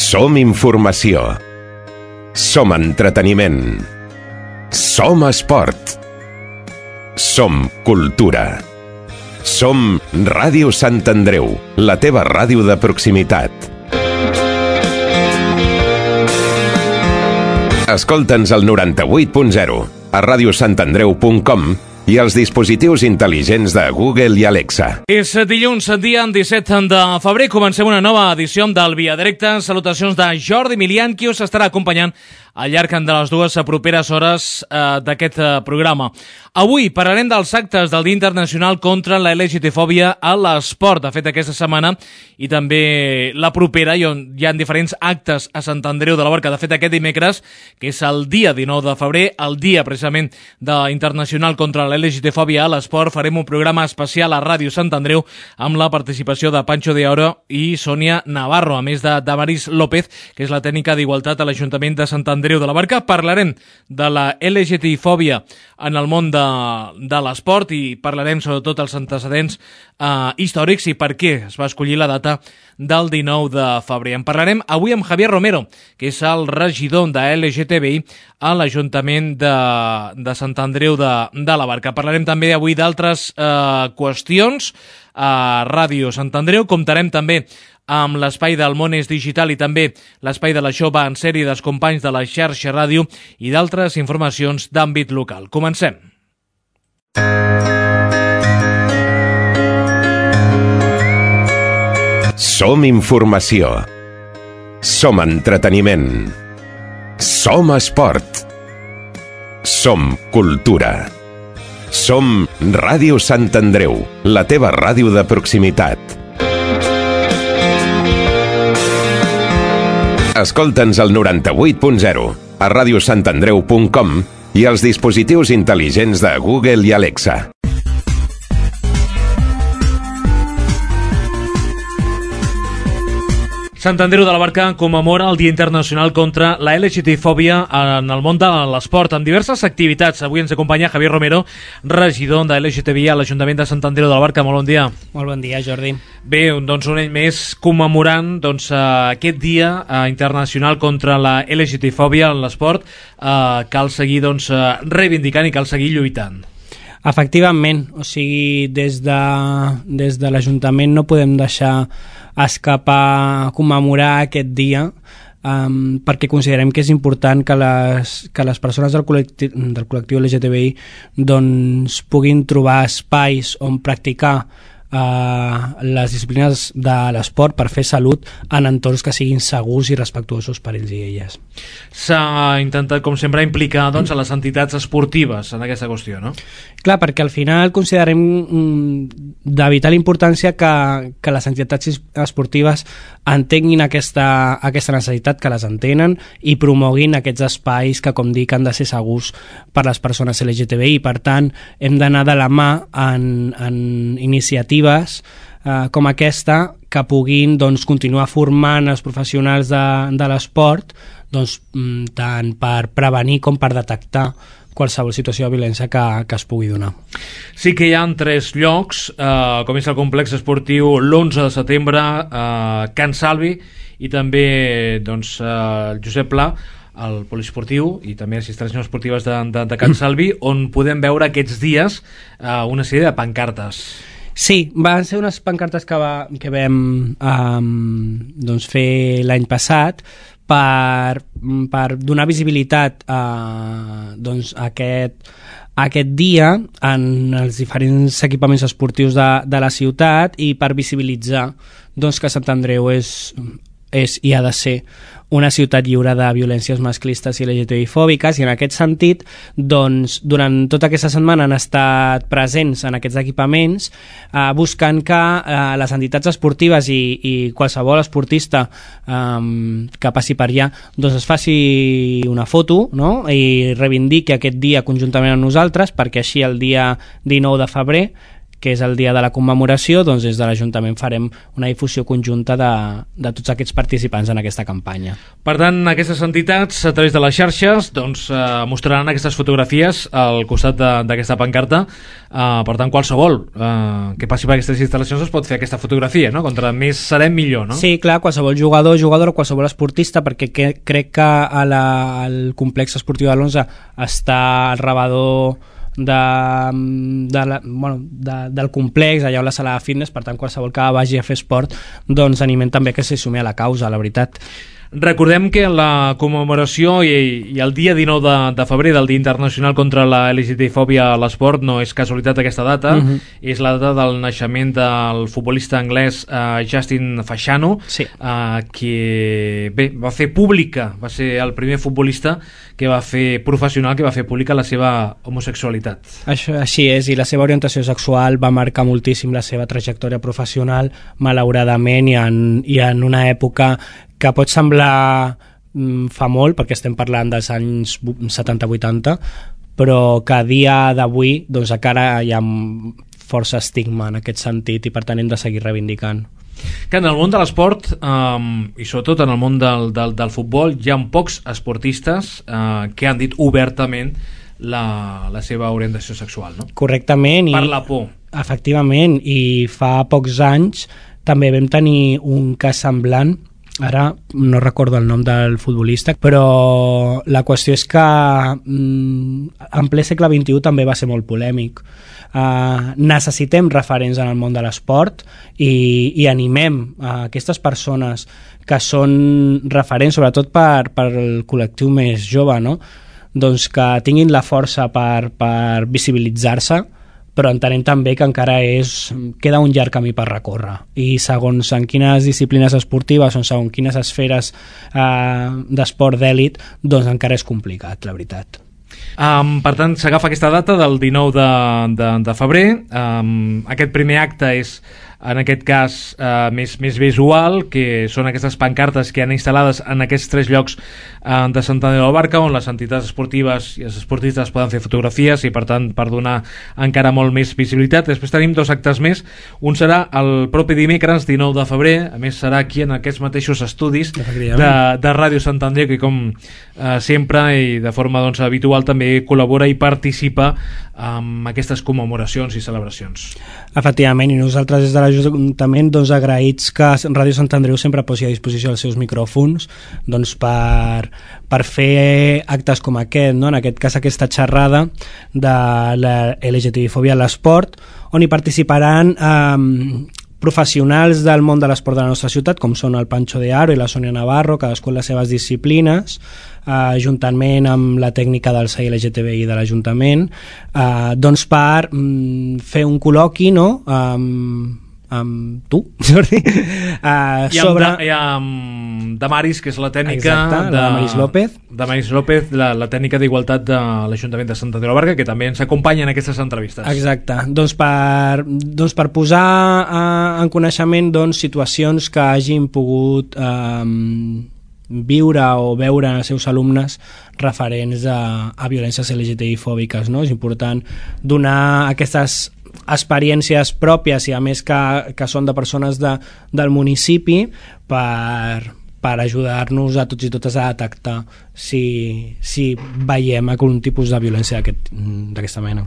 Som informació. Som entreteniment. Som esport. Som cultura. Som Ràdio Sant Andreu, la teva ràdio de proximitat. Escolta'ns al 98.0, a radiosantandreu.com i als dispositius intel·ligents de Google i Alexa. És dilluns, dia 17 de febrer. Comencem una nova edició del Via Directa. Salutacions de Jordi Milian, qui us estarà acompanyant al llarg de les dues properes hores d'aquest programa. Avui parlarem dels actes del Dia Internacional contra la LGTfòbia a l'esport. De fet, aquesta setmana i també la propera hi ha diferents actes a Sant Andreu de la Barca. De fet, aquest dimecres, que és el dia 19 de febrer, el dia precisament internacional contra la LGTfòbia a l'esport, farem un programa especial a Ràdio Sant Andreu amb la participació de Pancho de Oro i Sònia Navarro, a més de Damaris López, que és la tècnica d'Igualtat a l'Ajuntament de Sant Andreu de la Barca. Parlarem de la LGTfòbia en el món de l'esport i parlarem sobretot dels antecedents històrics i per què es va escollir la data del 19 de febrer. En parlarem avui amb Javier Romero, que és el regidor de LGTBI a l'Ajuntament de Sant Andreu de la Barca. Parlarem també avui d'altres qüestions a Ràdio Sant Andreu. Comptarem també amb l'espai del món és digital i també l'espai de la Jove en sèrie dels companys de la xarxa ràdio i d'altres informacions d'àmbit local. Comencem. Som informació. Som entreteniment. Som esport. Som cultura. Som Ràdio Sant Andreu, la teva ràdio de proximitat. Escolta'ns al 98.0, a radiosantandreu.com i als dispositius intel·ligents de Google i Alexa. Sant Andreu de la Barca commemora el Dia Internacional contra la LGTfòbia en el món de l'esport, amb diverses activitats. Avui ens acompanya Javier Romero, regidor de LGTBI a l'Ajuntament de Sant Andreu de la Barca. Molt bon dia. Molt bon dia, Jordi. Bé, doncs un any més commemorant aquest Dia Internacional contra la LGTfòbia en l'esport. Cal seguir reivindicant i cal seguir lluitant. Efectivament, o sigui, des de l'Ajuntament no podem deixar escapar commemorar aquest dia perquè considerem que és important que les persones del col·lectiu LGTBI doncs puguin trobar espais on practicar les disciplines de l'esport per fer salut en entorns que siguin segurs i respectuosos per ells i elles. S'ha intentat, com sempre, implicar a les entitats esportives en aquesta qüestió, no? Clar, perquè al final considerem de vital importància que les entitats esportives entenguin aquesta necessitat, que les entenen i promoguin aquests espais que, com dic, han de ser segurs per les persones LGTBI. Per tant, hem d'anar de la mà en iniciatives com aquesta que puguin continuar formant els professionals de l'esport tant per prevenir com per detectar qualsevol situació de violència que es pugui donar. Sí que hi ha 3 llocs, com és el complex esportiu l'11 de setembre, Can Salvi i també el Josep Pla, el poliesportiu i també les instal·lacions esportives de Can Salvi, on podem veure aquests dies una sèrie de pancartes. Sí, van ser unes pancartes que vam fer l'any passat per donar visibilitat a aquest dia en els diferents equipaments esportius de la ciutat i per visibilitzar que Sant Andreu és i ha de ser una ciutat lliure de violències masclistes i LGTBI-fòbiques, i en aquest sentit durant tota aquesta setmana han estat presents en aquests equipaments buscant que les entitats esportives i qualsevol esportista que passi per allà es faci una foto, no? I reivindiqui aquest dia conjuntament amb nosaltres, perquè així el dia 19 de febrer que és el dia de la commemoració, doncs des de l'Ajuntament farem una difusió conjunta de tots aquests participants en aquesta campanya. Per tant, aquestes entitats, a través de les xarxes, doncs, mostraran aquestes fotografies al costat d'aquesta pancarta. Per tant, qualsevol que passi per aquestes instal·lacions es pot fer aquesta fotografia, no? Contra més serem millor, no? Sí, clar, qualsevol jugador, qualsevol esportista, perquè crec que al complex esportiu de l'11 està al rebedor del complex, allà on la sala de fitness, per tant qualsevol que vagi a fer esport, doncs animem també que s'hi sumi a la causa, la veritat. Recordem que la commemoració i el dia 19 de febrer del Dia Internacional contra la LGTB-fòbia a l'esport no és casualitat aquesta data, és la data del naixement del futbolista anglès Justin Fashanu, sí. Que bé, va fer pública, va ser el primer futbolista que va fer professional, que va fer pública la seva homosexualitat. Això, així és, i la seva orientació sexual va marcar moltíssim la seva trajectòria professional, malauradament, i en una època que pot semblar fa molt, perquè estem parlant dels anys 70-80, però que a dia d'avui doncs encara hi ha força estigma en aquest sentit i per tant hem de seguir reivindicant. Que en el món de l'esport i sobretot en el món del futbol hi ha pocs esportistes que han dit obertament la seva orientació sexual, no? Correctament. Per la por. Efectivament, i fa pocs anys també vam tenir un cas semblant. Ara no recordo el nom del futbolista, però la qüestió és que en ple segle XXI també va ser molt polèmic. Necessitem referents en el món de l'esport i animem a aquestes persones que són referents, sobretot per el col·lectiu més jove, no? Doncs que tinguin la força per visibilitzar-se, però entenem també que encara queda un llarg camí per recórrer, i segons en quines disciplines esportives o segons quines esferes d'esport d'èlit, doncs encara és complicat, la veritat. Per tant, s'agafa aquesta data del 19 de febrer. Aquest primer acte és, en aquest cas, més visual, que són aquestes pancartes que han instal·lades en aquests 3 llocs de Sant Andreu de la Barca, on les entitats esportives i els esportistes poden fer fotografies i, per tant, per donar encara molt més visibilitat. Després tenim 2 actes més. Un serà el propi dimecres, 19 de febrer. A més, serà aquí en aquests mateixos estudis de Ràdio Sant Andreu, que com sempre i de forma habitual també col·labora i participa en aquestes commemoracions i celebracions. Efectivament, i nosaltres des de l'Ajuntament agraïts que Ràdio Sant Andreu sempre posi a disposició els seus micròfons per fer actes com aquest, no? En aquest cas aquesta xerrada de la LGTB-fòbia a l'esport, on hi participaran professionals del món de l'esport de la nostra ciutat, com són el Pancho de Aro i la Sònia Navarro, cadascú en les seves disciplines, juntament amb la tècnica del SAI LGTBI de l'Ajuntament, doncs per fer un col·loqui, no?, amb tu, Jordi, i amb Damaris, que és la tècnica. Exacte, de Damaris López. Damaris López, la tècnica d'igualtat de l'Ajuntament de Sant Andreu de la Barca, que també ens acompanya en aquestes entrevistes. Exacte, doncs per posar en coneixement situacions que hagin pogut viure o veure els seus alumnes referents a violències LGTBI-fòbiques, no? És important donar aquestes experiències pròpies i a més que són de persones del municipi per ajudar-nos a tots i totes a detectar si veiem algun tipus de violència d'aquesta mena.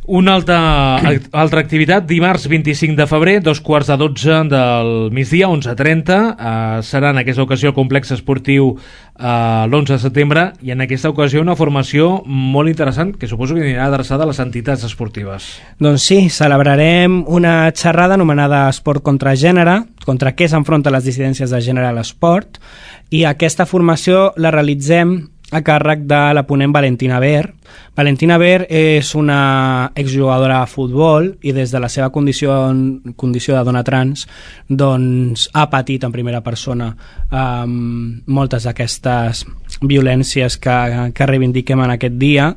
Una altra activitat, dimarts 25 de febrer, 11:15 del migdia, 11:30, serà en aquesta ocasió el complex esportiu l'11 de setembre, i en aquesta ocasió una formació molt interessant que suposo que anirà adreçada a les entitats esportives. Doncs sí, celebrarem una xerrada anomenada Esport contra Gènere, contra què s'enfronta les dissidències de gènere a l'esport, i aquesta formació la realitzem a càrrec de la ponent Valentina Ver. Valentina Ver és una exjugadora de futbol i des de la seva condició de dona trans doncs ha patit en primera persona moltes d'aquestes violències que reivindiquem en aquest dia.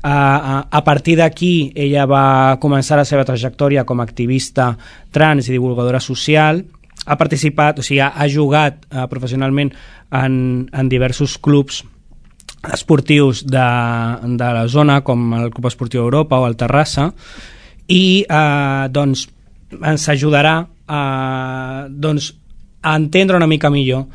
A partir d'aquí ella va començar la seva trajectòria com a activista trans i divulgadora social. Ha participat, o sigui, ha jugat professionalment en diversos clubs esportius de la zona, com el Club Esportiu Europa o el Terrassa, i doncs ens ajudarà a entendre una mica millor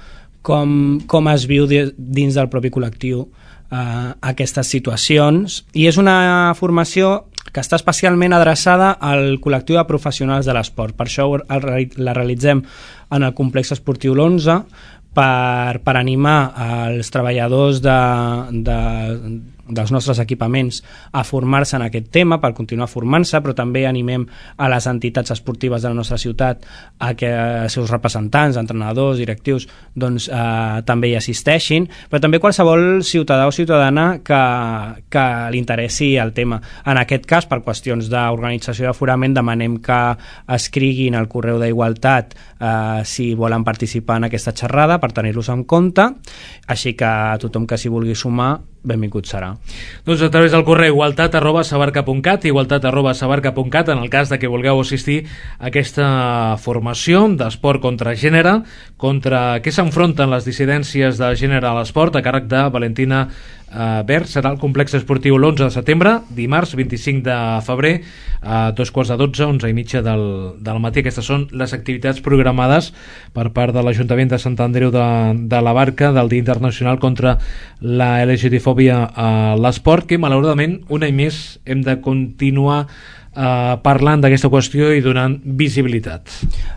com es viu dins del propi col·lectiu aquestes situacions, i és una formació que està especialment adreçada al col·lectiu de professionals de l'esport. Per això la realitzem en el complex esportiu l'11, per animar els treballadors dels nostres equipaments a formar-se en aquest tema, per continuar formant-se, però també animem a les entitats esportives de la nostra ciutat a que els seus representants, entrenadors, directius, doncs també hi assisteixin, però també qualsevol ciutadà o ciutadana que li interessi el tema. En aquest cas, per qüestions d'organització d'aforament, demanem que escriguin al correu d'Igualtat si volen participar en aquesta xerrada, per tenir-los en compte, així que tothom que s'hi vulgui sumar, benvingut serà. Doncs a través del correu igualtat@sabarca.cat, igualtat@sabarca.cat, en el cas de que vulgueu assistir a aquesta formació d'esport contra gènere, contra què s'enfronten les dissidències de gènere a l'esport, a càrrec de Valentina Bert. Serà al complex esportiu l'11 de setembre, dimarts 25 de febrer, a 2:15, 11:30 del matí. Aquestes són les activitats programades per part de l'Ajuntament de Sant Andreu de la Barca del Dia Internacional contra la LGTfòbia a l'esport, que malauradament un any més hem de continuar parlant d'aquesta qüestió i donant visibilitat.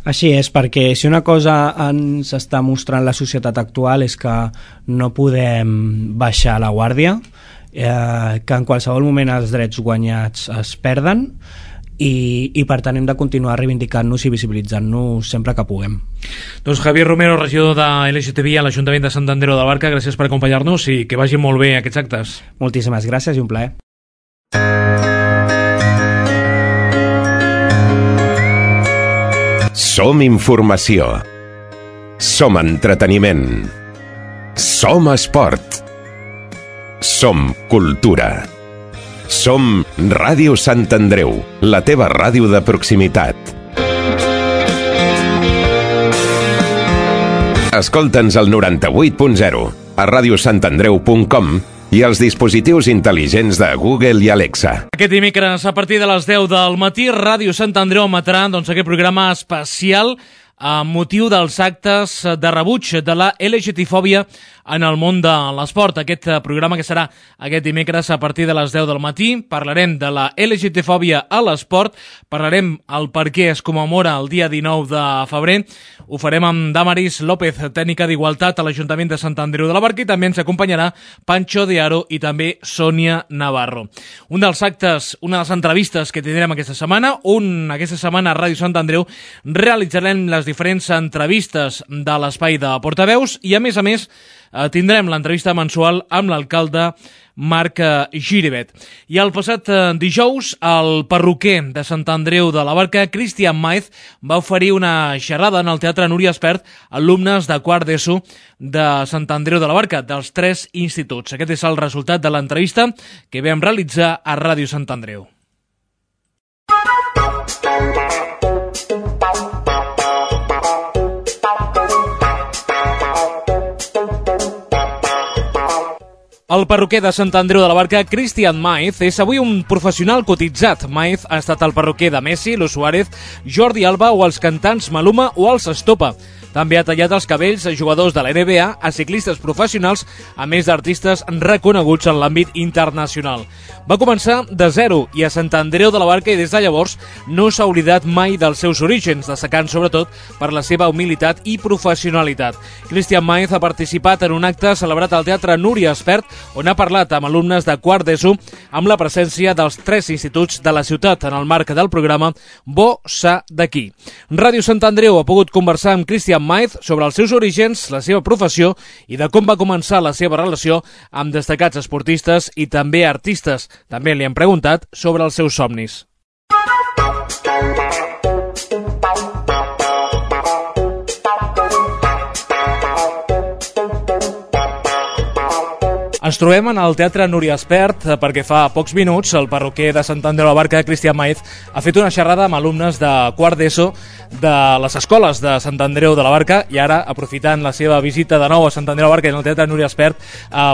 Així és, perquè si una cosa ens està mostrant la societat actual és que no podem baixar la guàrdia, que en qualsevol moment els drets guanyats es perden, i per tant hem de continuar reivindicant-nos i visibilitzant-nos sempre que puguem. Doncs Javier Romero, regidor de LGTBI a l'Ajuntament de Sant Andreu de la Barca, gràcies per acompanyar-nos i que vagin molt bé aquests actes. Moltíssimes gràcies i un plaer. Som informació. Som entreteniment. Som esport. Som cultura. Som Ràdio Sant Andreu, la teva ràdio de proximitat. Escolta'ns al 98.0, a radiosantandreu.com i els dispositius intel·ligents de Google i Alexa. Aquest dimecres, a partir de les 10 del matí, Ràdio Sant Andreu emetrà aquest programa especial amb motiu dels actes de rebuig de la LGTfòbia en el món de l'esport. Aquest programa que serà aquest dimecres a partir de les 10 del matí. Parlarem de la LGTfòbia a l'esport, parlarem el per què es commemora el dia 19 de febrer. Ho farem amb Damaris López, tècnica d'Igualtat a l'Ajuntament de Sant Andreu de la Barca, i també ens acompanyarà Pancho de Aro i també Sònia Navarro. Un dels actes, una de les entrevistes que tindrem aquesta setmana, aquesta setmana a Ràdio Sant Andreu realitzarem les diferents entrevistes de l'espai de portaveus i, a més, tindrem l'entrevista mensual amb l'alcalde Marc Giribet. I el passat dijous, el perruquer de Sant Andreu de la Barca, Cristian Maez, va oferir una xerrada en el Teatre Núria Espert a alumnes de quart d'ESO de Sant Andreu de la Barca, dels 3 instituts. Aquest és el resultat de l'entrevista que vam realitzar a Ràdio Sant Andreu. El perruquer de Sant Andreu de la Barca, Cristian Maez, és avui un professional cotitzat. Maez ha estat el perruquer de Messi, Luis Suárez, Jordi Alba o els cantants Maluma o els Estopa. També ha tallat els cabells a jugadors de la NBA, a ciclistes professionals, a més d'artistes reconeguts en l'àmbit internacional. Va començar de zero i a Sant Andreu de la Barca, i des de llavors no s'ha oblidat mai dels seus orígens, destacant sobretot per la seva humilitat i professionalitat. Cristian Maez ha participat en un acte celebrat al Teatre Núria Espert, on ha parlat amb alumnes de quart d'ESO amb la presència dels 3 instituts de la ciutat en el marc del programa Bo Sa d'aquí. Ràdio Sant Andreu ha pogut conversar amb Cristian Maez sobre els seus orígens, la seva professió i de com va començar la seva relació amb destacats esportistes i també artistes. També li han preguntat sobre els seus somnis. Ens trobem en el Teatre Núria Espert perquè fa pocs minuts el parroquer de Sant Andreu de la Barca, Cristian Maez, ha fet una xerrada amb alumnes de quart d'ESO de les escoles de Sant Andreu de la Barca i ara, aprofitant la seva visita de nou a Sant Andreu de la Barca i en el Teatre Núria Espert,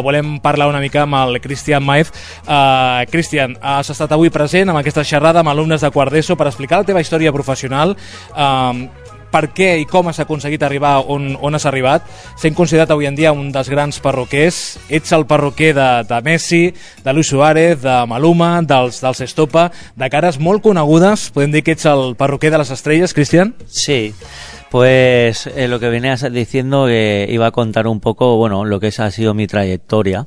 volem parlar una mica amb el Cristian Maez. Cristian, has estat avui present amb aquesta xerrada amb alumnes de quart d'ESO per explicar la teva història professional, per què i com has aconseguit arribar on has arribat, sent considerat avui en dia un dels grans parroquers. Ets el parroquer de Messi, de Luis Suárez, de Maluma, dels Estopa, de cares molt conegudes. Podem dir que ets el parroquer de les estrelles, Cristian? Sí, pues lo que venías diciendo, que iba a contar un poco, bueno, lo que ha sido mi trayectoria.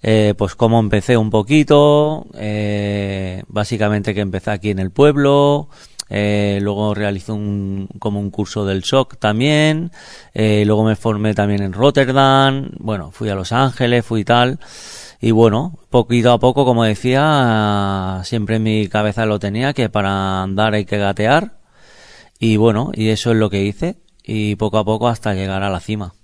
Pues cómo empecé un poquito, básicamente que empecé aquí en el pueblo. Luego realicé como un curso del SOC también, luego me formé también en Rotterdam, bueno, fui a Los Ángeles, fui tal, y bueno, poquito a poco, como decía, siempre en mi cabeza lo tenía, que para andar hay que gatear, y bueno, y eso es lo que hice, y poco a poco hasta llegar a la cima.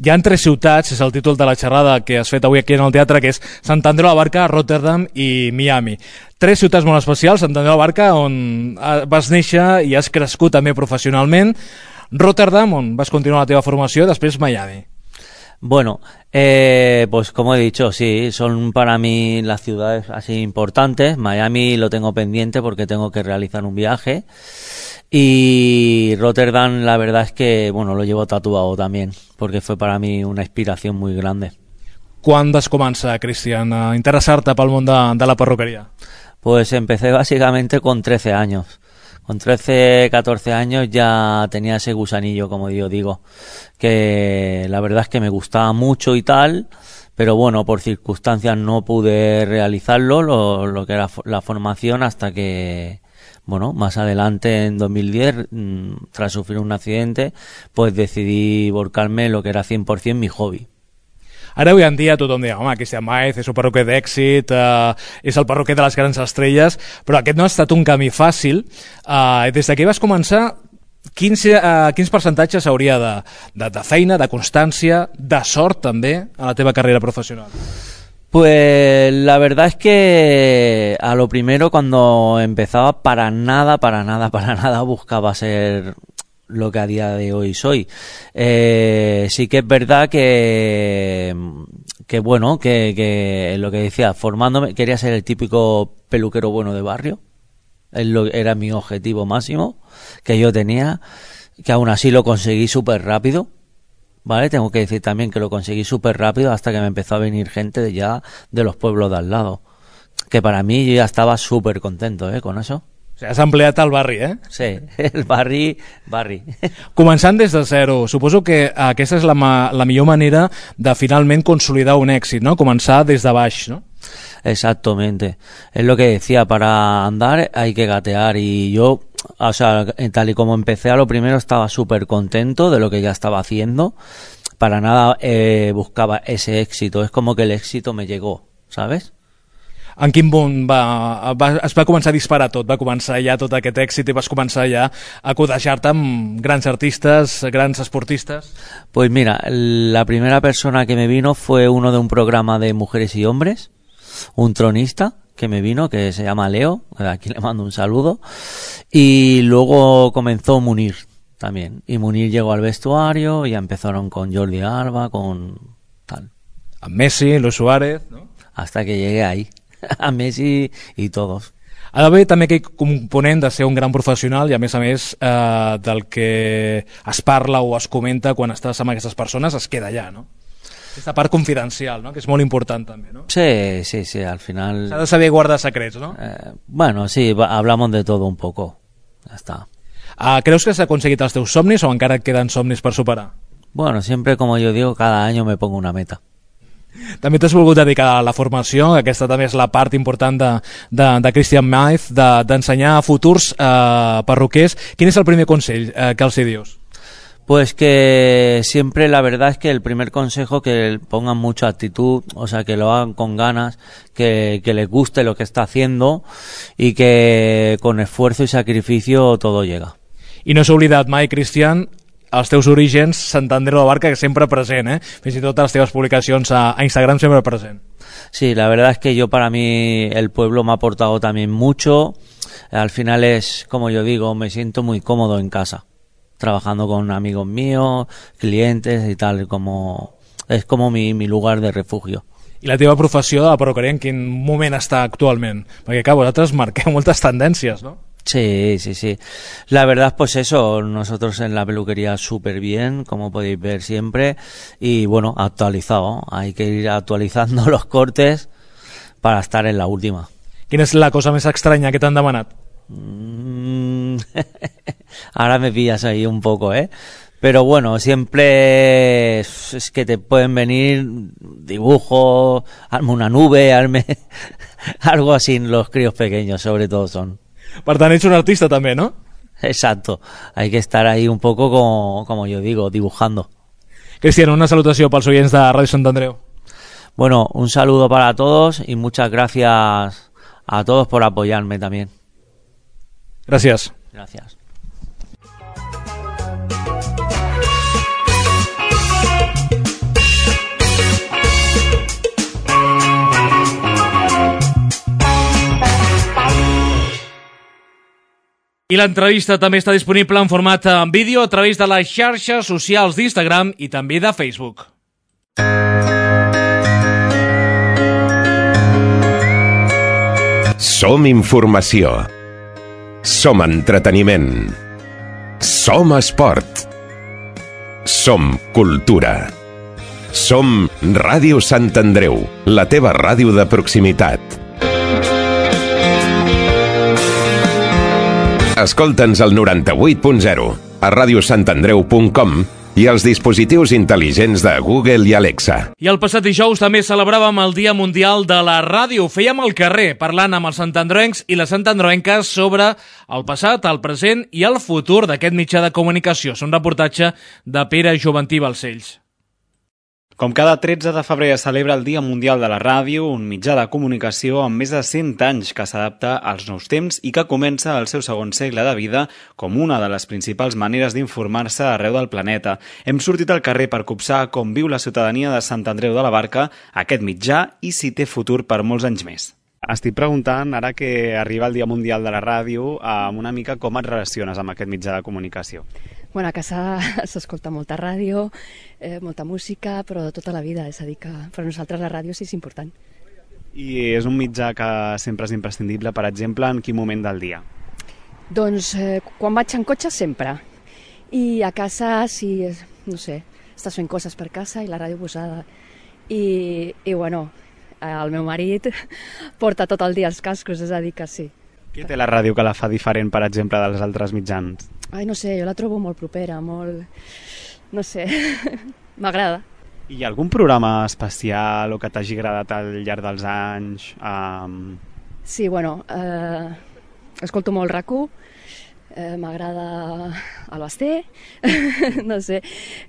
Hi ha 3 ciutats, és el títol de la xerrada que has fet avui aquí en el teatre, que és Sant Andreu de la Barca, Rotterdam i Miami. 3 ciutats molt especials: Sant Andreu de la Barca, on vas néixer i has crescut també professionalment; Rotterdam, on vas continuar la teva formació; després Miami. Bueno, pues como he dicho, sí, son para mí las ciudades así importantes. Miami lo tengo pendiente porque tengo que realizar un viaje. Y Rotterdam, la verdad es que, bueno, lo llevo tatuado también, porque fue para mí una inspiración muy grande. Quan vas començar, Cristian, a interessar-te pel món de la perruquería? Pues empecé básicamente con 13 años. Con 13, 14 años ya tenía ese gusanillo, como yo digo, que la verdad es que me gustaba mucho y tal, pero bueno, por circunstancias no pude realizarlo, lo que era la formación, hasta que, bueno, más adelante en 2010, tras sufrir un accidente, pues decidí volcarme en lo que era 100% mi hobby. Ara avui en dia tothom diu, home, Cristian Maez és un perruquer d'èxit, és el perruquer de les grans estrelles, però aquest no ha estat un camí fàcil. Des que vas començar, quins percentatges hauria de feina, de constància, de sort també a la teva carrera professional? Pues la verdad es que a lo primero, cuando empezaba, para nada buscaba ser lo que a día de hoy soy. Sí que es verdad que bueno, que lo que decía, formándome, quería ser el típico peluquero bueno de barrio. Era mi objetivo máximo que yo tenía, que aún así lo conseguí súper rápido. Vale, tengo que decir también que lo conseguí súper rápido, hasta que me empezó a venir gente de los pueblos de al lado, que para mí yo ya estaba súper contento con eso. O sigui, has empleat el barri, eh? Sí, el barri. Començant des de zero, suposo que aquesta és la millor manera de finalment consolidar un èxit, ¿no? Començar des de baix, ¿no? Exactamente, es lo que decía, para andar hay que gatear, y yo, o sea, tal y como empecé, a lo primero estaba súper contento de lo que ya estaba haciendo, para nada buscaba ese éxito, es como que el éxito me llegó, ¿sabes? En quin punt es va començar a disparar tot? Va començar ja tot aquest èxit i vas començar ja a codejar-te amb grans artistes, grans esportistes? Pues mira, la primera persona que me vino fue uno de un programa de mujeres y hombres, un tronista que me vino, que se llama Leo, aquí le mando un saludo, y luego comenzó Munir también, y Munir llegó al vestuario, y ya empezaron con Jordi Alba, con tal. A Messi, Luis Suárez, ¿no? Hasta que llegué ahí, a Messi y todos. Ha d'haver també aquell component de ser un gran professional i a més del que es parla o es comenta quan estàs amb aquestes persones es queda allà, no? Aquesta part confidencial, no? Que és molt important també, no? Sí, al final... S'ha de saber guardar secrets, no? Bueno, sí, hablamos de todo un poco, ya está. Creus que has aconseguit els teus somnis o encara et queden somnis per superar? Bueno, siempre, como yo digo, cada año me pongo una meta. També t'has volgut dedicar a la formació, aquesta també és la part important de Cristian Maez, d'ensenyar a futurs perruquers. Quin és el primer consell que els hi dius? Pues que siempre, la verdad es que el primer consejo, que pongan mucha actitud, o sea, que lo hagan con ganas, que les guste lo que está haciendo, y que con esfuerzo y sacrificio todo llega. I no s'ha oblidat mai, Cristian, els teus orígens, Sant Andreu de la Barca, que sempre present, fins i tot a les teves publicacions a Instagram sempre present. Sí, la verdad es que yo, para mí, el pueblo me ha aportado también mucho. Al final es, como yo digo, me siento muy cómodo en casa, trabajando con amigos míos, clientes y tal, es como mi lugar de refugio. I la teva professió de la perruqueria en quin moment està actualment? Perquè, clar, vosaltres marqueu moltes tendències, no? Sí, sí, sí. La verdad, pues eso, nosotros en la peluquería súper bien, como podéis ver siempre, y bueno, actualizado. Hay que ir actualizando los cortes para estar en la última. Quina és la cosa més estranya que t'han demanat? Ahora me pillas ahí un poco, Pero bueno, siempre es que te pueden venir dibujos, hazme una nube, hazme algo así, los críos pequeños sobre todo son. Per tant, ets un artista també, no? Exacto, hay que estar ahí un poco como yo digo, dibujando. Cristian, una salutació pels oients de Ràdio Sant Andreu. Bueno, un saludo para todos y muchas gracias a todos por apoyarme también. Gràcies. Gracias. I l'entrevista també està disponible en format en vídeo a través de les xarxes socials d'Instagram i també de Facebook. Som informació. Som entreteniment. Som esport. Som cultura. Som Ràdio Sant Andreu, la teva ràdio de proximitat. Escolta'ns al 98.0, a radiosantandreu.com i als dispositius intel·ligents de Google i Alexa. I el passat dijous també celebràvem el Dia Mundial de la Ràdio. Fèiem al carrer, parlant amb els santandroencs i les santandroenques sobre el passat, el present i el futur d'aquest mitjà de comunicació. És un reportatge de Pere Joventí Balcells. Com cada 13 de febrer es celebra el Dia Mundial de la Ràdio, un mitjà de comunicació amb més de 100 anys que s'adapta als nous temps i que comença el seu segon segle de vida com una de les principals maneres d'informar-se arreu del planeta. Hem sortit al carrer per copsar com viu la ciutadania de Sant Andreu de la Barca aquest mitjà i si té futur per molts anys més. Estic preguntant, ara que arriba el Dia Mundial de la Ràdio, una mica com et relaciones amb aquest mitjà de comunicació. Bueno, a casa s'escolta molta ràdio, molta música, però de tota la vida, és a dir que per nosaltres la ràdio sí és important. I és un mitjà que sempre és imprescindible, per exemple, en quin moment del dia? Doncs quan vaig en cotxe sempre, i a casa sí, no sé, estàs fent coses per casa i la ràdio posada. I bueno, el meu marit porta tot el dia els cascos, és a dir que sí. Què té la ràdio que la fa diferent, per exemple, dels altres mitjans? Ai, no sé, jo la trobo molt propera, molt... no sé, m'agrada. I hi ha algun programa especial o que t'hagi agradat al llarg dels anys? Sí, bueno, escolto molt RAC1, m'agrada el Basté, no sé,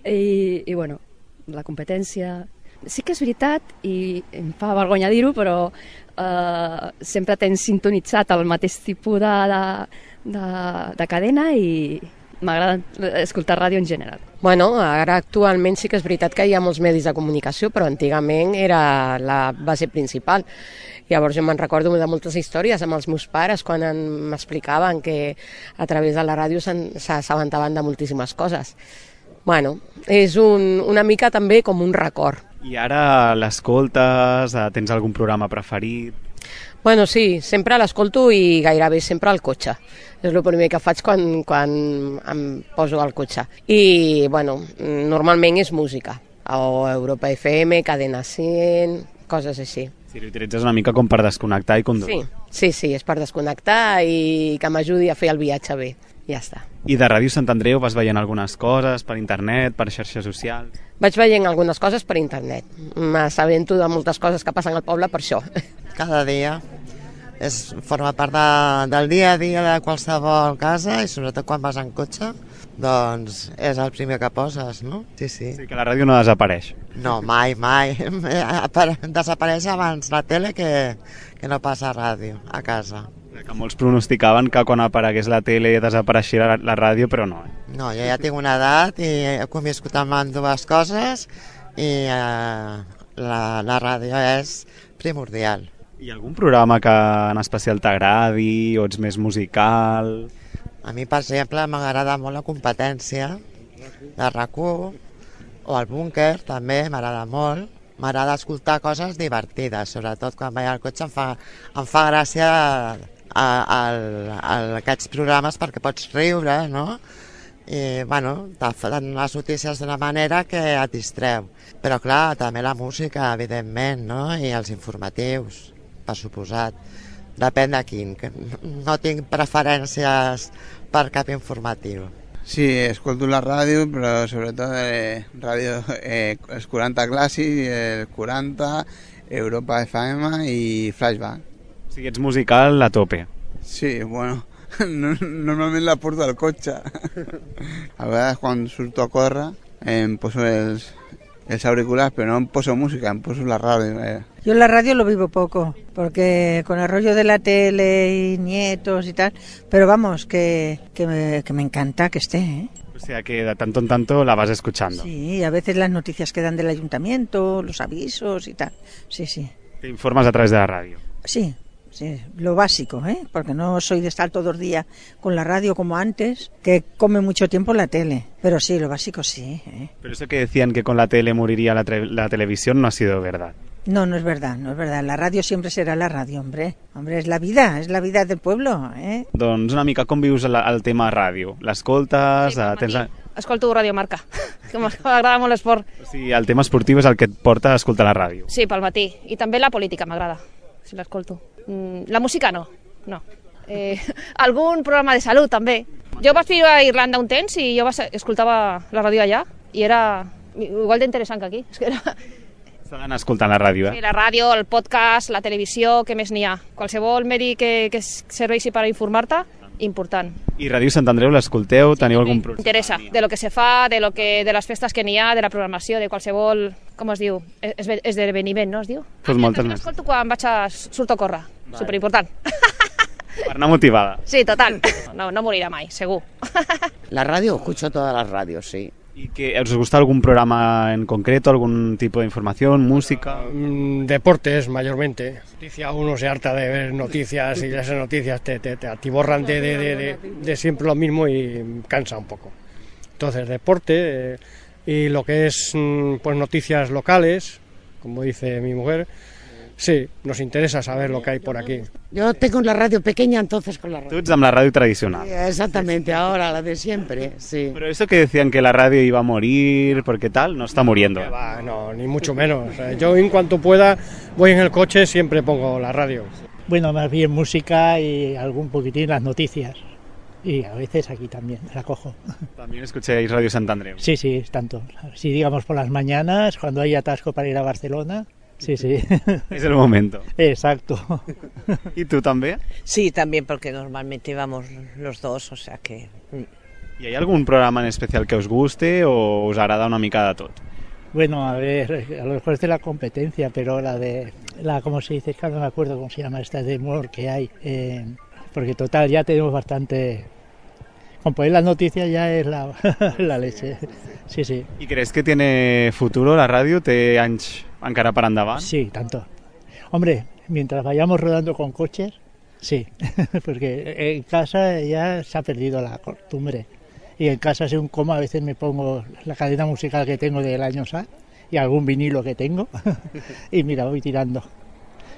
i bueno, la competència... Sí que és veritat, i em fa vergonya dir-ho, però sempre tens sintonitzat el mateix tipus de cadena i m'agrada escoltar ràdio en general. Bueno, ara actualment sí que és veritat que hi ha molts medis de comunicació, però antigament era la base principal. Llavors jo me'n recordo de moltes històries amb els meus pares quan m'explicaven que a través de la ràdio s'assabentaven de moltíssimes coses. Bueno, és una mica també com un record. I ara l'escoltes? Tens algun programa preferit? Bueno, sí, sempre l'escolto i gairebé sempre al cotxe. És el primer que faig quan em poso al cotxe. I, bueno, normalment és música. O Europa FM, Cadena 100, coses així. Sí, l'utilitzes una mica com per desconnectar i conduir. Sí, és per desconnectar i que m'ajudi a fer el viatge bé. Ja està. I de Ràdio Sant Andreu vas veient algunes coses per internet, per xarxes socials? Vaig veient algunes coses per internet. M'assabento de moltes coses que passen al poble per això. Cada dia forma part del dia a dia de qualsevol casa i sobretot quan vas en cotxe, doncs és el primer que poses, no? Sí. Sí, que la ràdio no desapareix. No, mai. Desapareix abans la tele que no passa ràdio a casa. Que molts pronosticaven que quan aparegués la tele desapareixia la ràdio, però no. No, jo ja tinc una edat i he conviscut amb dues coses i la ràdio és primordial. Hi ha algun programa que en especial t'agradi o ets més musical? A mi, per exemple, m'agrada molt la competència de RAC1 o el búnquer, també m'agrada molt. M'agrada escoltar coses divertides, sobretot quan vaig al cotxe em fa gràcia aquests programes perquè pots riure, no? I, bueno, te fan les notícies d'una manera que et distreu. Però, clar, també la música, evidentment, no? I els informatius, per suposat. Depèn de quin. No tinc preferències per cap informatiu. Sí, escolto la ràdio, però sobretot ràdio, els 40 clàssics, el 40, Europa FM i Flashback. O sigui, ets musical a tope. Sí, bueno, normalment la porto al cotxe. A vegades quan surto a córrer em poso els auriculares, pero no me poso música, me poso la radio. Yo la radio lo vivo poco, porque con el rollo de la tele y nietos y tal, pero vamos, que me encanta que esté, ¿eh? O sea que de tanto en tanto la vas escuchando. Sí, a veces las noticias que dan del ayuntamiento, los avisos y tal, sí, sí. Te informas a través de la radio. Sí, sí, lo básico, ¿eh? Porque no soy de estar todo el día con la radio como antes, que come mucho tiempo la tele. Pero sí, lo básico sí, ¿eh? Pero eso que decían que con la tele moriría la televisión no ha sido verdad. No, no es verdad, no es verdad. La ràdio sempre serà la ràdio, hombre. Hombre, és la vida del pueblo, eh? Doncs una mica com vius el tema ràdio? L'escoltes? Sí, escolto Radio Marca, que m'agrada molt l'esport. O sigui, el tema esportiu és el que et porta a escoltar la ràdio. Sí, pel matí. I també la política m'agrada, si l'escolto. La música no. Algun programa de salut també. Jo vaig viure a Irlanda un temps i jo escoltava la ràdio allà i era igual d'interessant que aquí. És que era... S'ha d'anar escoltant la ràdio, eh? Sí, la ràdio, el podcast, la televisió, què més n'hi ha? Qualsevol medi que serveixi per informar-te, important. I Ràdio Sant Andreu l'escolteu? Teniu algun programa? Interessa, de lo que se fa, de les festes que n'hi ha, de la programació, de qualsevol, com es diu, esdeveniment, no es diu? Pues moltes més. L'escolto quan surto a córrer, superimportant. Per anar motivada. Sí, total. No morirà mai, segur. La radio, escucho todas las radios, sí. ¿Y que os gusta algún programa en concreto, algún tipo de información, música? Deportes, mayormente. Uno se harta de ver noticias y esas noticias te atiborran de siempre lo mismo y cansa un poco. Entonces, deporte y lo que es pues noticias locales, como dice mi mujer, sí, nos interesa saber lo que hay por aquí. Yo tengo la radio pequeña, entonces con la radio. Tú ets amb la radio tradicional. Sí, exactamente, ahora la de siempre, sí. Pero eso que decían que la radio iba a morir, porque tal, no está muriendo. No, ni mucho menos. Yo en cuanto pueda voy en el coche, siempre pongo la radio. Bueno, más bien música y algún poquitín las noticias. Y a veces aquí también la cojo. ¿También escucháis Radio Sant Andreu? Sí, tanto. Si digamos por las mañanas, cuando hay atasco para ir a Barcelona... Sí. Es el momento. Exacto. ¿Y tú también? Sí, también, porque normalmente vamos los dos, o sea que... ¿Y hay algún programa en especial que os guste o os agrada una mica de tot? Bueno, a ver, a lo mejor es de la competencia, pero ¿cómo se dice? Es que no me acuerdo cómo se llama esta de humor que hay. Porque total, ya tenemos bastante... Con poner las noticias ya es la leche. Sí. ¿Y crees que tiene futuro la radio? ¿Té anys encara per endavant? Sí, tanto. Hombre, mientras vayamos rodando con coches, sí. Porque en casa ya se ha perdido la costumbre. Y en casa, según como, a veces me pongo la cadena musical que tengo del año SA y algún vinilo que tengo. Y mira, voy tirando.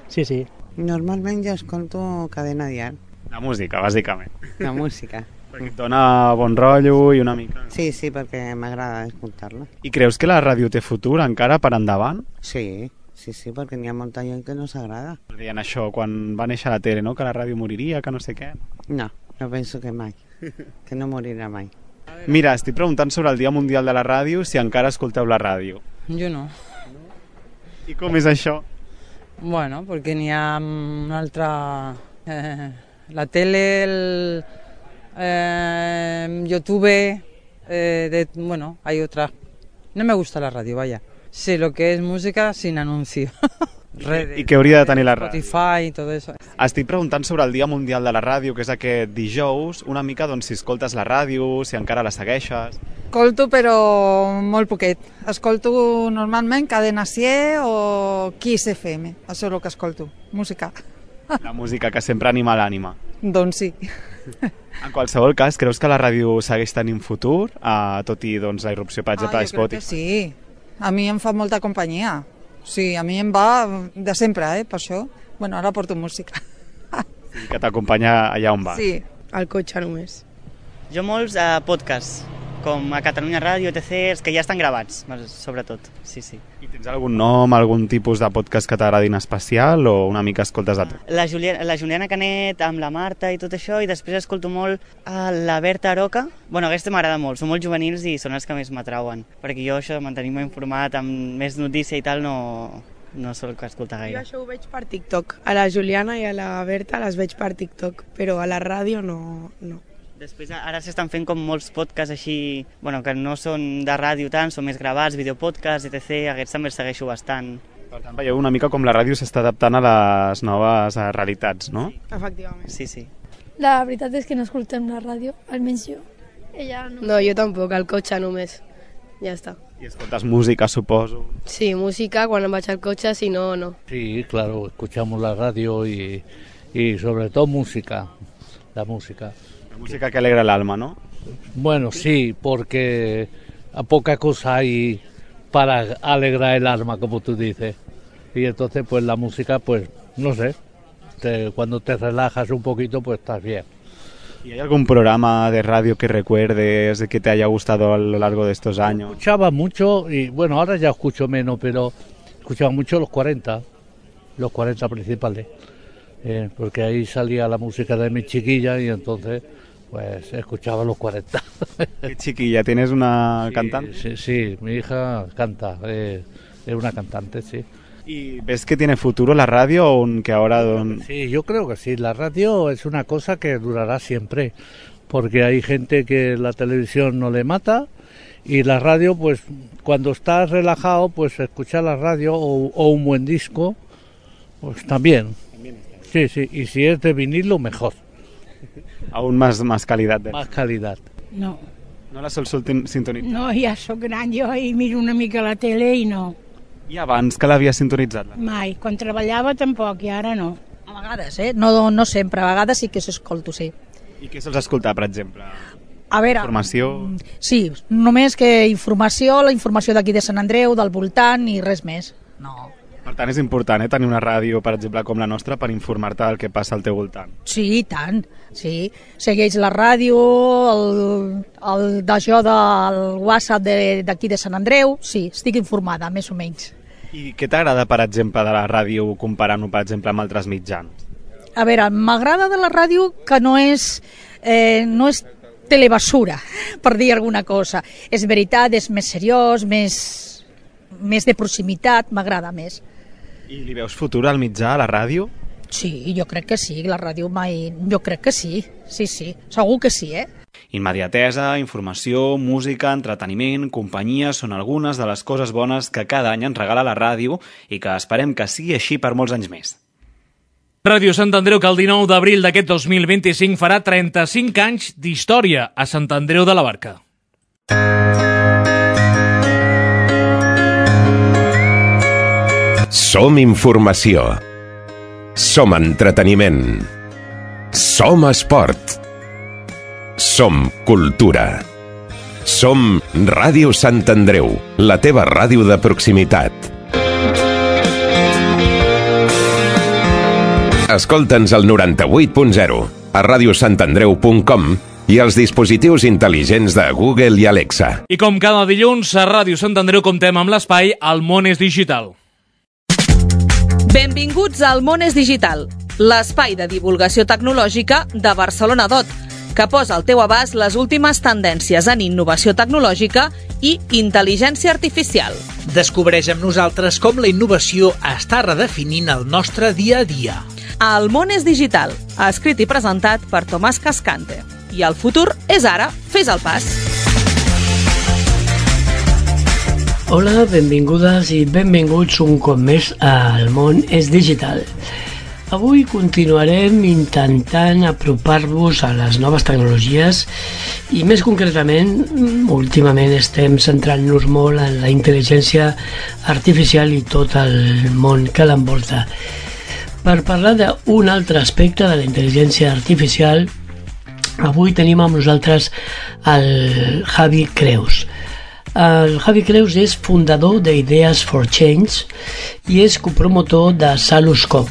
Sí. Normalment jo escolto cadena dial. La música, bàsicament. La música. Perquè et dona bon rotllo i una mica... Sí, perquè m'agrada escoltar-la. I creus que la ràdio té futur encara per endavant? Sí, perquè n'hi ha molta gent que no s'agrada. Deien això quan va néixer la tele, no? Que la ràdio moriria, que no sé què. No penso que mai, que no morirà mai. Mira, estic preguntant sobre el Dia Mundial de la Ràdio, si encara escolteu la ràdio. Jo no. I com és això? Bueno, perquè n'hi ha una altra... la tele, YouTube, bueno, hay otras. No me gusta la radio, vaya. Sé lo que es música sin anuncio. redes. I què hauria de tenir la ràdio? Spotify y todo eso. Estic preguntant sobre el Dia Mundial de la Ràdio, que és aquest dijous, una mica doncs, si escoltes la ràdio, si encara la segueixes... Escolto, però molt poquet. Escolto normalment Cadena 100 o Kiss FM. Això és el que escolto. Música. La música que sempre anima l'ànima. Doncs sí. En qualsevol cas, creus que la ràdio segueix tenint futur, tot i doncs, la irrupció, per exemple, de Jo crec que Spotify? sí. A mi em fa molta companyia. Sí, a mi em va de sempre, per això. Bueno, ara porto música. I que t'acompanya allà on vas. Sí. Al cotxe només. Jo molts podcasts, com a Catalunya Ràdio, etc., els que ja estan gravats, sobretot. Sí, sí. I tens algun nom, algun tipus de podcast que t'agradin especial o una mica escoltes de tot? La Juliana Canet amb la Marta i tot això, i després escolto molt la Berta Aroca. Bueno, aquesta m'agrada molt, són molt juvenils i són els que més m'atrauen, perquè jo això de mantenir-me informat amb més notícia i tal no sol escoltar gaire. Jo això ho veig per TikTok. A la Juliana i a la Berta les veig per TikTok, però a la ràdio no. Després ara s'estan fent com molts podcasts així, bueno, que no són de ràdio tant, són més gravats, videopodcasts, etc. Aquests també els segueixo bastant. Per tant, veieu una mica com la ràdio s'està adaptant a les noves realitats, no? Efectivament. Sí, sí. La veritat és que no escoltem la ràdio, almenys jo. Ella no. No, jo tampoc, al cotxe només. Ja està. I escoltes música, suposo. Sí, música quan em vaig al cotxe, si no, no. Sí, claro, escuchamos la radio y sobre todo música, la música. La música que alegra el alma, ¿no? Bueno, sí, porque a poca cosa hay para alegrar el alma, como tú dices. Y entonces, pues la música, pues, no sé, cuando te relajas un poquito, pues estás bien. ¿Y hay algún programa de radio que recuerdes, que te haya gustado a lo largo de estos años? Escuchaba mucho, y bueno, ahora ya escucho menos, pero escuchaba mucho los 40 principales. Porque ahí salía la música de mi chiquilla y entonces pues escuchaba los 40. ¿Qué chiquilla? ¿Tienes una cantante? Sí, mi hija canta, es una cantante, sí. ¿Y ves que tiene futuro la radio o que ahora...? Sí, yo creo que sí, la radio es una cosa que durará siempre, porque hay gente que la televisión no le mata y la radio, pues cuando estás relajado, pues escuchar la radio o un buen disco, pues también. Sí, sí, y si es de vinilo, mejor. Aún más calidad. Más calidad. No. No la sol sintonitzar? No, ja sóc gran jo i miro una mica la tele i no. I abans que l'havia sintonitzat? Mai. Quan treballava tampoc i ara no. A vegades, no sempre. A vegades sí que s'escolto, sí. I què sols escoltar, per exemple? A veure... Informació? Sí, només que informació, la informació d'aquí de Sant Andreu, del voltant i res més. No. Per tant, és important tenir una ràdio, per exemple, com la nostra, per informar-te del que passa al teu voltant. Sí, i tant, sí. Segueix la ràdio, d'això del WhatsApp d'aquí de Sant Andreu, sí, estic informada, més o menys. I què t'agrada, per exemple, de la ràdio comparant-ho, per exemple, amb altres mitjans? A veure, m'agrada de la ràdio que no és telebasura, per dir alguna cosa. És veritat, és més seriós, més de proximitat, m'agrada més. I li veus futur al mitjà, a la ràdio? Sí, jo crec que sí, la ràdio mai... Jo crec que sí, sí, segur que sí, Immediatesa, informació, música, entreteniment, companyia són algunes de les coses bones que cada any ens regala la ràdio i que esperem que sigui així per molts anys més. Ràdio Sant Andreu, que el 19 d'abril d'aquest 2025 farà 35 anys d'història a Sant Andreu de la Barca. Som informació. Som entreteniment. Som esport. Som cultura. Som Ràdio Sant Andreu, la teva ràdio de proximitat. Escolta'ns al 98.0, a radiosantandreu.com i als dispositius intel·ligents de Google i Alexa. I com cada dilluns, a Ràdio Sant Andreu comptem amb l'espai El món és digital. Benvinguts al Món és Digital, l'espai de divulgació tecnològica de Barcelona Dot, que posa al teu abast les últimes tendències en innovació tecnològica i intel·ligència artificial. Descobreix amb nosaltres com la innovació està redefinint el nostre dia a dia. El Món és Digital, escrit i presentat per Tomàs Cascante. I el futur és ara, fes el pas. Hola, benvingudes i benvinguts un cop més al món és digital. Avui continuarem intentant apropar-vos a les noves tecnologies i més concretament, últimament estem centrant-nos molt en la intel·ligència artificial i tot el món que l'envolta. Per parlar d'un altre aspecte de la intel·ligència artificial, avui tenim amb nosaltres el Javi Creus. El Javi Creus és fundador d'Ideas for Change i és copromotor de Saluscop.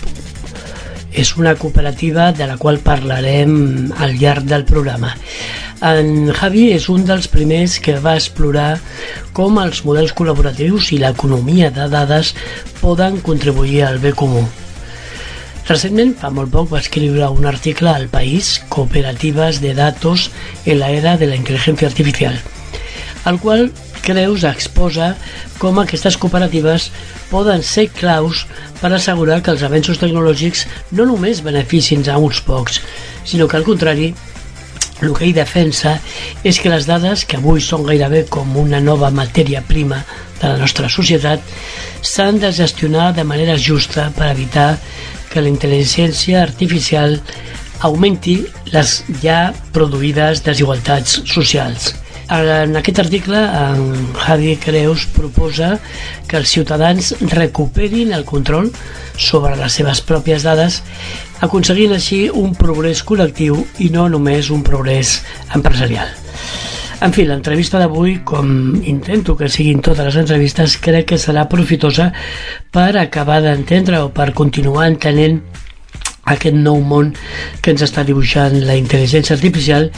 És una cooperativa de la qual parlarem al llarg del programa. En Javi és un dels primers que va explorar com els models col·laboratius i l'economia de dades poden contribuir al bé comú. Recentment, fa molt poc, va escriure un article al País, Cooperativas de Datos en la era de la inteligencia artificial, al qual Creus exposa com aquestes cooperatives poden ser claus per assegurar que els avenços tecnològics no només beneficien a uns pocs, sinó que al contrari, el que ell defensa és que les dades, que avui són gairebé com una nova matèria prima de la nostra societat, s'han de gestionar de manera justa per evitar que la intel·ligència artificial augmenti les ja produïdes desigualtats socials. En aquest article, en Javi Creus proposa que els ciutadans recuperin el control sobre les seves pròpies dades, aconseguint així un progrés col·lectiu i no només un progrés empresarial. En fi, l'entrevista d'avui, com intento que siguin totes les entrevistes, crec que serà profitosa per acabar d'entendre o per continuar entenent aquest nou món que ens està dibuixant la intel·ligència artificial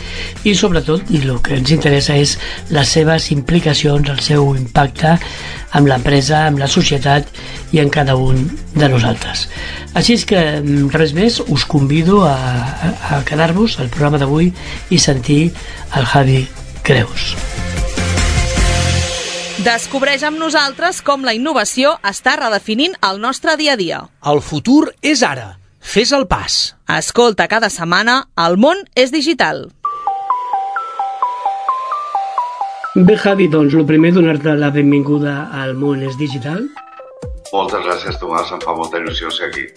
i sobretot, i el que ens interessa és les seves implicacions, el seu impacte amb l'empresa, amb la societat i en cada un de nosaltres. Així és que res més, us convido a quedar-vos al programa d'avui i sentir el Javi Creus. Descobreix amb nosaltres com la innovació està redefinint el nostre dia a dia. El futur és ara. Fes el pas. Escolta cada setmana El món és digital. Bé, Javi, doncs el primer donar-te la benvinguda al món és digital. Moltes gràcies, Tomàs, em fa molta il·lusió ser aquí.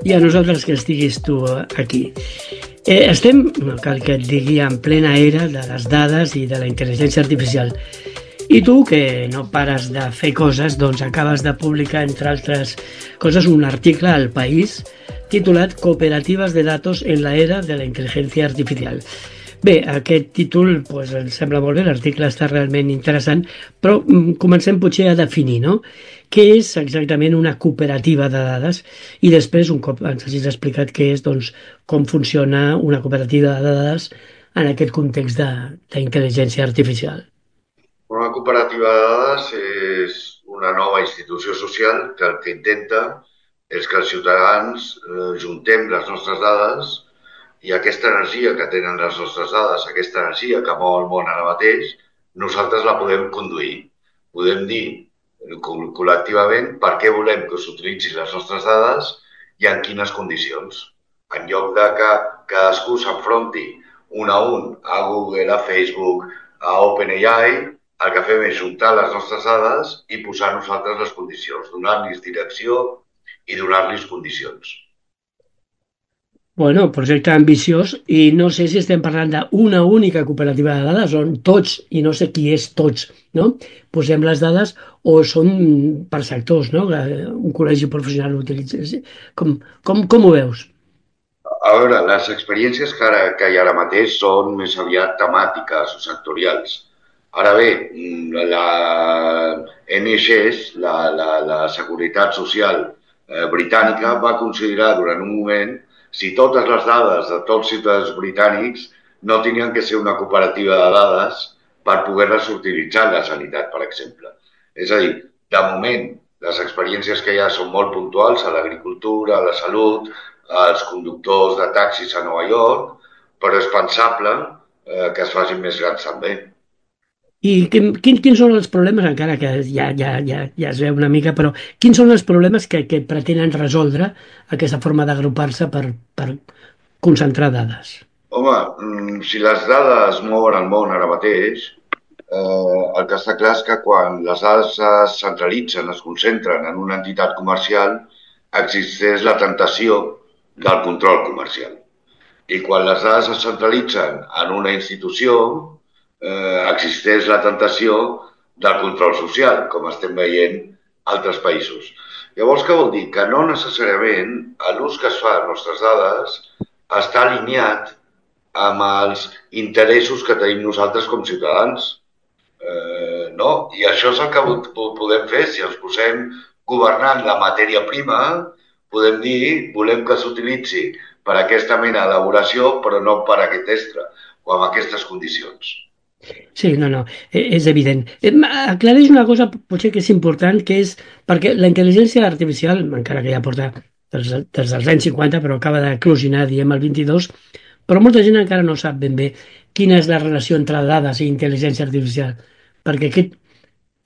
I a nosaltres que estiguis tu aquí. Estem, no cal que et digui, en plena era de les dades i de la intel·ligència artificial. I tu, que no pares de fer coses, doncs acabes de publicar, entre altres coses, un article al País titulat Cooperativas de Datos en la era de la inteligencia artificial. Bé, aquest títol doncs, ens sembla molt bé, l'article està realment interessant, però comencem potser a definir, no? Què és exactament una cooperativa de dades? I després, un cop ens hagis explicat què és, doncs, com funciona una cooperativa de dades en aquest context d'intel·ligència artificial. Una cooperativa de dades és una nova institució social que el que intenta és que els ciutadans juntem les nostres dades i aquesta energia que tenen les nostres dades, aquesta energia que mou el món ara mateix, nosaltres la podem conduir. Podem dir col·lectivament per què volem que s'utilitzin les nostres dades i en quines condicions. En lloc de que cadascú s'enfronti un a Google, a Facebook, a OpenAI, el que fem és juntar les nostres dades i posar nosaltres les condicions, donar-los direcció i donar-los condicions. Bueno, projecte ambiciós, i no sé si estem parlant d'una única cooperativa de dades, on tots, i no sé qui és tots, no? Posem les dades o són per sectors, no? Un col·legi professional ho utilitza. Com ho veus? A veure, les experiències que hi ha ara mateix són més aviat temàtiques o sectorials. Ara bé, la NHS, la Seguretat Social britànica, va considerar durant un moment si totes les dades de tots els ciutadans britànics no tenien que ser una cooperativa de dades per poder-les utilitzar en la sanitat, per exemple. És a dir, de moment, les experiències que hi ha són molt puntuals a l'agricultura, a la salut, als conductors de taxis a Nova York, però és pensable que es facin més grans també. I quins són els problemes, encara que ja es veu una mica, però quins són els problemes que pretenen resoldre aquesta forma d'agrupar-se per concentrar dades? Home, si les dades mouen el món ara mateix, el que està clar és que quan les dades es centralitzen, es concentren en una entitat comercial, existeix la tentació del control comercial. I quan les dades es centralitzen en una institució, existeix la tentació del control social, com estem veient a altres països. Llavors, què vol dir? Que no necessàriament l'ús que es fa de les nostres dades està alineat amb els interessos que tenim nosaltres com ciutadans. No? I això és el que podem fer. Si ens posem governant la matèria prima, podem dir volem que s'utilitzi per aquesta mena d'elaboració, però no per aquest extra o amb aquestes condicions. Sí, no, és evident. Aclareix una cosa, potser que és important, que és perquè la intel·ligència artificial, encara que ja porta des dels anys 50, però acaba d'eclosionar, diem, el 22, però molta gent encara no sap ben bé quina és la relació entre dades i intel·ligència artificial. Perquè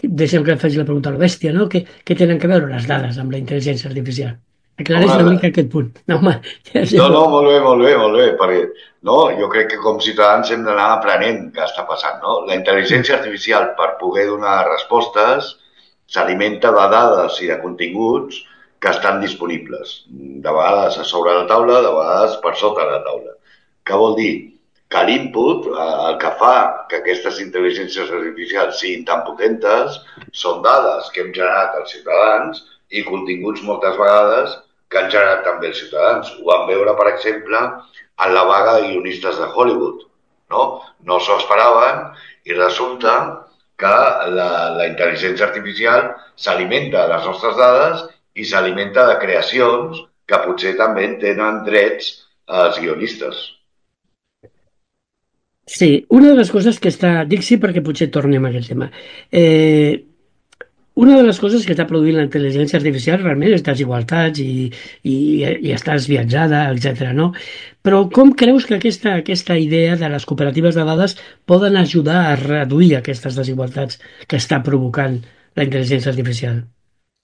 deixem que faci la pregunta a la bèstia, no? Què tenen a veure les dades amb la intel·ligència artificial? Aclareix una mica aquest punt. No, molt bé, perquè jo crec que com ciutadans hem d'anar aprenent què està passant. La intel·ligència artificial, per poder donar respostes, s'alimenta de dades i de continguts que estan disponibles. De vegades a sobre la taula, de vegades per sota la taula. Què vol dir? Que l'input, el que fa que aquestes intel·ligències artificials siguin tan potentes, són dades que hem generat els ciutadans i continguts moltes vegades que han generat també els ciutadans. Ho vam veure, per exemple, en la vaga de guionistes de Hollywood. No s'ho esperaven i resulta que la intel·ligència artificial s'alimenta de les nostres dades i s'alimenta de creacions que potser també tenen drets als guionistes. Sí, una de les coses que està... Dic sí perquè potser tornem a aquest tema. Una de les coses que està produint la intel·ligència artificial realment és desigualtats i estàs viatjada, etc. No? Però com creus que aquesta idea de les cooperatives de dades poden ajudar a reduir aquestes desigualtats que està provocant la intel·ligència artificial?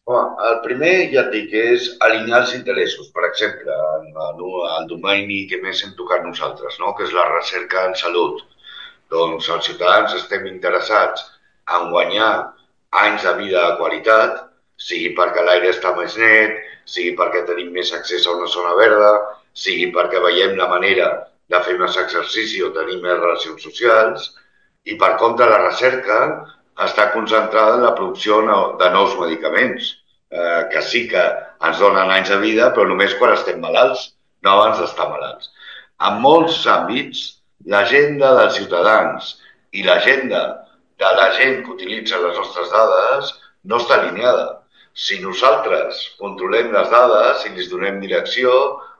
El primer, ja et dic, és alinear els interessos. Per exemple, el domini que més hem tocat nosaltres, que és la recerca en salut. Doncs els ciutadans estem interessats en guanyar anys de vida de qualitat, sigui perquè l'aire està més net, sigui perquè tenim més accés a una zona verda, sigui perquè veiem la manera de fer més exercici o tenir més relacions socials, i per contra la recerca està concentrada en la producció de nous medicaments, que sí que ens donen anys de vida, però només quan estem malalts, no abans d'estar malalts. En molts àmbits, l'agenda dels ciutadans i l'agenda de la gent que utilitza les nostres dades no està alineada. Si nosaltres controlem les dades i les donem direcció,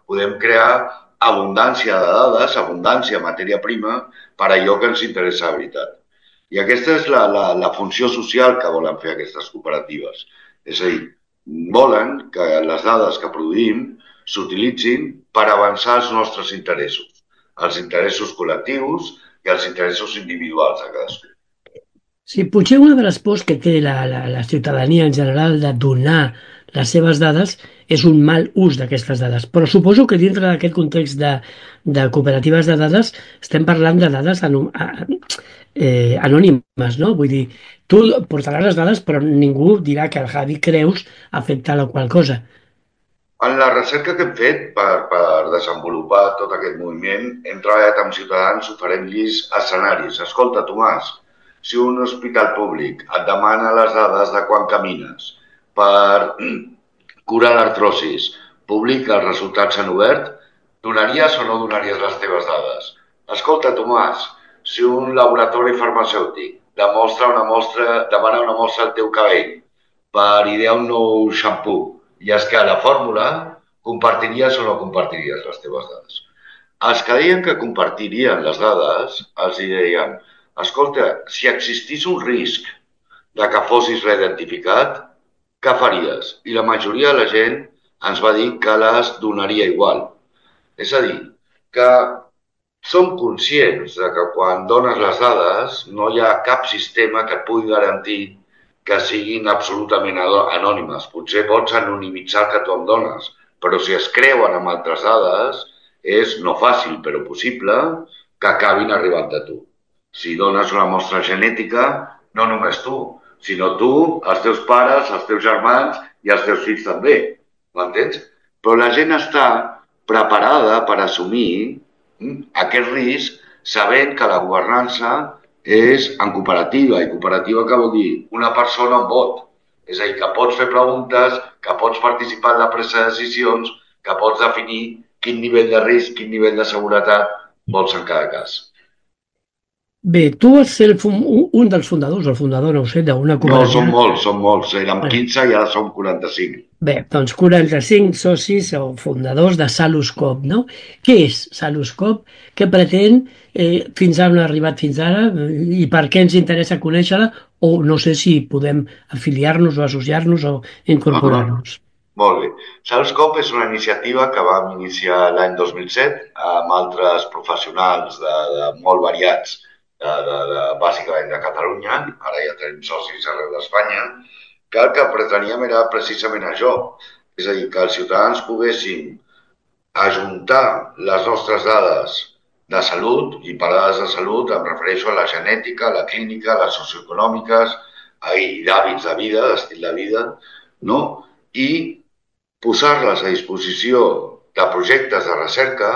podem crear abundància de dades, abundància de matèria prima per allò que ens interessa de veritat. I aquesta és la funció social que volen fer aquestes cooperatives. És a dir, volen que les dades que produïm s'utilitzin per avançar els nostres interessos, els interessos col·lectius i els interessos individuals de cadascú. Sí, potser una de les pors que té la ciutadania en general de donar les seves dades és un mal ús d'aquestes dades. Però suposo que dintre d'aquest context de cooperatives de dades estem parlant de dades anònimes, no? Vull dir, tu portaràs les dades però ningú dirà que el Javi Creus ha fet tal o qual cosa. En la recerca que hem fet per desenvolupar tot aquest moviment, hem treballat amb ciutadans oferint-los escenaris. Escolta, Tomàs, si un hospital públic et demana les dades de quan camines per curar l'artrosis, publica els resultats en obert, donaries o no donaries les teves dades? Escolta, Tomàs, si un laboratori farmacèutic demana una mostra al teu cabell per idear un nou xampú i és que a la fórmula compartiries o no compartiries les teves dades? Els que deien que compartirien les dades, els deien: escolta, si existís un risc de que fossis reidentificat, què faries? I la majoria de la gent ens va dir que les donaria igual. És a dir, que som conscients de que quan dones les dades no hi ha cap sistema que et pugui garantir que siguin absolutament anònimes. Potser pots anonimitzar el que tu em dones, però si es creuen amb altres dades és no fàcil, però possible que acabin arribant a tu. si dones una mostra genètica, no només tu, sinó tu, els teus pares, els teus germans i els teus fills també, m'entens? Però la gent està preparada per assumir aquest risc sabent que la governança és en cooperativa, i cooperativa què vol dir? Una persona, un vot. És a dir, que pots fer preguntes, que pots participar en la presa de decisions, que pots definir quin nivell de risc, quin nivell de seguretat vols en cada cas. Bé, tu vas ser un dels fundadors, el fundador, no ho sé, d'una cooperativa. No, són molts. Érem 15 i ara som 45. Bé, doncs 45 socis o fundadors de Saluscop, no? Què és Saluscop? Què pretén? Fins on ha arribat fins ara? I per què ens interessa conèixer-la? O no sé si podem afiliar-nos o associar-nos o incorporar-nos. Molt bé. Saluscop és una iniciativa que vam iniciar l'any 2007 amb altres professionals de molt variats, bàsicament de Catalunya, ara ja tenim socis arreu d'Espanya, que el que preteníem era precisament això, és a dir, que els ciutadans poguessin ajuntar les nostres dades de salut, i per dades de salut em refereixo a la genètica, la clínica, les socioeconòmiques i d'hàbits de vida, d'estil de vida, no? I posar-les a disposició de projectes de recerca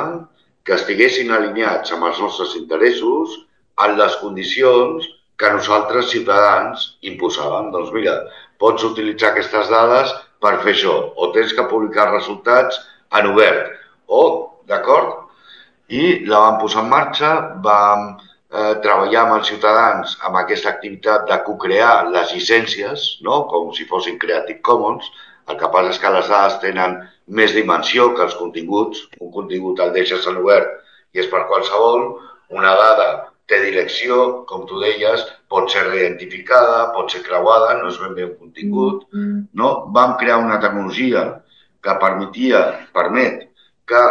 que estiguessin alineats amb els nostres interessos en les condicions que nosaltres, ciutadans, imposàvem. Doncs mira, pots utilitzar aquestes dades per fer això, o tens que publicar resultats en obert, d'acord? I la vam posar en marxa, vam treballar amb els ciutadans amb aquesta activitat de co-crear les llicències, no? Com si fossin Creative Commons. El que passa és que les dades tenen més dimensió que els continguts. Un contingut el deixes en obert i és per qualsevol. Una dada té direcció, com tu deies, pot ser reidentificada, pot ser creuada, no és ben bé un contingut. No? Vam crear una tecnologia que permet que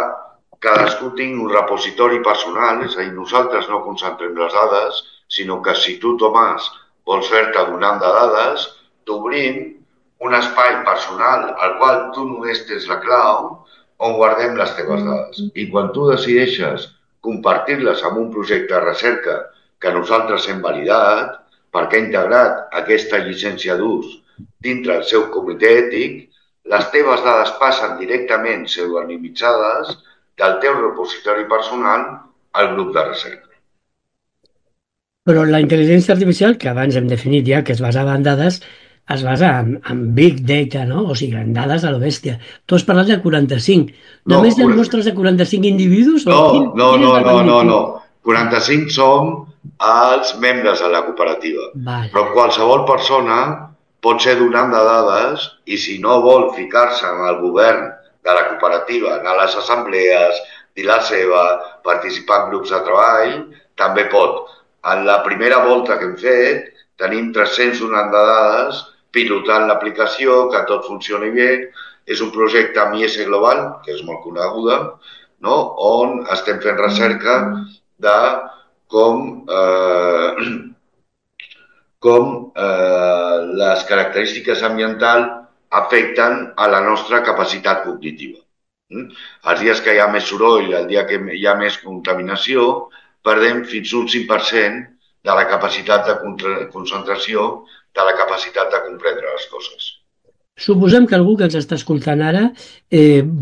cadascú tingui un repositori personal, és a dir, nosaltres no concentrem les dades, sinó que si tu, Tomàs, vols fer-te donant de dades, t'obrim un espai personal al qual tu només tens la clau on guardem les teves dades. I quan tu decideixes compartir-les amb un projecte de recerca que nosaltres hem validat, perquè ha integrat aquesta llicència d'ús dintre el seu comitè ètic, les teves dades passen directament pseudonimitzades del teu repositori personal al grup de recerca. Però la intel·ligència artificial, que abans hem definit ja que es basava en dades, es basa en big data, no? O sigui, en dades a la bèstia. Tu has parlat de 45. Només hi ha mostres de 45 individus? No. 45 som els membres de la cooperativa. Però qualsevol persona pot ser donant de dades i si no vol ficar-se amb el govern de la cooperativa, anar a les assemblees, dir la seva, participar en grups de treball, també pot. En la primera volta que hem fet, tenim 300 donant de dades pilotant l'aplicació, que tot funcioni bé. És un projecte amb IS Global, que és molt coneguda, no? On estem fent recerca de com les característiques ambientals afecten a la nostra capacitat cognitiva. Els dies que hi ha més soroll, el dia que hi ha més contaminació, perdem fins un 5% de la capacitat de concentració, de la capacitat de comprendre les coses. Suposem que algú que ens està escoltant ara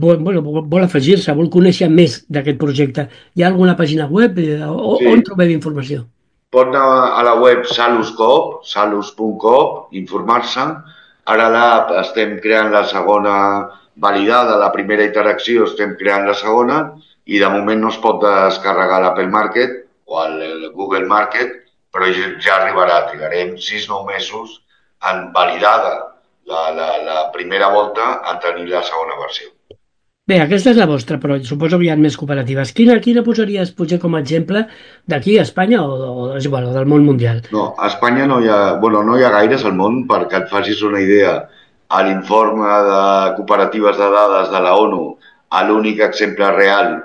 vol afegir-se, vol conèixer més d'aquest projecte. Hi ha alguna pàgina web on trobem informació? Pot anar a la web Saluscop, salus.coop, informar-se. Ara l'app estem creant la segona validada, la primera interacció estem creant la segona i de moment no es pot descarregar l'Apple Market o el Google Market, però ja arribarà, trigarem 6-9 mesos en validada la primera volta en tenir la segona versió. Bé, aquesta és la vostra, però suposo que hi ha més cooperatives. Quina posaries potser com a exemple d'aquí a Espanya o és igual, o del món mundial? No, a Espanya no hi ha gaires al món, perquè et facis una idea. A l'informe de cooperatives de dades de la ONU, l'únic exemple real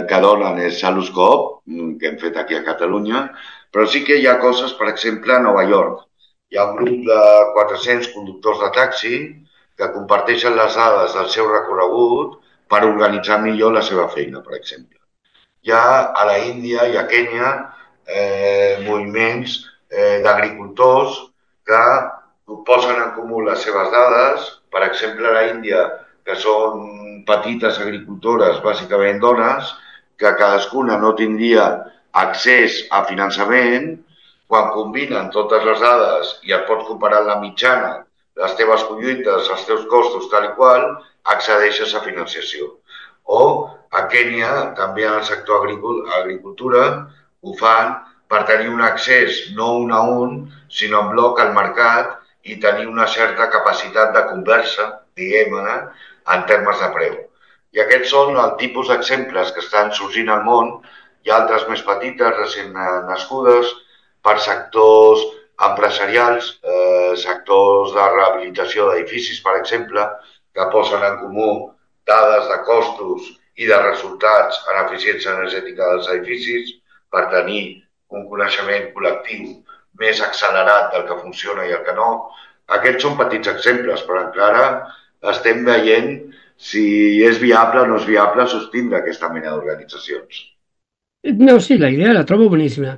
que donen és Saluscop, que hem fet aquí a Catalunya, però sí que hi ha coses, per exemple, a Nova York. Hi ha un grup de 400 conductors de taxi que comparteixen les dades del seu recorregut per organitzar millor la seva feina, per exemple. Hi ha a la Índia i a Kènia moviments d'agricultors que posen en comú les seves dades. Per exemple, a l'Índia, que són petites agricultores, bàsicament dones, que cadascuna no tindria accés a finançament, quan combinen totes les dades i et pots comparar la mitjana, les teves collites, els teus costos, tal i qual, accedeixes a financiació. O a Kènia, també en el sector agricultura, ho fan per tenir un accés no un a un, sinó en bloc al mercat i tenir una certa capacitat de conversa, diguem-ne, en termes de preu. I aquests són el tipus d'exemples que estan sorgint al món. Hi ha altres més petites, recent nascudes, per sectors empresarials, sectors de rehabilitació d'edificis, per exemple, que posen en comú dades de costos i de resultats en eficiència energètica dels edificis per tenir un coneixement col·lectiu més accelerat del que funciona i el que no. Aquests són petits exemples, però encara estem veient si és viable o no és viable sostindre aquesta mena d'organitzacions. No, sí, la idea la trobo boníssima.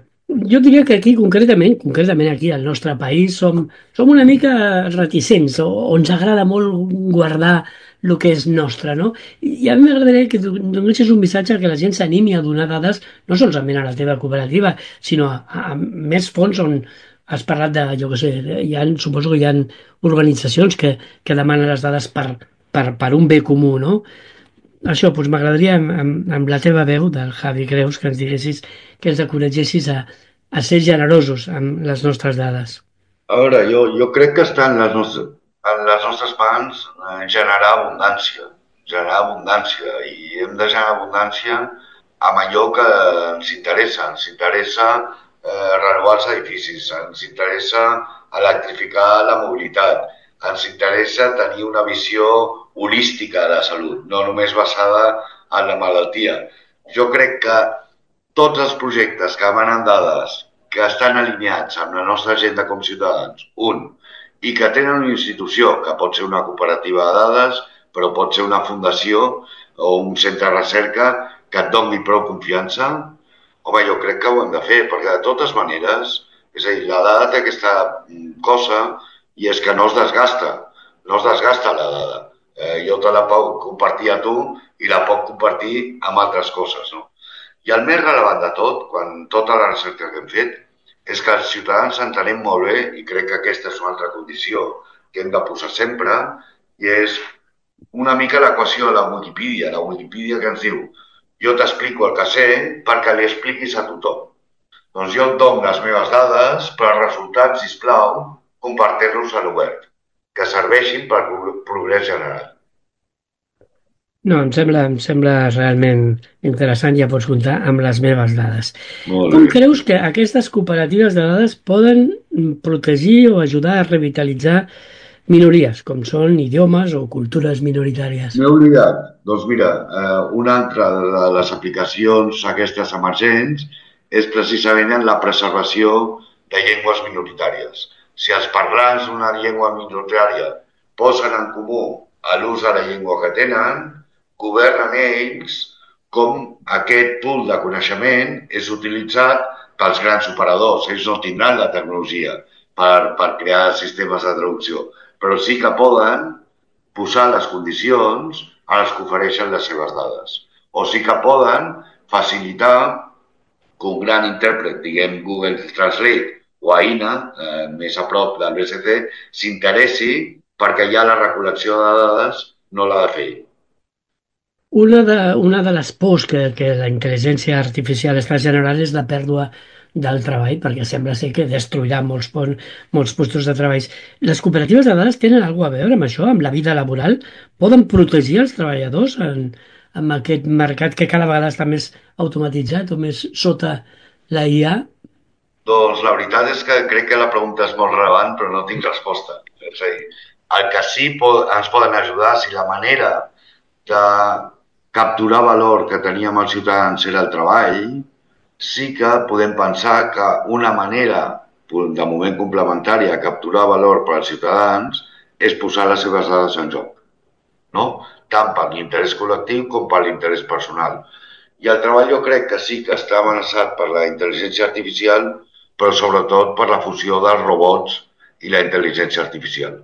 Jo diria que aquí, concretament aquí al nostre país, som una mica reticents, o ens agrada molt guardar el que és nostre, no? I a mi m'agradaria que donessis un missatge que la gent s'animi a donar dades, no solament a la teva cooperativa, sinó a més fons on has parlat de, jo què sé, suposo que hi ha organitzacions que demanen les dades per un bé comú, no? Això, doncs m'agradaria amb la teva veu, del Javi Creus, que ens diguessis, que ens encoratgessis a ser generosos amb les nostres dades. A veure, jo crec que està en les nostres mans generar abundància, i hem de generar abundància amb allò que ens interessa. Ens interessa renovar els edificis, ens interessa electrificar la mobilitat, ens interessa tenir una visió holística de la salut, no només basada en la malaltia. Jo crec que tots els projectes que demanen dades, que estan alineats amb la nostra agenda com ciutadans, i que tenen una institució, que pot ser una cooperativa de dades, però pot ser una fundació o un centre de recerca que et doni prou confiança, home, jo crec que ho hem de fer, perquè de totes maneres, és a dir, la dada té aquesta cosa i és que no es desgasta la dada. Jo te la puc compartir a tu i la puc compartir amb altres coses, no? I el més rellevant de tot, quan tota la recerca que hem fet, és que els ciutadans entenem molt bé, i crec que aquesta és una altra condició que hem de posar sempre, i és una mica l'equació de la Wikipedia que ens diu jo t'explico el que sé perquè li expliquis a tothom. Doncs jo et dono les meves dades, però els resultats, sisplau, compartir-los a l'obert, que serveixin per progrés general. No, em sembla realment interessant, ja pots comptar amb les meves dades. Com creus que aquestes cooperatives de dades poden protegir o ajudar a revitalitzar minories, com són idiomes o cultures minoritàries? M'he oblidat. Doncs mira, una altra de les aplicacions aquestes emergents és precisament en la preservació de llengües minoritàries. Si els parlants d'una llengua minoritària posen en comú l'ús de la llengua que tenen, governen ells com aquest pool de coneixement és utilitzat pels grans operadors. Ells no tindran la tecnologia per crear sistemes de traducció, però sí que poden posar les condicions a les que ofereixen les seves dades. O sí que poden facilitar que un gran intèrpret, diguem Google Translate o AINA, més a prop del BCC, s'interessi perquè ja la recol·lecció de dades no l'ha de fer. Una de les pors que la intel·ligència artificial està generant és la pèrdua del treball, perquè sembla ser que destruirà molts postos de treball. Les cooperatives de dades tenen alguna cosa a veure amb això, amb la vida laboral? Poden protegir els treballadors en aquest mercat que cada vegada està més automatitzat o més sota la IA? Doncs la veritat és que crec que la pregunta és molt rellevant, però no tinc resposta. És a dir, el que sí ens poden ajudar, si la manera de capturar valor que teníem els ciutadans era el treball, sí que podem pensar que una manera, de moment complementària, de capturar valor per als ciutadans és posar les seves dades en joc, no? Tant per l'interès col·lectiu com per l'interès personal. I el treball jo crec que sí que està amenaçat per la intel·ligència artificial, però sobretot per la fusió dels robots i la intel·ligència artificial.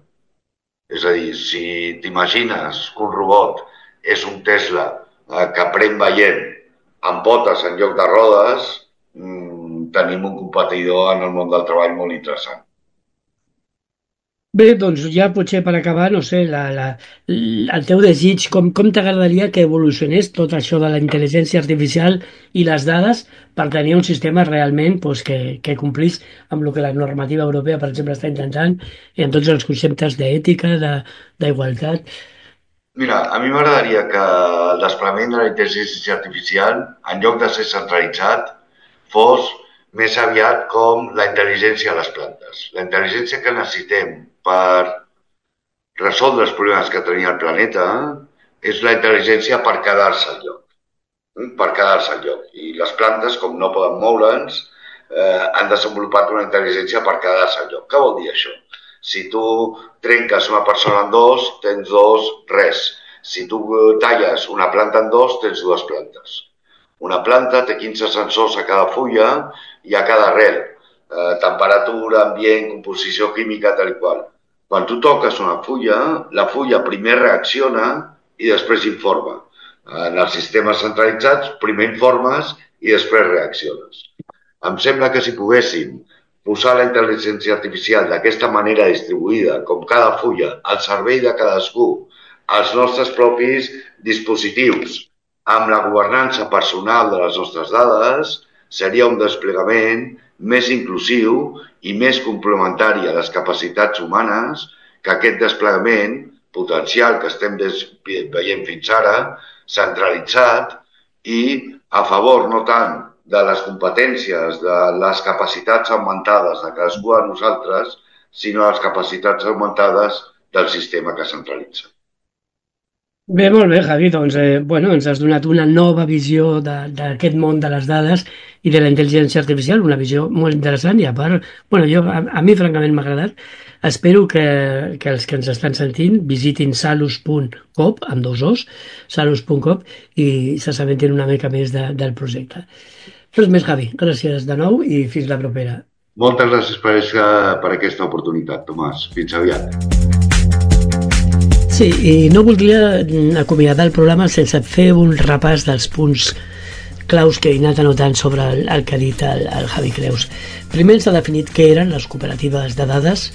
És a dir, si t'imagines que un robot és un Tesla que aprèn veient amb potes en lloc de rodes, tenim un competidor en el món del treball molt interessant. Bé, doncs ja potser per acabar, no sé, el teu desig, com t'agradaria que evolucionés tot això de la intel·ligència artificial i les dades per tenir un sistema realment que complís amb el que la normativa europea, per exemple, està intentant, i en tots els conceptes d'ètica, d'igualtat. Mira, a mi m'agradaria que el desplegament de la intel·ligència artificial, en lloc de ser centralitzat, fos més aviat com la intel·ligència a les plantes. La intel·ligència que necessitem per resoldre els problemes que tenia el planeta és la intel·ligència per quedar-se al lloc. Per quedar-se al lloc. I les plantes, com no poden moure'ns, han desenvolupat una intel·ligència per quedar-se al lloc. Què vol dir això? Si tu trenques una persona en dos, tens dos, res. Si tu talles una planta en dos, tens dues plantes. Una planta té 15 sensors a cada fulla i a cada arrel. Temperatura, ambient, composició química, tal i qual. Quan tu toques una fulla, la fulla primer reacciona i després informa. En els sistemes centralitzats, primer informes i després reacciones. Em sembla que si poguéssim posar la intel·ligència artificial d'aquesta manera distribuïda, com cada fulla, al servei de cadascú, als nostres propis dispositius, amb la governança personal de les nostres dades, seria un desplegament més inclusiu i més complementari a les capacitats humanes que aquest desplegament potencial que estem veient fins ara, centralitzat i a favor no tant de les competències, de les capacitats augmentades de cadascú de nosaltres, sinó les capacitats augmentades del sistema que centralitza. Bé, molt bé, Javi, doncs ens has donat una nova visió d'aquest món de les dades i de la intel·ligència artificial, una visió molt interessant i a part, a mi francament m'ha agradat. Espero que els que ens estan sentint visitin salus.coop, amb dos os, salus.coop, i s'assabentin una mica més del projecte. Res més, Javi, gràcies de nou i fins la propera. Moltes gràcies per aquesta oportunitat, Tomàs. Fins aviat. Sí, i no voldria acomiadar el programa sense fer un repàs dels punts claus que he anat anotant sobre el que ha dit el Javi Creus. Primer ens ha definit què eren les cooperatives de dades,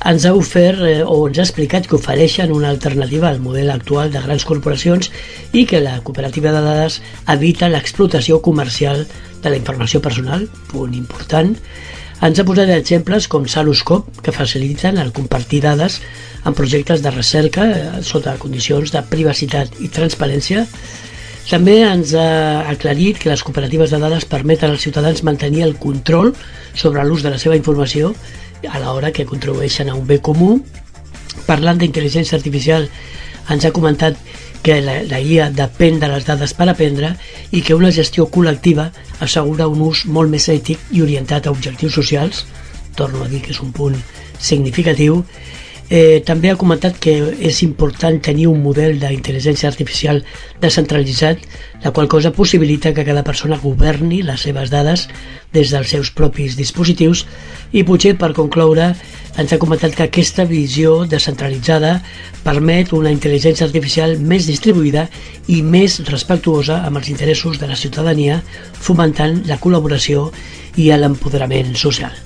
ens ha ofert o ens ha explicat que ofereixen una alternativa al model actual de grans corporacions i que la cooperativa de dades evita l'explotació comercial de la informació personal, punt important. Ens ha posat exemples com Saluscop, que faciliten el compartir dades en projectes de recerca sota condicions de privacitat i transparència. També ens ha aclarit que les cooperatives de dades permeten als ciutadans mantenir el control sobre l'ús de la seva informació a l'hora que contribueixen a un bé comú. Parlant d'intel·ligència artificial, ens ha comentat que la IA depèn de les dades per aprendre i que una gestió col·lectiva assegura un ús molt més ètic i orientat a objectius socials. Torno a dir que és un punt significatiu. També ha comentat que és important tenir un model d'intel·ligència artificial descentralitzat, la qual cosa possibilita que cada persona governi les seves dades des dels seus propis dispositius i potser per concloure ens ha comentat que aquesta visió descentralitzada permet una intel·ligència artificial més distribuïda i més respectuosa amb els interessos de la ciutadania, fomentant la col·laboració i l'empoderament social.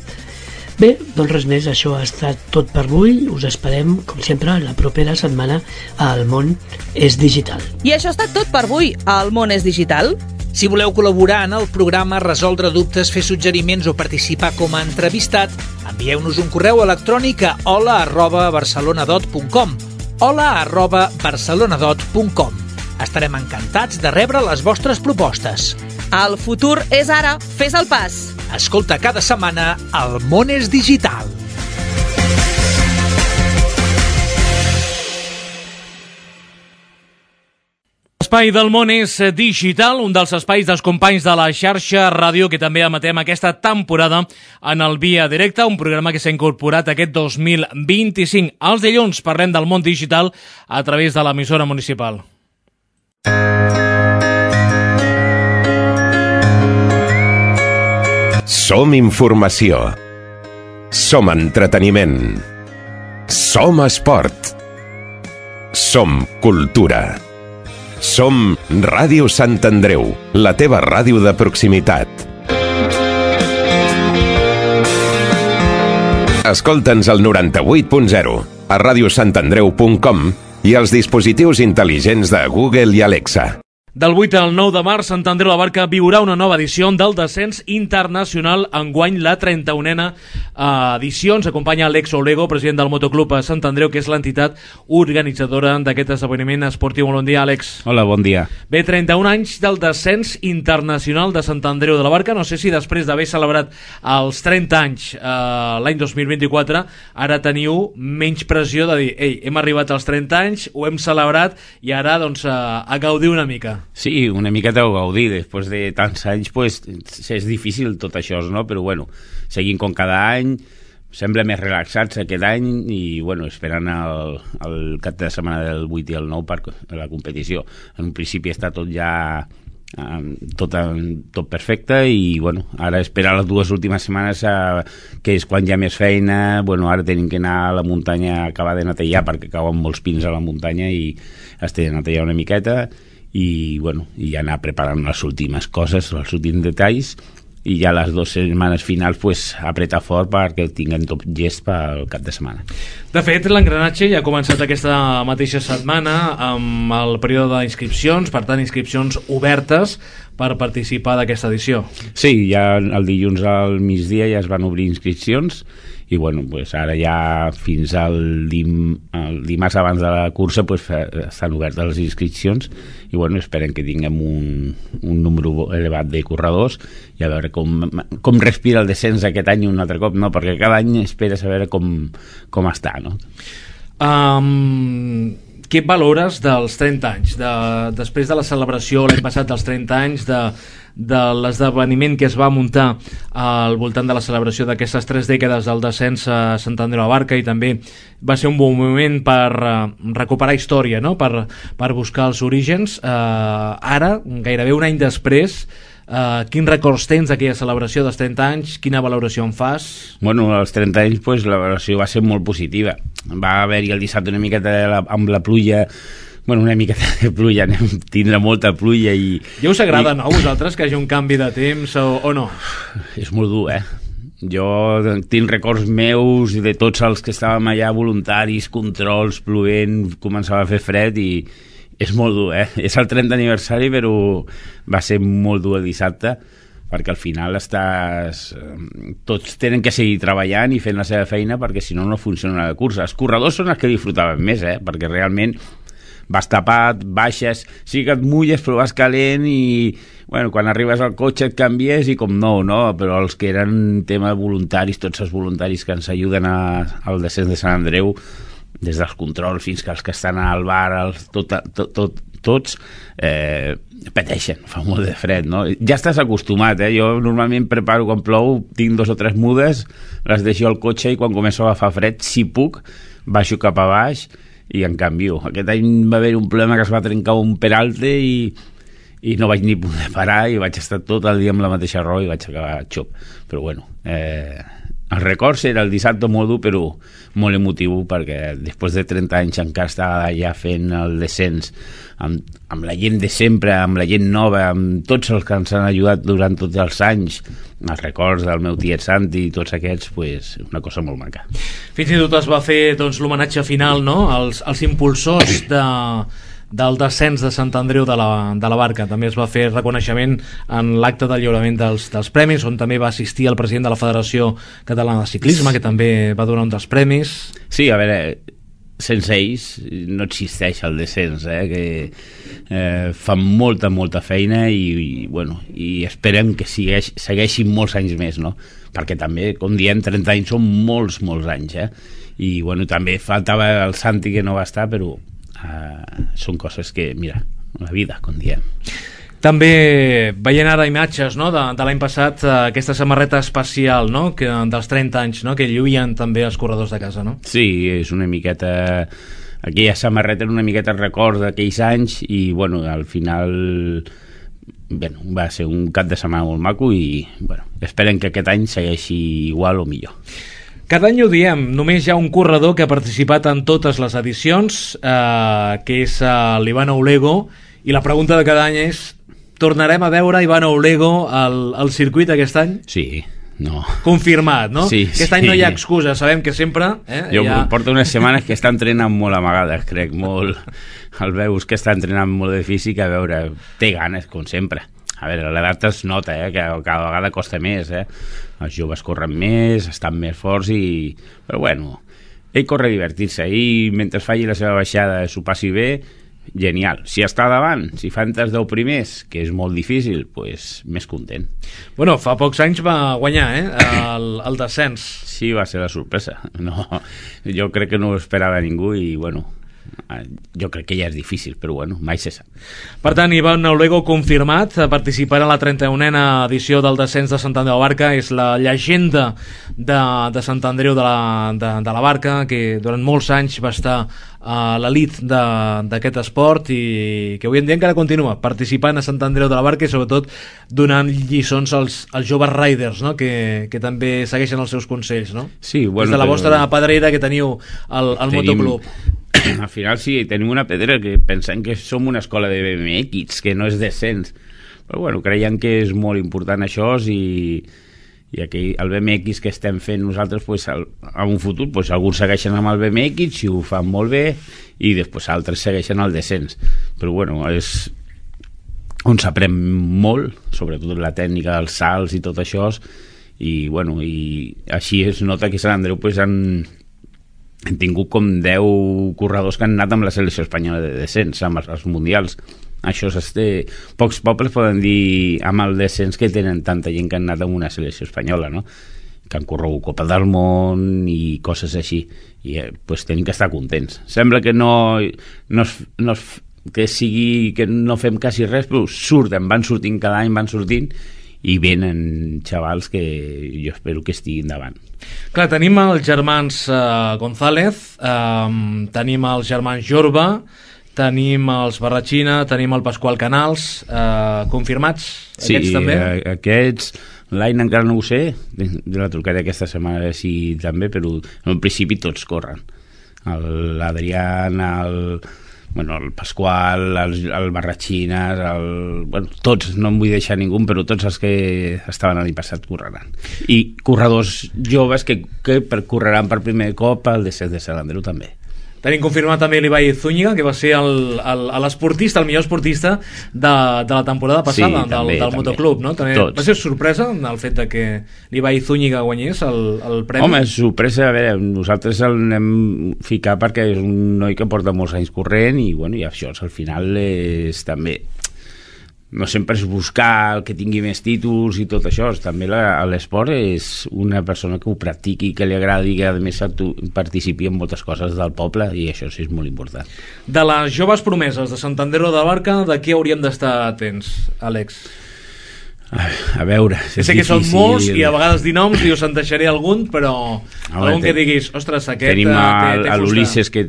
Bé, doncs res més, això ha estat tot per avui. Us esperem, com sempre, la propera setmana a El Món és Digital. I això ha estat tot per avui a El Món és Digital. Si voleu col·laborar en el programa, resoldre dubtes, fer suggeriments o participar com a entrevistat, envieu-nos un correu electrònic a hola@barcelonadot.com hola@barcelonadot.com. Estarem encantats de rebre les vostres propostes. El futur és ara, fes el pas. Escolta cada setmana El Món és Digital. L'espai del Món és Digital, un dels espais dels companys de la xarxa ràdio que també emetem aquesta temporada en el Via Directa, un programa que s'ha incorporat aquest 2025. Els dilluns parlem del món digital a través de l'emissora municipal. Som informació. Som entreteniment. Som esport. Som cultura. Som Ràdio Sant Andreu, la teva ràdio de proximitat. Escolta'ns al 98.0, a radiosantandreu.com i als dispositius intel·ligents de Google i Alexa. Del 8 al 9 de març, Sant Andreu de la Barca viurà una nova edició del descens internacional, enguany la 31a edició. Ens acompanya Alex Olego, president del Motoclub a Sant Andreu, que és l'entitat organitzadora d'aquest esdeveniment esportiu. Bon dia, Àlex. Hola, bon dia. Bé, 31 anys del descens internacional de Sant Andreu de la Barca. No sé si després d'haver celebrat els 30 anys l'any 2024, ara teniu menys pressió de dir, ei, hem arribat als 30 anys, ho hem celebrat i ara doncs a gaudir una mica. Sí, una miqueta ho gaudir. Després de tants anys, pues, és difícil tot això, no? Però, bueno, seguim com cada any, sembla més relaxats aquest any i, bueno, esperant el cap de setmana del 8 i el 9 per la competició. En un principi està tot ja tot perfecte i, bueno, ara esperar les 2 últimes setmanes que és quan hi ha més feina. Bueno, ara tenim que anar a la muntanya a acabar de netejar perquè cauen molts pins a la muntanya i has de netejar una miqueta i, bueno, i anar preparant les últimes coses, els últims detalls i ja les 2 setmanes finals pues, apretar fort perquè tinguem tot llest pel cap de setmana. De fet, l'engranatge ja ha començat aquesta mateixa setmana amb el període d'inscripcions, per tant, inscripcions obertes per participar d'aquesta edició. Sí, ja el dilluns al migdia ja es van obrir inscripcions i, bueno, pues ara ja fins al dimarts abans de la cursa pues, estan obertes les inscripcions i, bueno, esperem que tinguem un número elevat de corredors i a veure com respira el descens aquest any un altre cop, no? Perquè cada any esperes a veure com està, no? Què valores dels 30 anys? Després de la celebració l'any passat dels 30 anys de l'esdeveniment que es va muntar al voltant de la celebració d'aquestes 3 dècades del descens a Sant Andreu de la Barca, i també va ser un bon moment per recuperar història, no? per buscar els orígens. Ara, gairebé un any després, quins records tens d'aquella celebració dels 30 anys? Quina valoració en fas? Bueno, als 30 anys pues, la valoració va ser molt positiva. Va haver-hi el dissabte una miqueta amb la pluja, bueno, una miqueta de pluja, tindrà molta pluja i... Ja us agrada, no, a vosaltres, que hi hagi un canvi de temps o no? És molt dur, Jo tinc records meus de tots els que estàvem allà, voluntaris, controls, plovent, començava a fer fred i és molt dur, És el 30 aniversari, però va ser molt dur el dissabte, perquè al final tots tenen que seguir treballant i fent la seva feina, perquè si no, no funciona la cursa. Els corredors són els que disfrutaven més, perquè realment vas tapat, baixes, sí que et mulles però vas calent i, bueno, quan arribes al cotxe et canvies i com no? Però els que eren tema voluntaris, tots els voluntaris que ens ajuden al descens de Sant Andreu, des dels controls fins que els que estan al bar, tots pateixen, fa molt de fred, no? Ja estàs acostumat, Jo normalment preparo quan plou, tinc 2 o 3 mudes, les deixo al cotxe i quan començo a agafar fred, si puc, baixo cap a baix i en canvio. Aquest any va haver un problema que es va trencar un peralte i no vaig ni poder parar i vaig estar tot el dia amb la mateixa roba i vaig acabar xop. Però bueno, el record era el dissabte molt dur però molt emotiu, perquè després de 30 anys encara estava allà fent el descens amb la gent de sempre, amb la gent nova, amb tots els que ens han ajudat durant tots els anys, els records del meu tiet Santi i tots aquests, pues, una cosa molt maca. Fins i tot es va fer doncs, l'homenatge final, no? als impulsors del descens de Sant Andreu de la Barca. També es va fer reconeixement en l'acte del lliurament dels premis, on també va assistir el president de la Federació Catalana de Ciclisme, que també va donar un dels premis. Sí, a veure, sense ells no existeix el descens, que fan molta feina i esperem que segueixin molts anys més, no? Perquè també, com diem, 30 anys són molts anys, i bueno, també faltava el Santi, que no va estar, però són coses que, mira, la vida, com diem. També veient ara imatges, no, de l'any passat, aquesta samarreta especial, no, dels 30 anys, no, que lluïen també els corredors de casa, no? Sí, és una miqueta... Aquella samarreta era una miqueta record d'aquells anys i, bueno, al final va ser un cap de setmana molt maco i esperen que aquest any segueixi igual o millor. Cada any ho diem, només hi ha un corredor que ha participat en totes les edicions, que és l'Ivan Oulego, i la pregunta de cada any és: tornarem a veure Ivan Oulego al circuit aquest any? Sí, no. Confirmat, no? Sí, aquest any no hi ha excusa, sabem que sempre... Jo porto unes setmanes que està entrenant molt amagades, crec, molt... El veus que està entrenant molt de físic, a veure, té ganes, com sempre. A veure, l'edat es nota, que cada vegada costa més, Els joves corren més, estan més forts i... Però bueno, ell corre a divertir-se i mentre faci la seva baixada s'ho passi bé, genial. Si està davant, si fa entre els 10 primers, que és molt difícil, doncs més content. Bueno, fa pocs anys va guanyar, el descens. Sí, va ser la sorpresa. No, jo crec que no ho esperava ningú i, bueno, jo crec que ja és difícil, però bueno, mai se sap. Per tant, Ivan Oulego confirmat, participarà a la 31a edició del descens de Sant Andreu de la Barca. És la llegenda de Sant Andreu de la Barca, que durant molts anys va estar a l'elit d'aquest esport i que avui en dia encara continua participant a Sant Andreu de la Barca i sobretot donant lliçons als joves riders, no? que també segueixen els seus consells, no? Sí, bueno, des de la vostra pedrera que teniu al motoclub. Al final sí, tenim una pedrera que pensem que som una escola de BMX, que no és descens, però bueno, creiem que és molt important això i aquí el BMX que estem fent nosaltres en un futur alguns segueixen amb el BMX i ho fan molt bé i després altres segueixen el descens, però bueno, és on s'aprèn molt, sobretot la tècnica dels salts i tot això, i bueno, i així es nota que Sant Andreu han tingut com 10 corredors que han anat amb la selecció espanyola de descens, amb els mundials. Això pocs pobles poden dir amb el descens que tenen tanta gent que han anat amb una selecció espanyola, no? Que han corregut Copa del Món i coses així, i tenim que estar contents. Sembla que que no fem quasi res, però van sortint cada any, van sortint i venen xavals que jo espero que estiguin davant. Clar, tenim els germans González, tenim els germans Jorba, tenim els Barratxina, tenim el Pasqual Canals, confirmats? Sí, aquests també? Aquests, l'any encara no ho sé, de la trucada aquesta setmana sí també, però en principi tots corren. L'Adrián, el Pasqual, el Barratxina, tots, no em vull deixar ningú, però tots els que estaven l'any passat correran. I corredors joves que correran per primer cop al descens de Sant Andreu també. Tenim confirmat també l'Ibai Zúñiga, que va ser l'esportista, el millor esportista de la temporada passada, sí, del motoclub, no? També va ser sorpresa el fet de que l'Ibai Zúñiga guanyés el premi? Home, sorpresa, a veure, nosaltres el anem ficar perquè és un noi que porta molts anys corrent i, bueno, i això al final és també... No sempre és buscar el que tingui més títols i tot això, també l'esport és una persona que ho practiqui, que li agradi, que a més participi en moltes coses del poble i això sí és molt important. De les joves promeses de Sant Andreu de la Barca, de què hauríem d'estar atents, Àlex? A veure, és sé que difícil. Són molts i a vegades dir noms i us en deixaré algun, però algun que diguis, ostres, aquest tenim té l'Ulisses que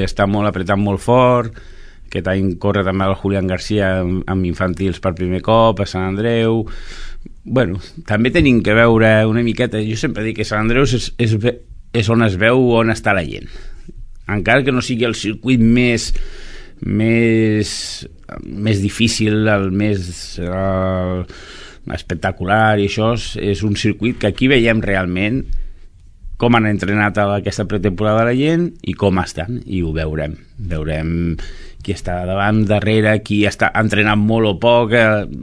està molt apretant molt fort. Aquest any corre també el Julián García amb infantils per primer cop a Sant Andreu. Bueno, també tenim que veure una miqueta, jo sempre dic que Sant Andreu és on es veu on està la gent, encara que no sigui el circuit més difícil, el més espectacular, i això és un circuit que aquí veiem realment com han entrenat aquesta pretemporada la gent i com estan, i ho veurem qui està davant, darrere, qui està entrenant molt o poc,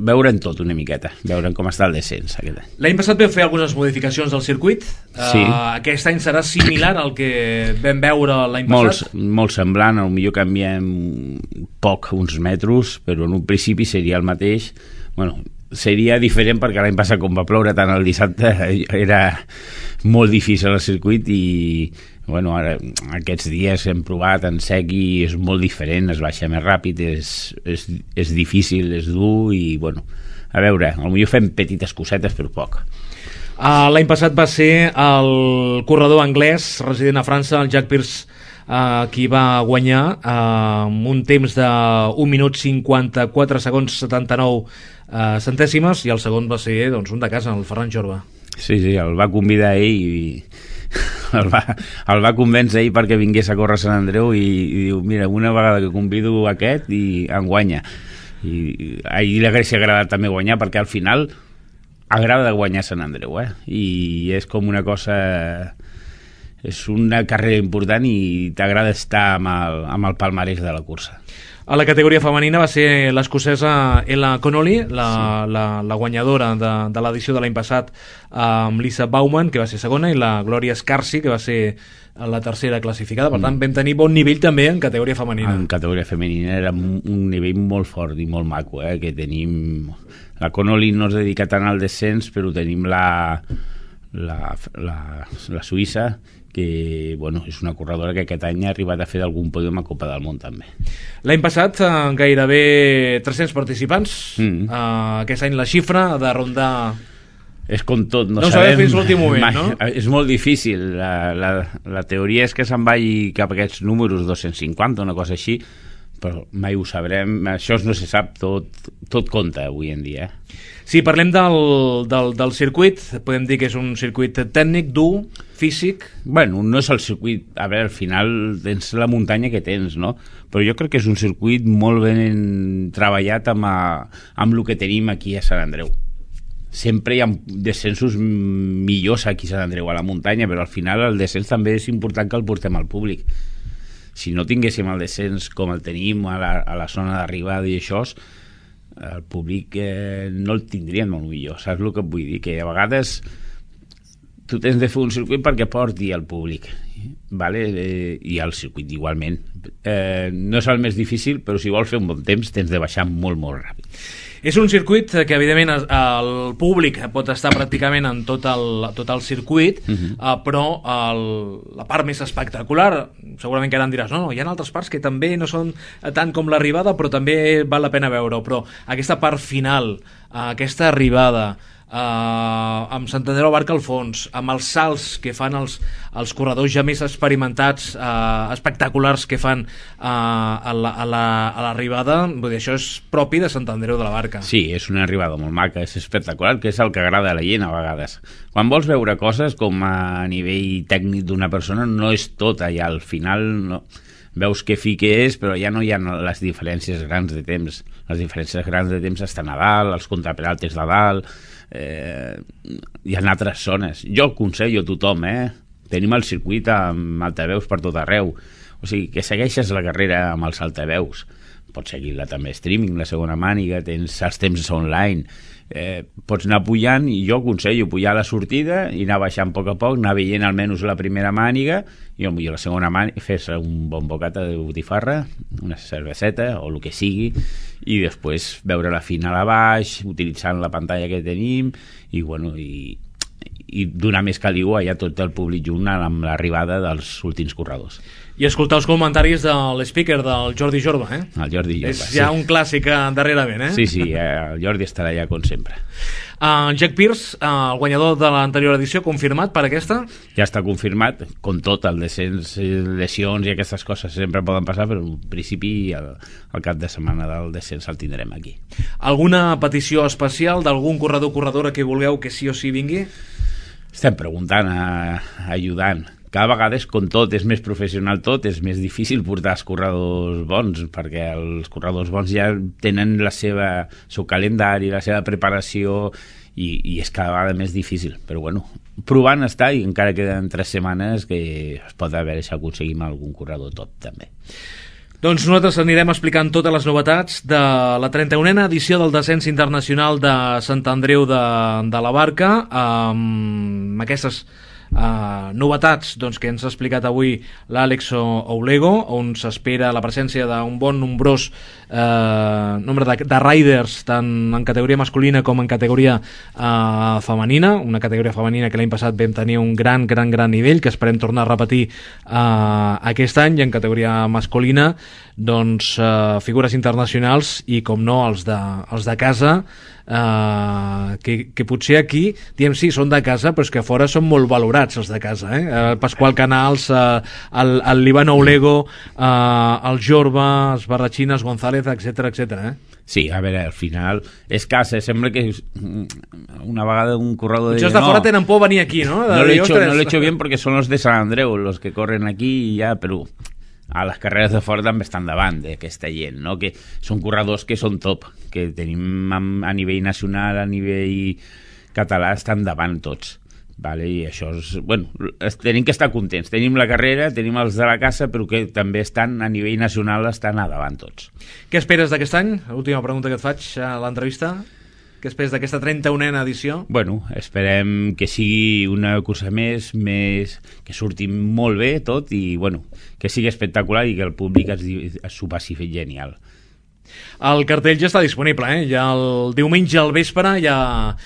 veurem tot una miqueta, veurem com està el descens aquest any. L'any passat vam fer algunes modificacions del circuit, sí. Aquest any serà similar al que vam veure l'any passat? Molt semblant, potser canviem poc, uns metres, però en un principi seria el mateix. Bueno, seria diferent perquè l'any passat, com va ploure tant el dissabte, era molt difícil el circuit i bueno, ara aquests dies hem provat en sec i és molt diferent, es baixa més ràpid, és difícil, és dur i bueno, a veure, potser fem petites cosetes però poc. L'any passat va ser el corredor anglès resident a França, el Jack Pierce qui va guanyar amb un temps de 1 minut 54 segons 79 centèsimes, i el segon va ser doncs, un de casa, el Ferran Jorba. Sí, el va convidar ell i el va convèncer ell perquè vingués a córrer a Sant Andreu i diu, mira, una vegada que convido aquest i em guanya. I a ell li hauria agradat també guanyar, perquè al final agrada guanyar Sant Andreu, i és com una cosa, és una carrera important i t'agrada estar amb el palmarès de la cursa. A la categoria femenina va ser l'escocesa Ella Connolly, la guanyadora de l'edició de l'any passat, amb Lisa Bauman, que va ser segona, i la Gloria Scarsi, que va ser la tercera classificada. Per tant, vam tenir bon nivell també en categoria femenina. En categoria femenina era un nivell molt fort i molt maco, que tenim... La Connolly no es dedica tant al descens, però tenim la suïssa, que bueno, és una corredora que aquest any ha arribat a fer d'algun pòdium a Copa del Món també. L'any passat gairebé 300 participants. Aquest any la xifra ha de rondar... És com tot, no sabem fins l'últim moment, mai, no? És molt difícil. La teoria és que se'n vagi cap a aquests números 250, una cosa així, però mai ho sabrem. Això no se sap, tot compta avui en dia. Si parlem del circuit, podem dir que és un circuit tècnic, dur, físic? Bueno, no és el circuit... A veure, al final tens la muntanya que tens, no? Però jo crec que és un circuit molt ben treballat amb el que tenim aquí a Sant Andreu. Sempre hi ha descensos millors aquí a Sant Andreu, a la muntanya, però al final el descens també és important que el portem al públic. Si no tinguéssim el descens com el tenim a la zona d'arribada i això, el públic no el tindrien molt millor. Saps el que et vull dir? Que a vegades tu tens de fer un circuit perquè porti al públic, vale? I el circuit igualment. No és el més difícil, però si vols fer un bon temps tens de baixar molt, molt ràpid. És un circuit que, evidentment, el públic pot estar pràcticament en tot el circuit, però la part més espectacular, segurament que ara em diràs, no, hi ha altres parts que també no són tant com l'arribada, però també val la pena veure-ho. Però aquesta part final, aquesta arribada, amb Sant Andreu Abarca al fons, amb els salts que fan els corredors ja més experimentats, espectaculars que fan a l'arribada, vull dir, això és propi de Sant Andreu de la Barca. Sí, és una arribada molt maca, és espectacular, que és el que agrada a la gent a vegades. Quan vols veure coses com a nivell tècnic d'una persona, no és tot allà, al final no... veus que fi que és, però ja no hi ha les diferències grans de temps. Les diferències grans de temps estan a dalt, els contraperaltes de dalt, hi ha altres zones. Jo aconsello a tothom, tenim el circuit amb altaveus per tot arreu, o sigui, que segueixes la carrera amb els altaveus, pots seguir-la també streaming, la segona màniga, tens els temps online, pots anar pujant, i jo aconsello pujar a la sortida i anar baixant a poc, anar veient almenys la primera màniga i potser la segona màniga, fer-se un bon bocata de botifarra, una cerveseta o el que sigui, i després veure la final a baix, utilitzant la pantalla que tenim, i bueno, i donar més caliu allà tot el públic junt amb l'arribada dels últims corredors. I escoltar els comentaris de l'speaker del Jordi Jorba, El Jordi Jorba, és ja un clàssic darrerament, Sí, el Jordi estarà allà com sempre. Jack Pierce, el guanyador de l'anterior edició, confirmat per aquesta? Ja està confirmat, com tot, el descens, lesions i aquestes coses sempre poden passar, però en principi el cap de setmana del descens el tindrem aquí. Alguna petició especial d'algun corredor o corredora que vulgueu que sí o sí vingui? Estem preguntant, ajudant. Cada vegada és com tot, és més professional tot, és més difícil portar els corredors bons, perquè els corredors bons ja tenen el seu calendari, la seva preparació, i és cada vegada més difícil. Però bueno, provant està, i encara queden 3 setmanes que es pot veure si aconseguim algun corredor top també. Doncs nosaltres anirem explicant totes les novetats de la 31a edició del descens internacional de Sant Andreu de la Barca, amb aquestes novetats que ens ha explicat avui l'Àlex Oulego, on s'espera la presència d'un bon nombrós nombre de riders tant en categoria masculina com en categoria femenina, una categoria femenina que l'any passat vam tenir un gran nivell, que esperem tornar a repetir aquest any, i en categoria masculina figures internacionals i com no els de casa, que potser aquí diem sí, són de casa, però és que a fora són molt valorats els de casa, el Pasqual Canals, el Líbano Olego, el Jorba, els Barrachines, González, etc. Sí, a veure, al final és casa, sembla que una vegada un corredor de fora tenen por venir aquí, ¿no? No lo he hecho bien porque son los de Sant Andreu los que corren aquí i ja, però a les carreres de fora també estan davant d'aquesta gent, no? Que són corredors que són top, que tenim a nivell nacional, a nivell català, estan davant tots. Vale, i això és, bueno, tenim que estar contents, tenim la carrera, tenim els de la casa, però que també estan a nivell nacional, estan a davant tots. Què esperes d'aquest any? L'última pregunta que et faig a l'entrevista. Què esperes d'aquesta 31a edició? Bueno, esperem que sigui una cursa més, que surti molt bé tot i bueno, que sigui espectacular i que el públic s'ho passi genial. El cartell ja està disponible, ja el diumenge al vespre ja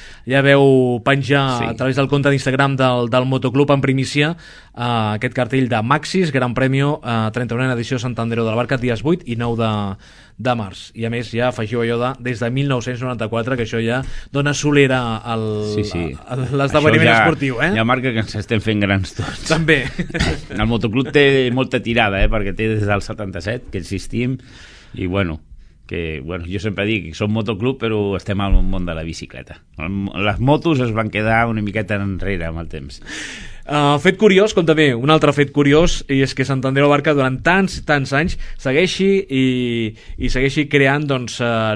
veu penjar a través del compte d'Instagram del Motoclub en primícia aquest cartell de Maxis, Gran Premio 31a edició Sant Andreu de la Barca, dies 8 i 9 de març. I a més ja afegiu allò des de 1994, que això ja dona solera a l'esdeveniment esportiu. Ja marca que ens estem fent grans tots. També. El Motoclub té molta tirada, perquè té des del 77 que existim i bueno, jo sempre dic que som motoclub però estem al món de la bicicleta. Les motos es van quedar una miqueta enrere amb el temps. Fet curiós, com també un altre fet curiós, i és que Sant Andreu Barca durant tants anys segueixi i segueixi creant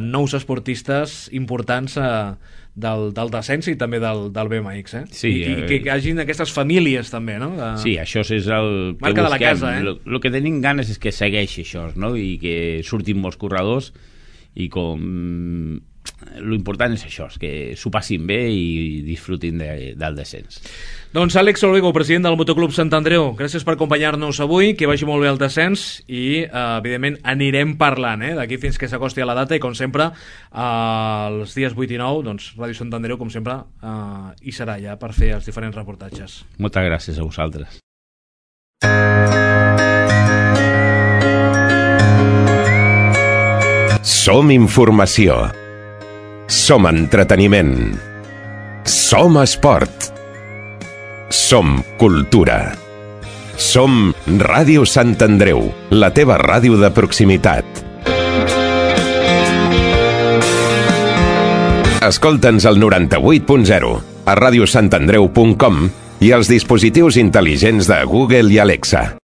nous esportistes importants del descens i també del BMX, sí, i que hi hagin aquestes famílies també, no? Sí, això és el que marca busquem. De la casa, el que tenim ganes és que segueixi això, no? I que surtin molts corredors i com lo important és això, és que s'ho passin bé i disfrutin del descens. Doncs Àlex Olego, president del Motoclub Sant Andreu, gràcies per acompanyar-nos avui, que vagi molt bé el descens i evidentment anirem parlant d'aquí fins que s'acosti a la data i com sempre els dies 8 i 9 doncs Ràdio Sant Andreu com sempre hi serà ja per fer els diferents reportatges. Moltes gràcies a vosaltres. Som informació. Som entreteniment. Som esport. Som cultura. Som Ràdio Sant Andreu, la teva ràdio de proximitat. Escolta'ns al 98.0, a radiosantandreu.com i als dispositius intel·ligents de Google i Alexa.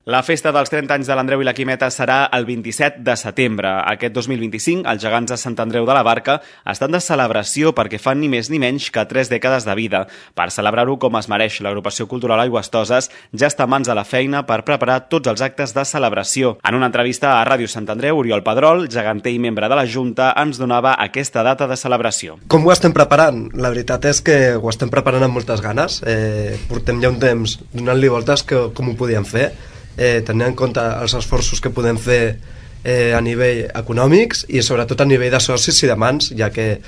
La festa dels 30 anys de l'Andreu i la Quimeta serà el 27 de setembre. Aquest 2025, els gegants de Sant Andreu de la Barca estan de celebració perquè fan ni més ni menys que 3 dècades de vida. Per celebrar-ho com es mereix, l'agrupació cultural Aigüestoses ja està a mans de la feina per preparar tots els actes de celebració. En una entrevista a Ràdio Sant Andreu, Oriol Pedrol, geganter i membre de la Junta, ens donava aquesta data de celebració. Com ho estem preparant? La veritat és que ho estem preparant amb moltes ganes. Portem ja un temps donant-li voltes com ho podíem fer. Tenint en compte els esforços que podem fer a nivell econòmics i sobretot a nivell de socis i de mans, ja que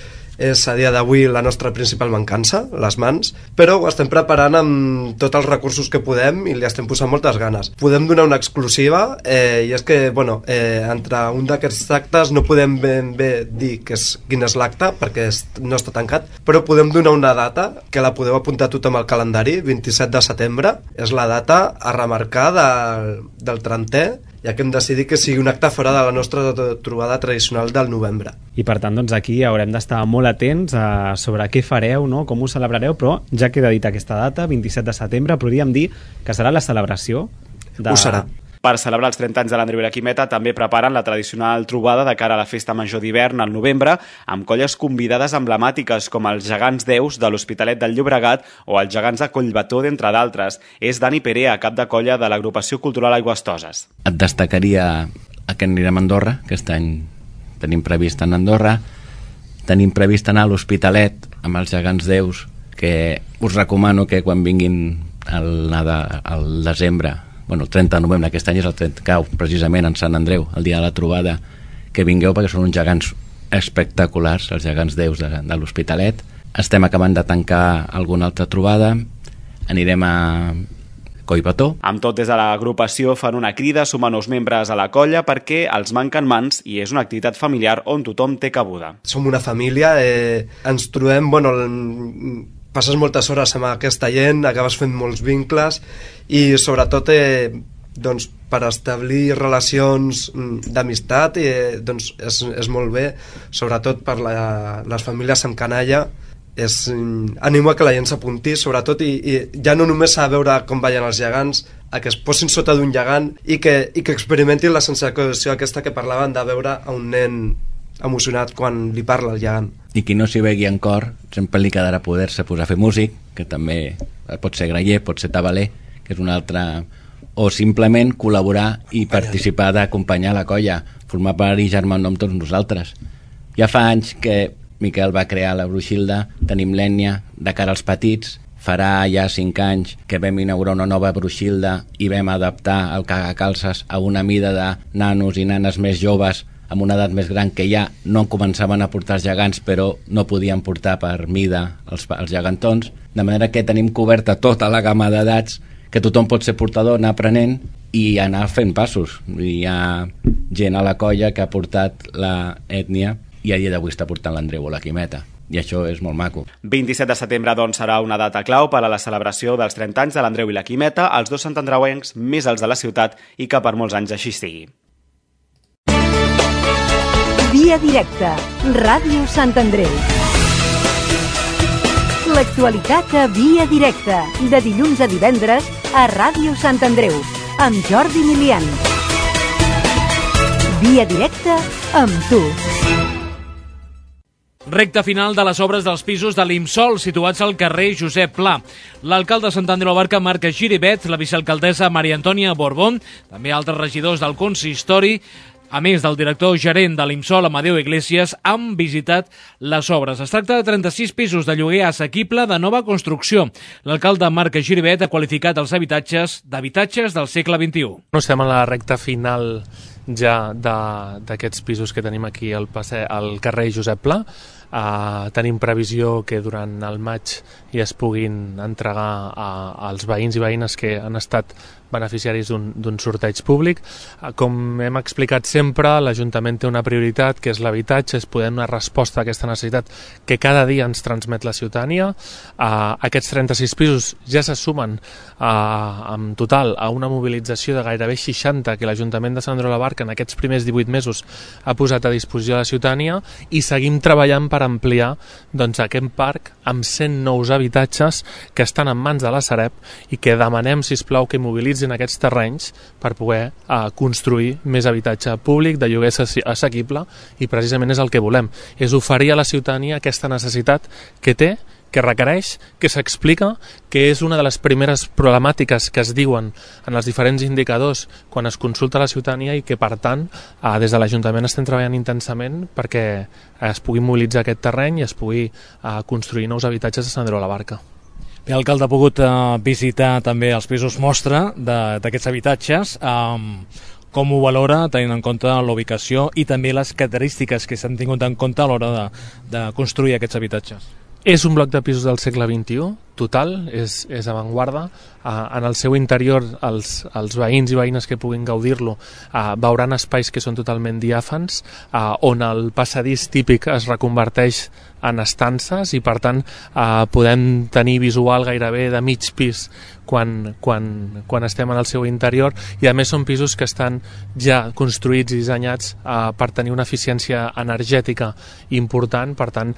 és a dia d'avui la nostra principal mancança, les mans, però ho estem preparant amb tots els recursos que podem i li estem posant moltes ganes. Podem donar una exclusiva i és que, entre un d'aquests actes no podem ben bé dir quin és l'acte perquè no està tancat, però podem donar una data que la podeu apuntar tothom al calendari, 27 de setembre, és la data a remarcar del 30è, ja que hem decidit que sigui un acte fora de la nostra trobada tradicional del novembre. I per tant, doncs aquí haurem d'estar molt atents sobre què fareu, no? Com ho celebrareu, però ja queda dit aquesta data, 27 de setembre, podríem dir que serà la celebració Ho serà. Per celebrar els 30 anys de l'Andreu i la Quimeta també preparen la tradicional trobada de cara a la festa major d'hivern al novembre amb colles convidades emblemàtiques com els gegants Deus de l'Hospitalet del Llobregat o els gegants de Collbató, d'entre d'altres. És Dani Perea, cap de colla de l'agrupació cultural Aigüestoses. Et destacaria que anirem a Andorra, aquest any tenim previst anar a Andorra, tenim previst anar a l'Hospitalet amb els gegants Deus, que us recomano que quan vinguin al desembre, el 30 de novembre, aquest any és el 30, cau precisament en Sant Andreu, el dia de la trobada, que vingueu perquè són uns gegants espectaculars, els gegants Deus de l'Hospitalet. Estem acabant de tancar alguna altra trobada, anirem a Collbató. Amb tot, des de l'agrupació fan una crida a sumar nous membres a la colla perquè els manquen mans i és una activitat familiar on tothom té cabuda. Som una família, ens trobem, passes moltes hores amb aquesta gent, acabes fent molts vincles i sobretot per establir relacions d'amistat és molt bé, sobretot per les famílies amb canalla. Animo a que la gent s'apunti, sobretot, i ja no només a veure com ballen els gegants, a que es posin sota d'un gegant i que experimentin la sensació aquesta que parlaven de veure a un nen emocionat quan li parla el gegant. I qui no s'hi vegui en cor, sempre li quedarà poder-se posar a fer músic, que també pot ser graller, pot ser tabaler, que és una altra... o simplement col·laborar i participar d'acompanyar la colla, formar part i germandar amb tots nosaltres. Ja fa anys que Miquel va crear la Bruixilda, tenim l'ètnia de cara als petits, farà ja 5 anys que vam inaugurar una nova Bruixilda i vam adaptar el cagacalces a una mida de nanos i nanes més joves amb una edat més gran que ja no començaven a portar els gegants però no podien portar per mida els gegantons, de manera que tenim coberta tota la gamma d'edats que tothom pot ser portador, anar aprenent i anar fent passos. Hi ha gent a la colla que ha portat l'ètnia i a dia d'avui està portant l'Andreu o la Quimeta. I això és molt maco. 27 de setembre, doncs, serà una data clau per a la celebració dels 30 anys de l'Andreu i la Quimeta, els dos santandreuencs més alts de la ciutat, i que per molts anys així sigui. Via directa, Ràdio Sant Andreu. L'actualitat a Via directa, de dilluns a divendres a Ràdio Sant Andreu, amb Jordi Milian. Via directa amb tu. Recta final de les obres dels pisos de l'Imsol, situats al carrer Josep Pla. L'alcalde de Sant Andreu Abarca, Marc Giribet, la vicealcaldessa Maria Antònia Borbón, també altres regidors del consistori, a més del director gerent de l'Imsol, Amadeu Iglesias, han visitat les obres. Es tracta de 36 pisos de lloguer assequible de nova construcció. L'alcalde Marc Giribet ha qualificat els habitatges d'habitatges del segle XXI. No estem a la recta final ja d'aquests pisos que tenim aquí al carrer Josep Pla. Tenim previsió que durant el maig ja es puguin entregar als veïns i veïnes que han estat beneficiaris d'un sorteig públic. Com hem explicat sempre, l'Ajuntament té una prioritat, que és l'habitatge, és poder donar resposta a aquesta necessitat que cada dia ens transmet la ciutadania. Aquests 36 pisos ja se sumen en total a una mobilització de gairebé 60 que l'Ajuntament de Sant Andreu de la Barca en aquests primers 18 mesos ha posat a disposició de la ciutadania, i seguim treballant per ampliar aquest parc amb 100 nous habitatges que estan en mans de la Sareb i que demanem, sisplau, que mobilitzin aquests terrenys per poder construir més habitatge públic de lloguer assequible, i precisament és el que volem, és oferir a la ciutadania aquesta necessitat que té, que requereix, que s'explica, que és una de les primeres problemàtiques que es diuen en els diferents indicadors quan es consulta a la ciutadania, i que, per tant, des de l'Ajuntament estem treballant intensament perquè es pugui mobilitzar aquest terreny i es pugui construir nous habitatges a Sant Andreu de la Barca. Bé, l'alcalde ha pogut visitar també els pisos mostra d'aquests habitatges. Com ho valora, tenint en compte la ubicació i també les característiques que s'han tingut en compte a l'hora de construir aquests habitatges? És un bloc de pisos del segle XXI, total, és avantguarda. En el seu interior, els veïns i veïnes que puguin gaudir-lo veuran espais que són totalment diàfans, on el passadís típic es reconverteix en estances, i per tant podem tenir visual gairebé de mig pis quan estem en el seu interior, i a més són pisos que estan ja construïts i dissenyats per tenir una eficiència energètica important. Per tant,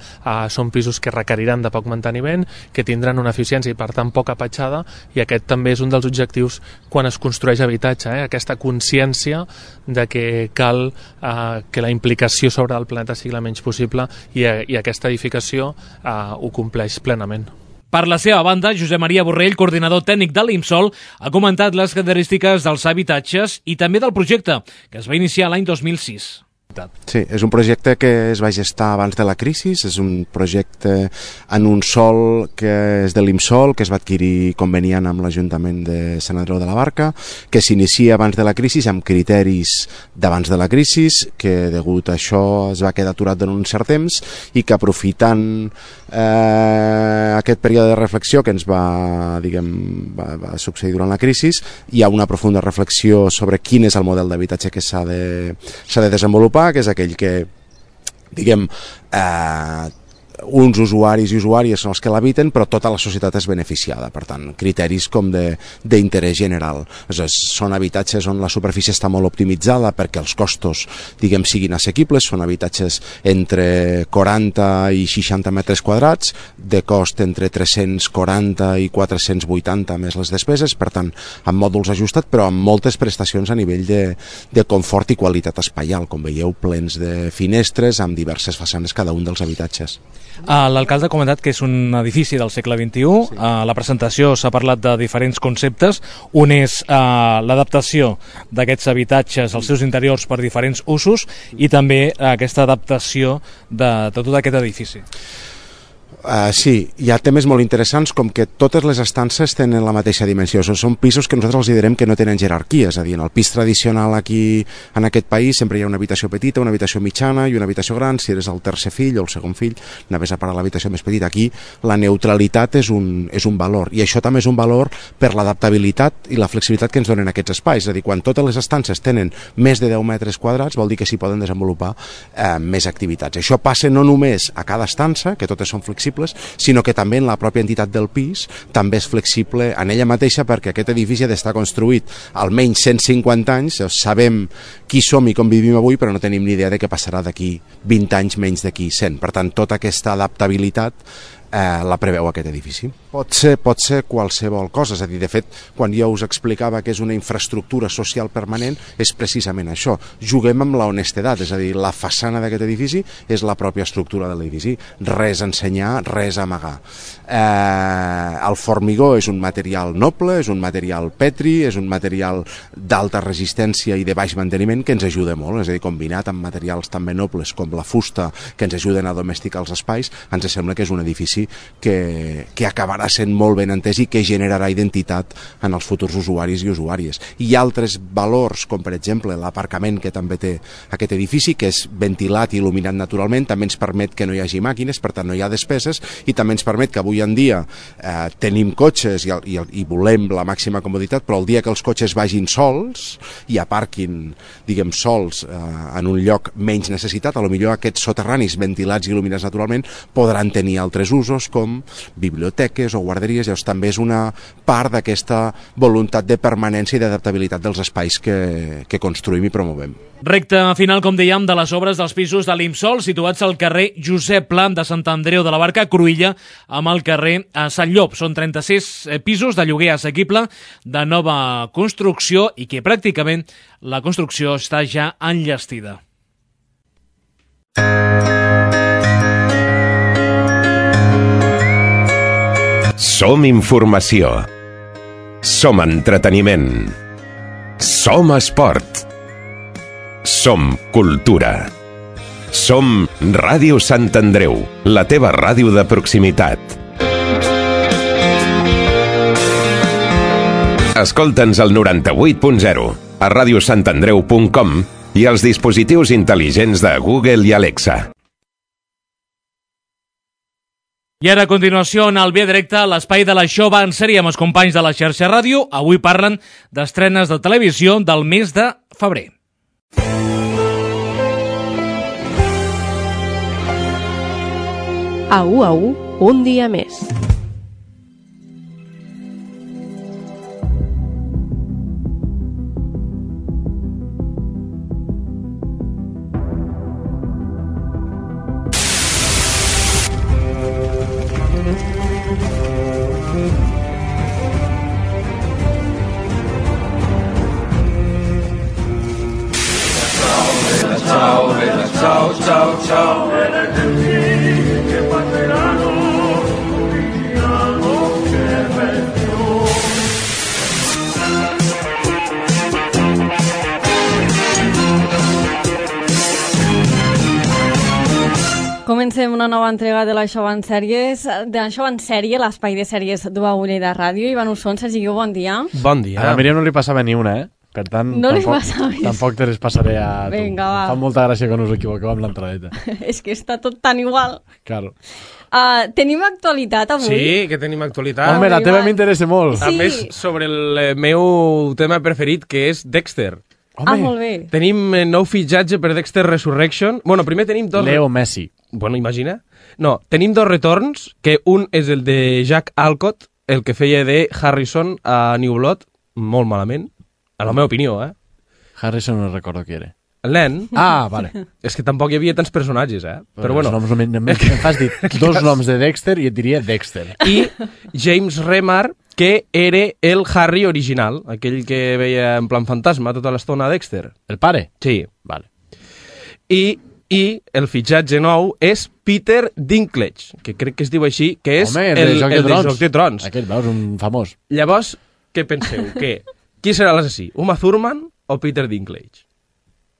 són pisos que requeriran de poc manteniment, que tindran una eficiència i per tant poca petjada, i aquest també és un dels objectius quan es construeix habitatge, aquesta consciència de que cal que la implicació sobre el planeta sigui la menys possible, i aquesta edificació ho compleix plenament. Per la seva banda, Josep Maria Borrell, coordinador tècnic de l'Imsol, ha comentat les característiques dels habitatges i també del projecte, que es va iniciar l'any 2006. Sí, és un projecte que es va gestar abans de la crisi, és un projecte en un sòl que és de l'IMSOL, que es va adquirir conveniant amb l'Ajuntament de Sant Andreu de la Barca, que s'inicia abans de la crisi amb criteris d'abans de la crisi, que degut a això es va quedar aturat durant un cert temps i que aprofitant aquest període de reflexió que ens va succeir durant la crisi, hi ha una profunda reflexió sobre quin és el model d'habitatge que s'ha de desenvolupar, que és aquell que, uns usuaris i usuàries són els que l'habiten, però tota la societat és beneficiada. Per tant, criteris com d'interès general. Són habitatges on la superfície està molt optimitzada perquè els costos, siguin assequibles. Són habitatges entre 40 i 60 metres quadrats, de cost entre 340 i 480 més les despeses, per tant, amb mòduls ajustats, però amb moltes prestacions a nivell de confort i qualitat espaial, com veieu, plens de finestres amb diverses façanes cada un dels habitatges. L'alcalde ha comentat que és un edifici del segle XXI. Sí. A la presentació s'ha parlat de diferents conceptes. Un és l'adaptació d'aquests habitatges als seus interiors per diferents usos i també aquesta adaptació de tot aquest edifici. Sí, hi ha temes molt interessants com que totes les estances tenen la mateixa dimensió. Són pisos que nosaltres els direm que no tenen jerarquia, és a dir, en el pis tradicional aquí en aquest país sempre hi ha una habitació petita, una habitació mitjana i una habitació gran. Si eres el tercer fill o el segon fill, anaves a parar l'habitació més petita. Aquí la neutralitat és un valor, i això també és un valor per l'adaptabilitat i la flexibilitat que ens donen aquests espais. És a dir, quan totes les estances tenen més de 10 metres quadrats, vol dir que s'hi poden desenvolupar més activitats. Això passa no només a cada estança, que totes són flexibles, sinó que també en la pròpia entitat del pis també és flexible en ella mateixa, perquè aquest edifici ha d'estar construït almenys 150 anys, sabem qui som i com vivim avui, però no tenim ni idea de què passarà d'aquí 20 anys, menys d'aquí 100. Per tant, tota aquesta adaptabilitat la preveu aquest edifici. Pot ser qualsevol cosa, és a dir, de fet, quan jo us explicava que és una infraestructura social permanent, és precisament això. Juguem amb la honestedat, és a dir, la façana d'aquest edifici és la pròpia estructura de l'edifici. Res a ensenyar, res a amagar. El formigó és un material noble, és un material petri, és un material d'alta resistència i de baix manteniment que ens ajuda molt, és a dir, combinat amb materials també nobles com la fusta que ens ajuden a domesticar els espais, ens sembla que és un edifici que acabarà sent molt ben entès i que generarà identitat en els futurs usuaris i usuàries. Hi ha altres valors, com per exemple l'aparcament que també té aquest edifici, que és ventilat i il·luminat naturalment, també ens permet que no hi hagi màquines, per tant no hi ha despeses, i també ens permet que avui en dia tenim cotxes i volem la màxima comoditat, però el dia que els cotxes vagin sols i aparquin, sols en un lloc menys necessitat, potser aquests soterranis ventilats i il·luminats naturalment podran tenir altres usos, com biblioteques o guarderies. Llavors també és una part d'aquesta voluntat de permanència i d'adaptabilitat dels espais que construïm i promovem. Recte final, com dèiem, de les obres dels pisos de l'IMSOL situats al carrer Josep Pla de Sant Andreu de la Barca, Cruïlla, amb el carrer Sant Llop. Són 36 pisos de lloguer assequible de nova construcció i que pràcticament la construcció està ja enllestida. Som informació. Som entreteniment. Som esport. Som cultura. Som Ràdio Sant Andreu, la teva ràdio de proximitat. Escolta'ns al 98.0, a radiosantandreu.com i als dispositius intel·ligents de Google i Alexa. I ara, a continuació, en el Via Directe, l'espai de la Xova en sèrie amb els companys de la xarxa ràdio. Avui parlen d'estrenes de televisió del mes de febrer. A U, un dia més. comencem una nova entrega de l'Això en Sèries, l'espai de sèries d'Uagulla i de Ràdio. Ivan Usson, Sergi Guiu, bon dia. Bon dia. A la Míriam no li passava ni una, Per tant, no tampoc te les passaré a tu. Vinga, va. Fa molta gràcia que no us equivoqueu amb l'entradeta. És que està tot tan igual. Claro. Tenim actualitat avui? Sí, que tenim actualitat. Home, la teva m'interessa molt. Sí. A més, sobre el meu tema preferit, que és Dexter. Home. Molt bé. Tenim nou fitxatge per Dexter Resurrection. Bueno, primer tenim dos... Leo Messi. Bueno, imagina. No, tenim dos retorns, que un és el de Jack Alcott, el que feia de Harrison a New Blood, molt malament, a la meva opinió, Harrison no recordo qui era. El nen. Ah, vale. És que tampoc hi havia tants personatges, Però bueno. Em fas dir dos noms de Dexter i et diria Dexter. I James Remar, que era el Harry original, aquell que veia en plan fantasma tota l'estona a Dexter. El pare? Sí. Vale. I el fitxatge nou és Peter Dinklage, que crec que es diu així, que és el de Joc de Trons. Aquell, veus, un famós. Llavors, què penseu? Qui serà l'assassí? Uma Thurman o Peter Dinklage?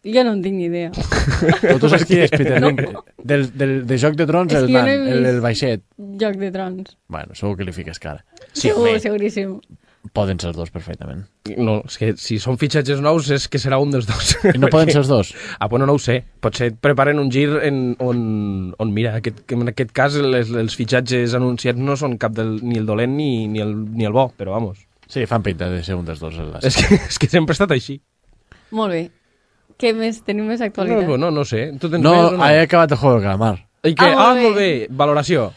Jo no en tinc ni idea. Tu saps qui és Peter Dinklage? De Joc de Trons, el nan, el baixet. Joc de Trons. Bueno, segur que li fiques cara. Sí, seguríssim. Poden ser els dos perfectament. No, és que si són fitxatges nous és que serà un dels dos. I no poden ser els dos? Bueno, no ho sé. Potser preparen un gir on mira, en aquest cas els fitxatges anunciats no són cap ni el dolent ni el bo, però vamos. Sí, fan pinta de ser un dels dos. És que sempre ha estat així. Molt bé. Què més? Tenim més actualitat? No sé. Tu tens més o no? He acabat el Juego del Calamar. Molt bé. Valoració.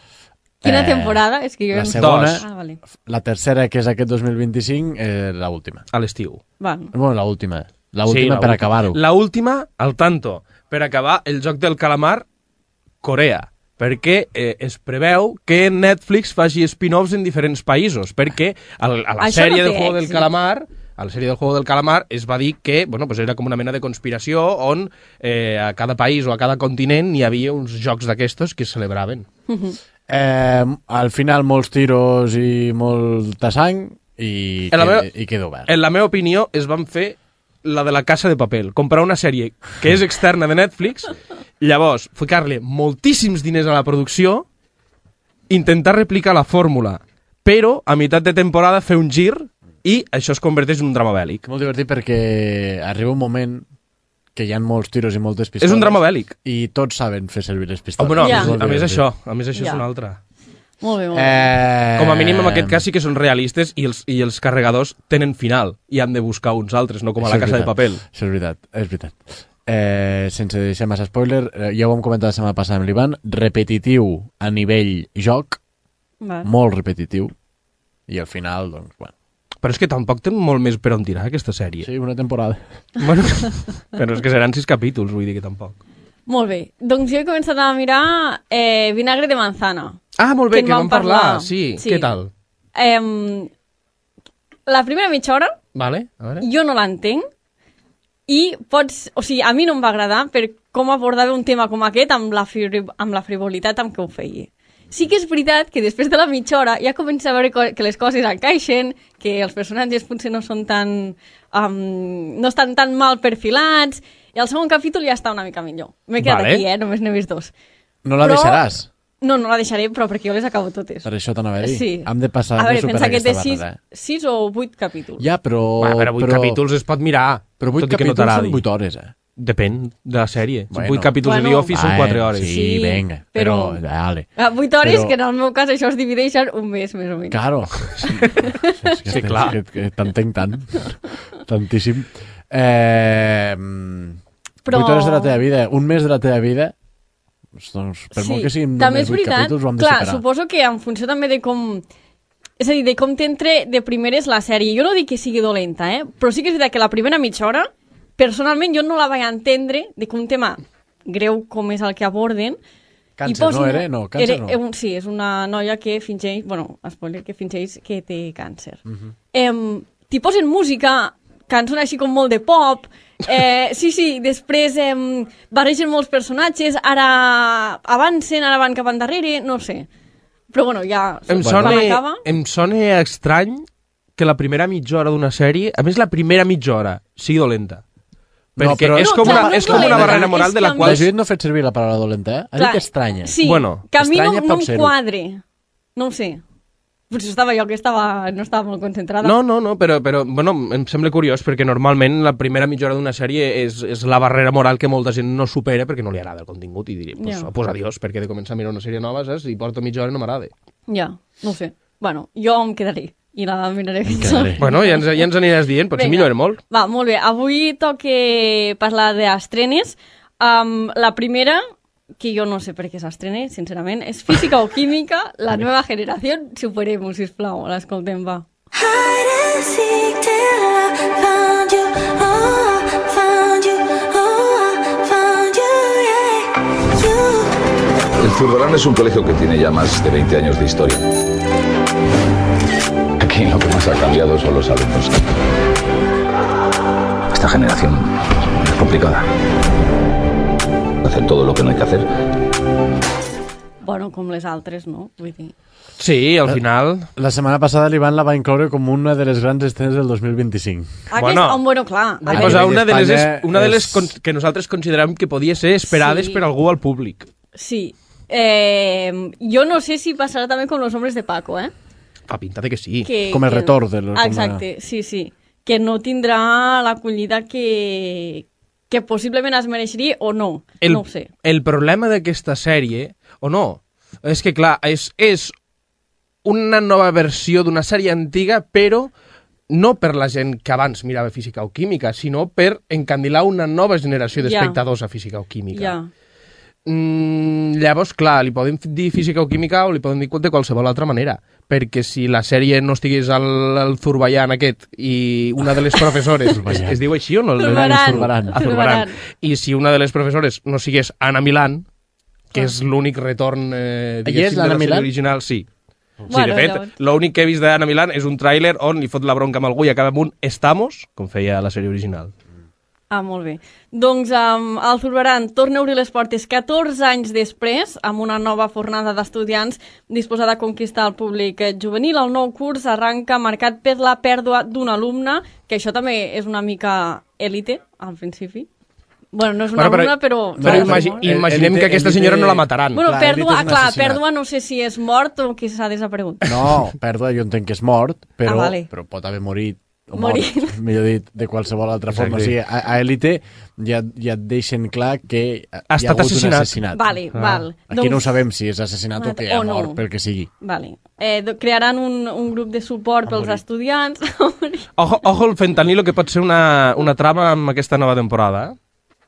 Quina temporada? És que jo la segona, vale. La tercera, que és aquest 2025, l'última. A l'estiu. Bueno, l'última. L'última per acabar-ho. L'última, al tanto, per acabar el Joc del Calamar Corea. Perquè es preveu que Netflix faci spin-offs en diferents països, perquè a la sèrie del Juego del Calamar... A la sèrie del Juego del Calamar es va dir que pues era com una mena de conspiració on a cada país o a cada continent hi havia uns jocs d'aquestos que es celebraven. Al final molts tiros i molta sang i queda obert. En la meva opinió es van fer la de la Casa de Papel, comprar una sèrie que és externa de Netflix, llavors ficar-li moltíssims diners a la producció, intentar replicar la fórmula, però a meitat de temporada fer un gir i això es converteix en un drama bèl·lic. Molt divertit perquè arriba un moment que hi ha molts tiros i moltes pistoles. És un drama bèl·lic. I tots saben fer servir les pistoles. No, a més això és una altra. Molt bé, molt bé. Com a mínim en aquest cas sí que són realistes i els carregadors tenen final i han de buscar uns altres, no com a la Casa de Papel. Això és veritat. Sense deixar massa spoiler, ja ho vam comentar la setmana passada amb l'Ivan, repetitiu a nivell joc, molt repetitiu, i al final, doncs, bueno. Però és que tampoc té molt més per on tirar aquesta sèrie. Sí, una temporada. Bueno, però és que seran 6 capítols, vull dir que tampoc. Molt bé. Doncs jo he començat a mirar Vinagre de Manzana. Ah, molt bé, que vam parlar. Sí. Què tal? La primera mitja hora, vale, a veure. Jo no l'entenc i a mi no em va agradar per com abordava un tema com aquest amb la frivolitat amb què ho feia. Sí que és veritat que després de la mitja hora ja comença a veure que les coses encaixen, que els personatges potser no són tan... no estan tan mal perfilats, i el segon capítol ja està una mica millor. M'he quedat aquí, només n'he vist 2. No la deixaràs? No la deixaré, però perquè jo les acabo totes. Per això t'anava a dir. Sí. Hem de passar a veure, pensa que té 6 o 8 capítols. Ja, però... Però 8 capítols es pot mirar. Però 8 capítols són 8 hores, Depèn de la sèrie. Bueno. 8 capítols de The Office són 4 hores. Sí, venga, però... Dale. 8 hores, que en el meu cas això es divideix en un mes, més o menys. Claro. Sí, clar. Que t'entenc tant. Tantíssim. 8 hores de la teva vida, un mes de la teva vida, doncs, per molt que siguin només 8 capítols, ho hem de separar. Clar, suposo que en funció també de com... És a dir, de com t'entre de primeres la sèrie. Jo no dic que sigui dolenta, però sí que és veritat que la primera mitja hora personalment jo no la vaig entendre de que un tema greu com és el que aborden. Càncer, no era? No, càncer no. Sí, és una noia que fingeix, spoiler, que fingeix que té càncer. T'hi posen música, cançons així com molt de pop, sí, després barregen molts personatges, ara avancen, ara van cap endarrere, no sé. Però bueno, ja... Em sona estrany que la primera mitja hora d'una sèrie, a més la primera mitja hora, sigui dolenta. Perquè és com una barrera moral de la qual... La Judit no ha fet servir la paraula dolenta, Ha dit estranya. Sí, que a mi no em quadre. No ho sé. Potser estava jo que no estava molt concentrada. No, però bueno, em sembla curiós perquè normalment la primera mitja hora d'una sèrie és la barrera moral que molta gent no supera perquè no li agrada el contingut i diria, pues adiós, perquè de començar a mirar una sèrie nova, saps? I porto mitja hora i no m'agrada. Ja, no ho sé. Bueno, jo em quedaré i la miraré. Bueno, ja ens aniràs dient, potser millora molt. Va, molt bé. Avui toca parlar d'estrenes. La primera, que jo no sé per què s'estrena, sincerament, és Física o Química, la nova generació. Superem-ho, sisplau, l'escoltem, va. El Zurbarán es un colegio que tiene ya más de 20 años de historia. Aquí lo que más ha cambiado son los alumnos. Esta generación es complicada. Hacen todo lo que no hay que hacer. Bueno, com les altres, no? Vull dir... Sí, al final... La setmana passada l'Ivan la va incloure com una de les grans estrenes del 2025. Bueno, clar. Va posar una de les que nosaltres considerem que podia ser esperades per algú al públic. Sí. Jo no sé si passarà també com Los Hombres de Paco, Fa pinta de que sí. Com el retorn de los... Exacte, sí. Que no tindrà l'acollida que possiblement es mereixeria o no. No ho sé. El problema d'aquesta sèrie, o no, és que clar, és una nova versió d'una sèrie antiga, però no per la gent que abans mirava Física o Química, sinó per encandilar una nova generació d'espectadors a Física o Química. Llavors, clar, li podem dir Física o Química o li podem dir de qualsevol altra manera, perquè si la sèrie no estigués al Zurbayán aquest i una de les professores... es diu així o no? Zurbarán. I si una de les professores no sigués Anna Milán, que és l'únic retorn diguéssim de la sèrie original, sí. Sí, de fet, l'únic que he vist d'Anna Milán és un tràiler on li fot la bronca amb algú i acaba amb un estamos, com feia la sèrie original. Ah, molt bé. Doncs el Zurbarán torna a obrir les portes 14 anys després, amb una nova fornada d'estudiants disposada a conquistar el públic juvenil. El nou curs arranca marcat per la pèrdua d'un alumne, que això també és una mica élite, al principi. Bueno, no és una alumna, però... Però imaginem que aquesta senyora no la mataran. Bueno, pèrdua no sé si és mort o que s'ha desaparegut. No, pèrdua jo entenc que és mort, però pot haver morit. Mort, millor dit, de qualsevol altra forma. O sigui, a Elite ja et deixen clar que hi ha hagut un assassinat. Val. Aquí no sabem si és assassinat o que ha mort, pel que sigui. Vale. Crearan un grup de suport pels estudiants. Ojo el fentanilo, que pot ser una trama amb aquesta nova temporada.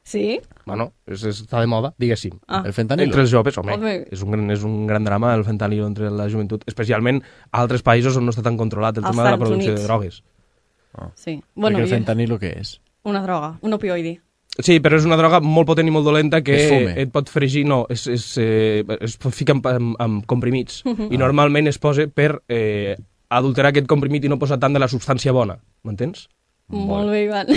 Sí? Bueno, està de moda, diguéssim. El fentanilo? Entre els joves, home. És un gran drama, el fentanilo entre la joventut, especialment a altres països on no està tan controlat el tema de la producció de drogues. Sí. Bueno, perquè el fentanilo què és? Una droga, un opioide. Sí, però és una droga molt potent i molt dolenta que et pot fregir, es pot ficar amb comprimits. I normalment es posa per adulterar aquest comprimit i no posar tant de la substància bona. M'entens? Molt bé, Ivan.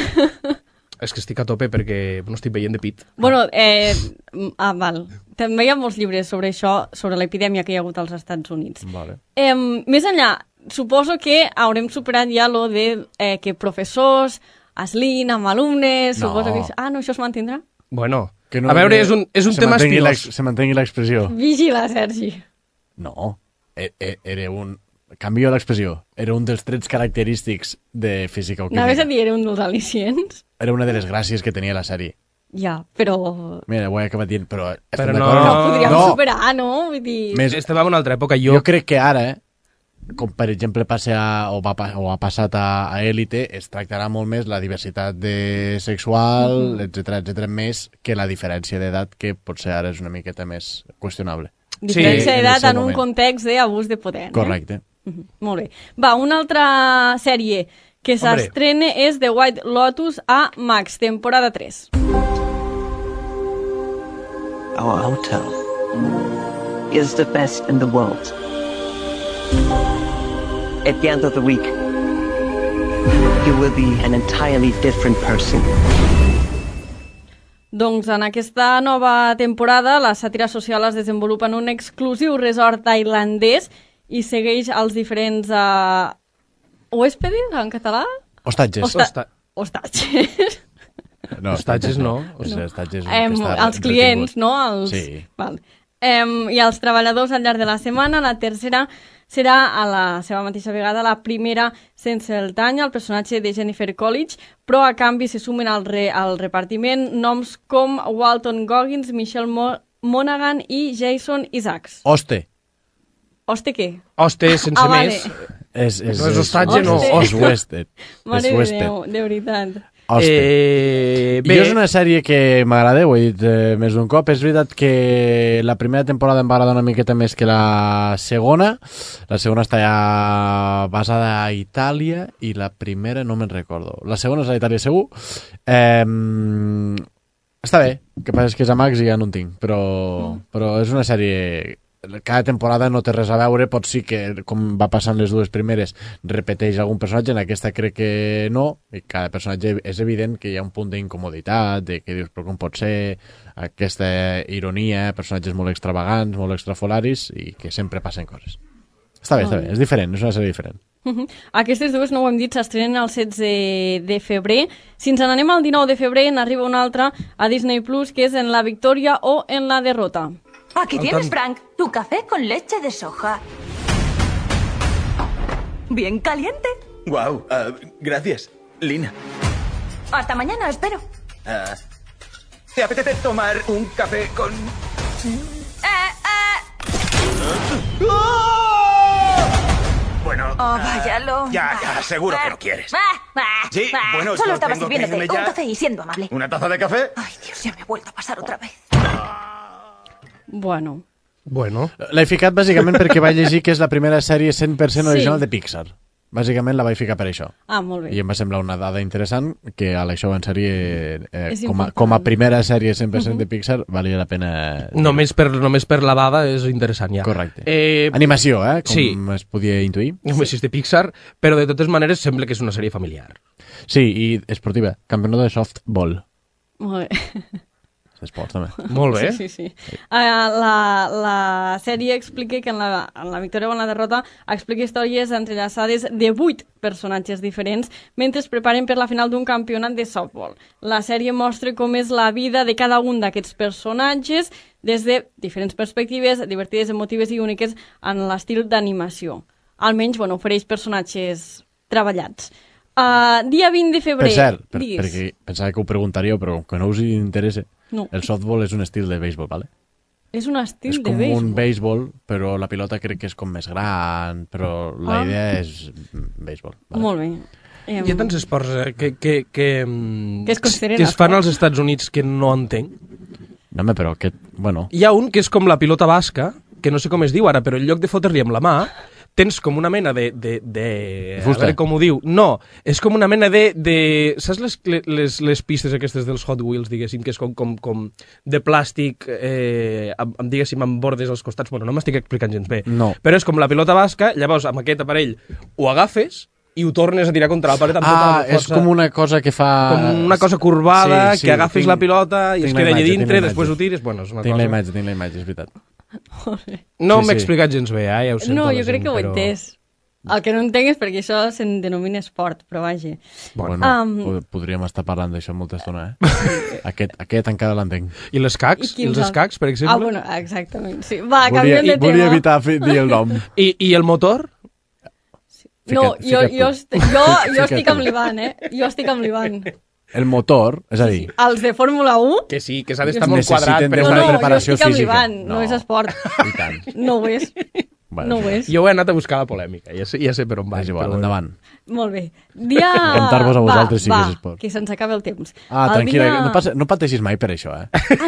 És que estic a tope perquè no estic veient de pit. Bueno, val. També hi ha molts llibres sobre això, sobre l'epidèmia que hi ha hagut als Estats Units. Vale. Més enllà, suposo que haurem superat ja lo de que professors es lien amb alumnes, suposo que... no, això es mantindrà? Bueno, a veure, és un tema estilós. Se mantengui l'expressió. Vigila, Sergi. No, era un... Canvio l'expressió. Era un dels trets característics de Física o Química. Anaves a dir, era un dels al·licients? Era una de les gràcies que tenia la sèrie. Ja, però... Mira, ho he acabat dient, però... no podríem superar, no? Vull dir... Estem en una altra època. Jo crec que ara, com per exemple ha passat a Elite, es tractarà molt més la diversitat sexual, etc més que la diferència d'edat, que potser ara és una miqueta més qüestionable. Diferència d'edat en un context d'abús de poder. Correcte. Molt bé. Va, una altra sèrie que s'estrena és The White Lotus a Max, temporada 3. Our hotel is the best in the world. At the end of the week, you will be an entirely different person. Doncs en aquesta nova temporada la sàtira social es desenvolupa en un exclusiu resort tailandès i segueix els diferents hóspedes, en català? Hostatges. Hostatges. Hostatges no. Els clients, no? Sí. Val. I els treballadors al llarg de la setmana. La tercera serà a la seva mateixa vegada la primera sense el tany, el personatge de Jennifer Coolidge, però a canvi se sumen al repartiment noms com Walton Goggins, Michelle Monaghan i Jason Isaacs. Hoste què? Hoste sense més. No és hostatge, no. És Wested. Mare de Déu, de veritat. Jo és una sèrie que m'agrada, ho he dit més d'un cop. És veritat que la primera temporada em va agradar una miqueta més que la segona. La segona està ja basada a Itàlia i la primera no me'n recordo. La segona és a Itàlia segur. Està bé, el que passa és que és a Max i ja no en tinc, però és una sèrie... Cada temporada no té res a veure, pot sí que, com va passar en les dues primeres, repeteix algun personatge, en aquesta crec que no, i cada personatge és evident que hi ha un punt d'incomoditat, de que dius, però com pot ser aquesta ironia, personatges molt extravagants, molt extrafolaris, i que sempre passen coses. Està bé, és diferent, és una sèrie diferent. Aquestes dues, no ho hem dit, s'estrenen el 16 de febrer. Si ens n'anem al 19 de febrer, n'arriba una altra a Disney Plus, que és En la victòria o En la derrota. Aquí tienes, Frank, tu café con leche de soja. Bien caliente. Wow, gracias, Lina. Hasta mañana, espero. ¿Te apetece tomar un café con...? Bueno... Oh, váyalo. Ya, seguro que lo quieres. Sí, bueno, solo yo estaba tengo que sirviéndote irme ya. un café y siendo amable. ¿Una taza de café? Ay, Dios, ya me he vuelto a pasar otra vez. Bueno. L'he ficat bàsicament perquè vaig llegir que és la primera sèrie 100% original de Pixar. Bàsicament la vaig ficar per això. Molt bé. I em va semblar una dada interessant que a l'això en sèrie, com a primera sèrie 100% de Pixar, valia la pena... Només per la dada és interessant, ja. Correcte. Animació, com es podia intuir. Només és de Pixar, però de totes maneres sembla que és una sèrie familiar. Sí, i esportiva. Campionat de softball. Molt bé. Esports, també. Molt bé. Sí. La sèrie explica que en la victòria o en la derrota explica històries entrellaçades de 8 personatges diferents mentre es preparen per la final d'un campionat de softball. La sèrie mostra com és la vida de cada un d'aquests personatges des de diferents perspectives, divertides, emotives i úniques en l'estil d'animació. Almenys, ofereix personatges treballats. Dia 20 de febrer... Per cert, perquè pensava que ho preguntaríeu, però que no us interessa, el softball és un estil de béisbol, ¿vale? És un estil de béisbol? És com un béisbol, però la pilota crec que és com més gran, però la idea és béisbol. Vale? Molt bé. Hi ha tants esports que es fan als Estats Units que no entenc. No, però aquest... Bueno... Hi ha un que és com la pilota basca, que no sé com es diu ara, però en lloc de fotre-li amb la mà, tens com una mena de a veure com ho diu. No, és com una mena de saps les pistes aquestes dels Hot Wheels, diguéssim, que és com de plàstic, diguéssim, amb bordes als costats. Bueno, no m'estic explicant gens bé. No. Però és com la pilota basca, llavors amb aquest aparell ho agafes i ho tornes a tirar contra la paret amb tota la força. És com una cosa que fa... Com una cosa corbada, que agafes la pilota i es queda allà dintre, després ho tires... Bueno, és una tinc cosa... la imatge, és veritat. No m'he explicat gens bé, ja ho sento. No, jo crec que ho he entès. El que no entenc és perquè això se'n denomina esport, però vaja. Bueno, podríem estar parlant d'això molta estona, Aquest encara l'entenc. I les cacs? I els escacs, per exemple? Bueno, exactament, sí. Va, canviem de tema. Volia evitar dir el nom. I el motor? No, jo estic amb l'Ivan, Jo estic amb l'Ivan. El motor, és a dir... Els de Fórmula 1? Que sí, que s'ha d'estar molt quadrat. No, jo estic amb l'Ivan, no és esport. I tant. No ho és. No ho és. Jo he anat a buscar la polèmica, ja sé per on vaig. És igual, endavant. Molt bé. Dia... Comptar-vos a vosaltres sí que és esport. Que se'ns acaba el temps. Tranquil·la, no pateixis mai per això,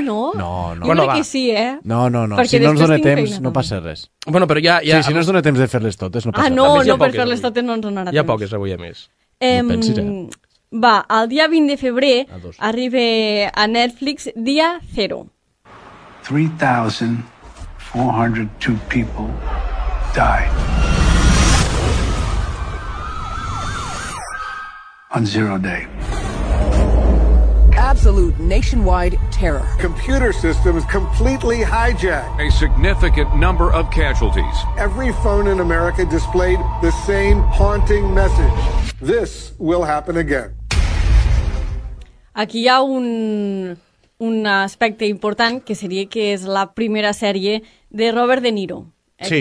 no? No. Jo crec que sí, No. Si no ens dona temps, no passa res. Bueno, però ja... Si no ens dona temps de fer-les totes, no passa res. No, per fer-les totes no ens donarà temps. Hi ha poques avui, a més. No pensis, Va, el dia 20 de febrer arriba a Netflix Dia Zero. 3,402 people died on Zero Day. Absolute nationwide terror. Computer systems completely hijacked. A significant number of casualties. Every phone in America displayed the same haunting message. This will happen again. Aquí hi ha un aspecte important que seria que és la primera sèrie de Robert De Niro. Sí.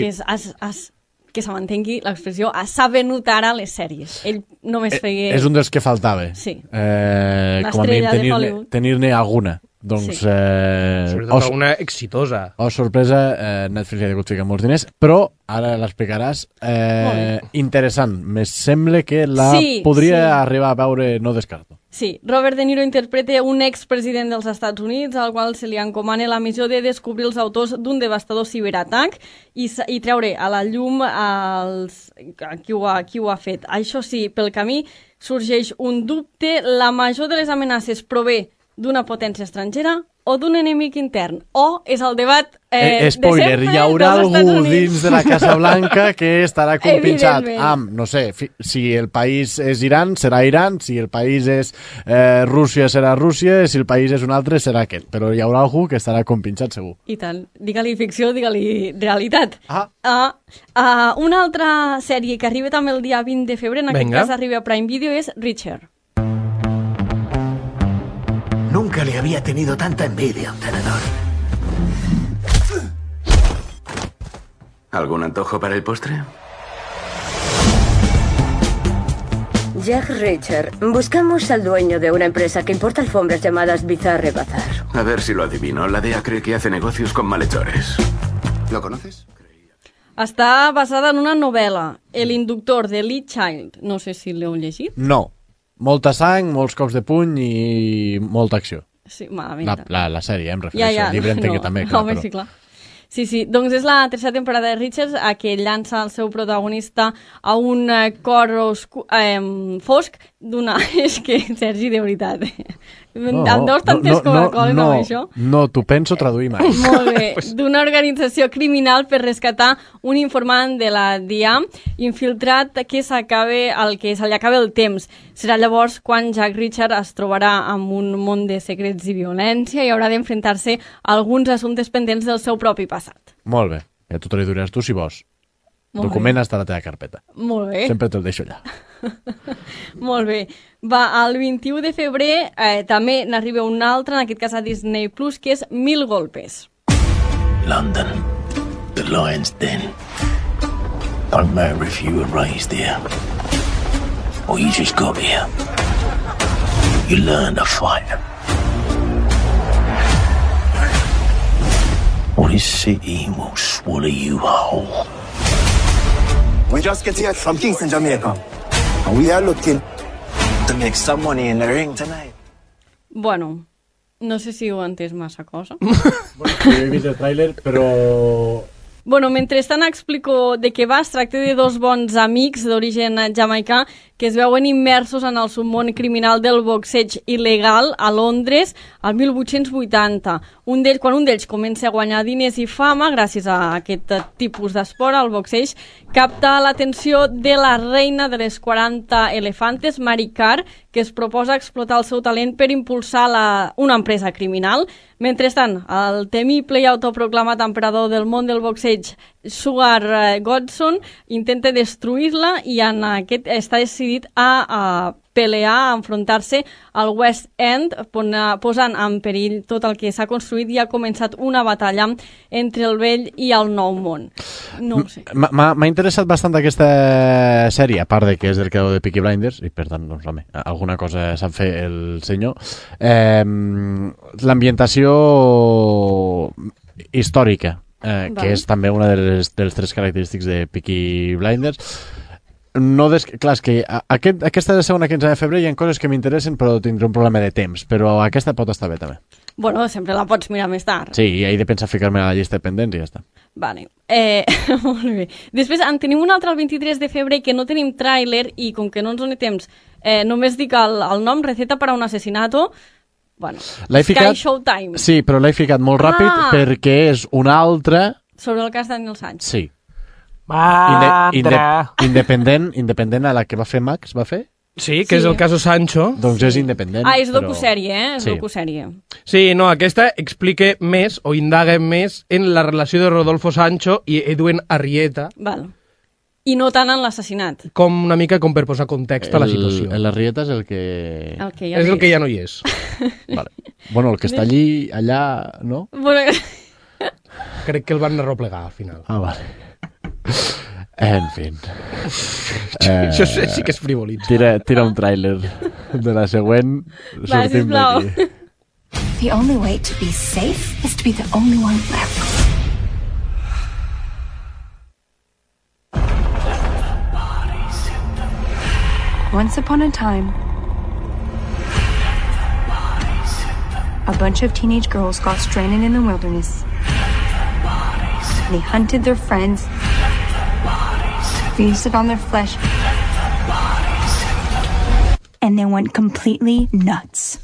Que se mantengui l'expressió, s'ha venut ara les sèries. Ell només feia... És un dels que faltava. Sí. Com a mínim tenir-ne alguna. Doncs, sí. Sobretot una exitosa. Sorpresa, Netflix ha hagut ficar molts diners, però ara l'explicaràs. Interessant. Me sembla que podria arribar a veure, no descarto. Sí, Robert De Niro interpreta un expresident dels Estats Units al qual se li encomana la missió de descobrir els autors d'un devastador ciberatac i treure a la llum qui ho ha fet. Això sí, pel camí sorgeix un dubte. La major de les amenaces prové d'una potència estrangera o d'un enemic intern? O és el debat spoiler, hi haurà algú dins de la Casa Blanca que estarà compinxat amb, no sé, si el país és Iran, serà Iran, si el país és Rússia, serà Rússia, si el país és un altre, serà aquest. Però hi haurà algú que estarà compinxat, segur. I tant. Digue-li ficció, digue-li realitat. Una altra sèrie que arriba també el dia 20 de febrer, en aquest cas arriba a Prime Video, és Richard. Nunca le había tenido tanta envidia a un tenedor. ¿Algún antojo para el postre? Jack Richard, buscamos al dueño de una empresa que importa alfombras llamadas Bizarre Bazar. A ver si lo adivino. La DEA cree que hace negocios con malhechores. ¿Lo conoces? Està basada en una novel·la, El inductor, de Lee Child. No sé si l'heu llegit. No. Molta sang, molts cops de puny i molta acció. Sí, malament. La sèrie, em refereixo. El llibre entenc que també, clar. Sí, clar. Sí, doncs és la tercera temporada de Richards que llança el seu protagonista a un cor fosc d'una... És que, Sergi, de veritat, em deus tantes Coca-Cola amb això? No, t'ho penso traduir mai. Molt bé. D'una organització criminal per rescatar un informant de la DIA infiltrat que se li acabi el temps. Serà llavors quan Jack Richard es trobarà amb un món de secrets i violència i haurà d'enfrontar-se a alguns assumptes pendents del seu propi passat. Molt bé. Ja t'ho traduiràs tu si vols. Document està a la teva carpeta. Molt bé. Sempre te'l deixo allà. Molt bé. El 21 de febrer també n'arriba un altre, en aquest cas a Disney Plus, que és 1000 golpes. London, the lion's den. Don't matter if you were raised here or you just got here. You learn to fight. Or this city will swallow you whole. We just get here from Kingston, Jamaica. And we are looking to make some money in the ring tonight. Bueno, no sé si ho he entès massa cosa. Jo he vist el tràiler, però... Bueno, mentrestant explico de què va. Es tracta de dos bons amics d'origen jamaicà que es veuen immersos en el submón criminal del boxeig il·legal a Londres al 1880. Quan un d'ells comença a guanyar diners i fama gràcies a aquest tipus d'esport, el boxeig, capta l'atenció de la reina de les 40 elefantes, Mary Carr, que es proposa explotar el seu talent per impulsar una empresa criminal. Mentrestant, el temible i autoproclamat emperador del món del boxeig, Sugar Godson, intenta destruir-la i està decidit a pelear, a enfrontar-se al West End, posant en perill tot el que s'ha construït i ha començat una batalla entre el vell i el nou món. No ho sé. M'ha interessat bastant aquesta sèrie, a part de que és del creador de Peaky Blinders, i per tant, doncs, home, alguna cosa sap fer el senyor. L'ambientació històrica, que és també una dels tres característics de Peaky Blinders. Clar, és que aquesta segona quinzena de febrer hi ha coses que m'interessen, però tindré un problema de temps, però aquesta pot estar bé també. Bueno, sempre la pots mirar més tard. Sí, i he de pensar ficar-me a la llista de pendents i ja està. Vale. Molt bé. Després en tenim un altre el 23 de febrer que no tenim tràiler i com que no ens doni temps, només dic el nom, Receta para un asesinato. Bueno, Sky Showtime. Sí, però l'he ficat molt ràpid perquè és una altra... Sobre el cas Daniel Sánchez. Sí. Independent a la que va fer Max, va fer? Sí, que és el caso Sancho. Doncs és independent. És docusèrie, És docusèrie. Sí, no, aquesta explica més o indaga més en la relació de Rodolfo Sancho i Edwin Arrieta. Val. i no tant en l'assassinat. Com una mica com per posar context a la situació. El Larrieta és el que... És el que ja no hi és. Vale. Bueno, el que està allà, no? Bueno... Crec que el van arroplegar al final. Ah, vale. En fi. Això sí que és frivolitza. Tira un tràiler de la següent. Va, sisplau. The only way to be safe is to be the only one left. Once upon a time, a bunch of teenage girls got stranded in the wilderness. They hunted their friends, feasted on their flesh, and they went completely nuts.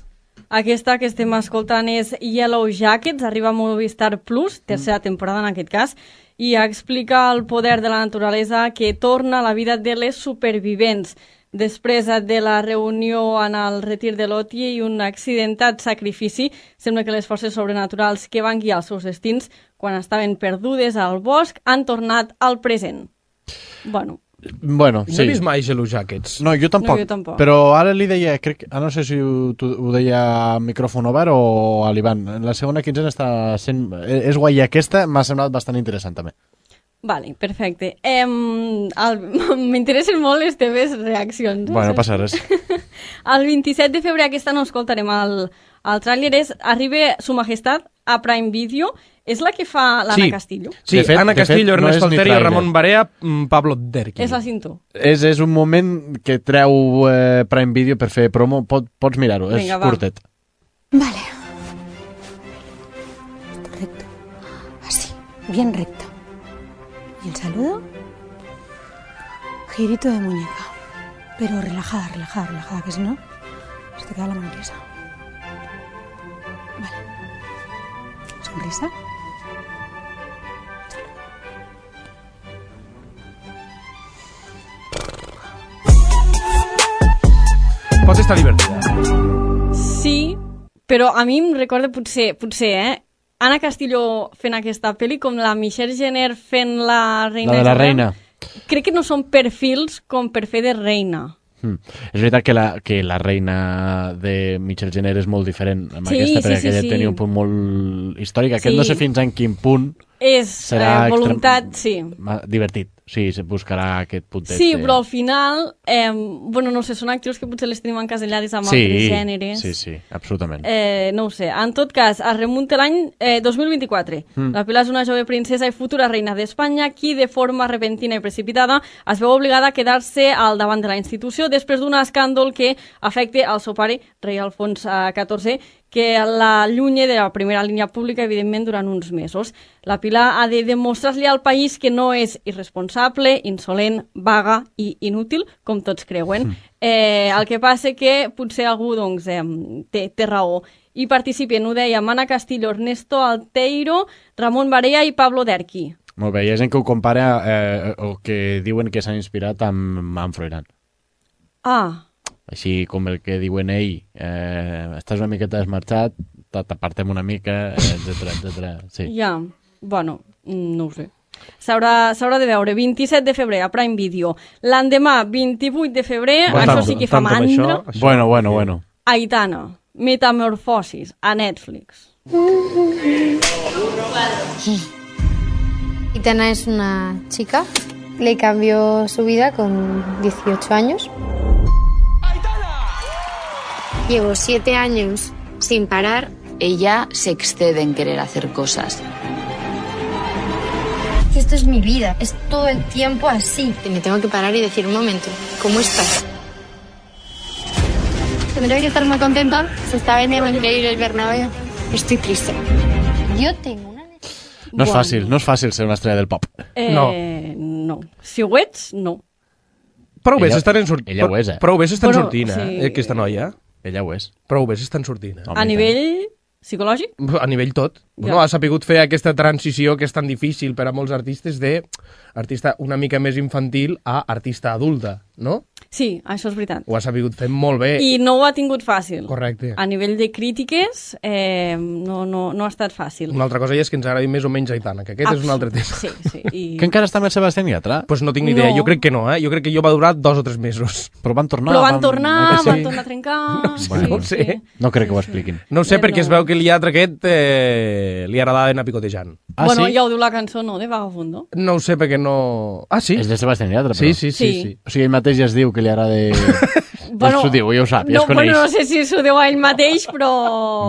Aquesta que estem escoltant és Yellow Jackets, arriba a Movistar Plus, tercera temporada en aquest cas, i explica el poder de la naturalesa que torna a la vida de les supervivents. Després de la reunió en el retir de Lottie i un accidentat sacrifici, sembla que les forces sobrenaturals que van guiar els seus destins quan estaven perdudes al bosc han tornat al present. Bueno, sí. No he vist mai Yellow Jackets. No, jo tampoc. Però ara li deia, no sé si ho deia a micròfon obert o a l'Ivan, en la segona quinzena està sent... És guai, aquesta m'ha semblat bastant interessant també. Vale, perfecte. M'interessen molt les teves reaccions. Bueno, passa res. El 27 de febrer, aquesta no escoltarem el tràiler, arriba Su Majestat a Prime Video. És la que fa l'Anna Castillo. Sí, Anna Castillo, Ernest Alterio, Ramon Barea, Pablo Derqui. És la cinto. És un moment que treu Prime Video per fer promo. Pots mirar-ho, és curtet. Vale. Esto recto. Así, bien recto. ¿Y el saludo? Girito de muñeca. Pero relajada, que si no, se te queda la mano tiesa. Vale. Sonrisa. Pot estar divertida. Sí, però a mi em recorda potser, Anna Castillo fent aquesta pel·li com la Michelle Jenner fent la reina. La de la reina. Crec que no són perfils com per fer de reina. És veritat que la reina de Michelle Jenner és molt diferent amb aquesta, perquè aquella tenia un punt molt històric. Aquest no sé fins en quin punt serà voluntat, divertit. Sí, se buscarà aquest puntet. Sí, però al final, no sé, són actrius que potser les tenim encasellades amb altres gèneres. Sí, absolutament. No ho sé. En tot cas, es remunta l'any 2024. La Pilar és una jove princesa i futura reina d'Espanya qui, de forma repentina i precipitada, es veu obligada a quedar-se al davant de la institució després d'un escàndol que afecta al seu pare, rei Alfons XIV, que la allunya de la primera línia pública, evidentment, durant uns mesos. La Pilar ha de demostrar-li al país que no és irresponsable, insolent, vaga i inútil, com tots creuen. El que passa que potser algú té raó. I participen, ho deia, Anna Castillo, Ernesto Alterio, Ramon Barea i Pablo Derqui. Molt bé, hi ha gent que ho compara o que diuen que s'han inspirat amb Froilán. Així com el que diuen ell, estàs una miqueta desmarxat, t'apartem una mica, etc. Sí. Ja, bueno, no ho sé. S'haurà de veure, 27 de febrer a Prime Video. L'endemà, 28 de febrer, això sí que fa mandra. Bueno. Aitana, Metamorfosis, a Netflix. Aitana es una chica, le cambió su vida con 18 años. Llevo 7 años sin parar. Ella se excede en querer hacer cosas. Esto es mi vida, es todo el tiempo así. Me tengo que parar y decir, un momento, ¿cómo estás? Tendré que estar muy contenta. Se está vendiendo increíble el Bernabéu. Estoy triste. Yo tengo una... No és fàcil ser una estrella del pop. No. Si ho ets, no. Prou bé s'estan Ella ho és, Prou bé s'estan sortint, aquesta noia. Ella ho és. Prou bé s'estan sortint. A nivell psicològic? A nivell tot. Ha sapigut fer aquesta transició que és tan difícil per a molts artistes d'artista una mica més infantil a artista adulta, no? Sí, això és veritat. Ho ha sabut fer molt bé. I no ho ha tingut fàcil. Correcte. A nivell de crítiques, no ha estat fàcil. Una altra cosa és que ens agradi més o menys Aitana, que aquest és un altre tema. Sí. Que encara està amb el Sebastián Yatra? Pues no tinc ni idea, jo crec que no, Jo crec que jo va durar 2 o 3 mesos. Però van tornar. Van tornar a trencar... No ho sé. No crec que ho expliquin. No ho sé, perquè es veu que el Yatra aquest li agradava anar picotejant. Bueno, ja ho diu la cançó, no?, de Vagabundo. No ho sé, perquè no... Ah, sí? És de Sebastián Yatra, però. Sí. O sigui, ell mateix ja es diu que li agrada... Bueno, s'ho diu, ja ho sap, ja es coneix. Bueno, no sé si s'ho diu a ell mateix, però...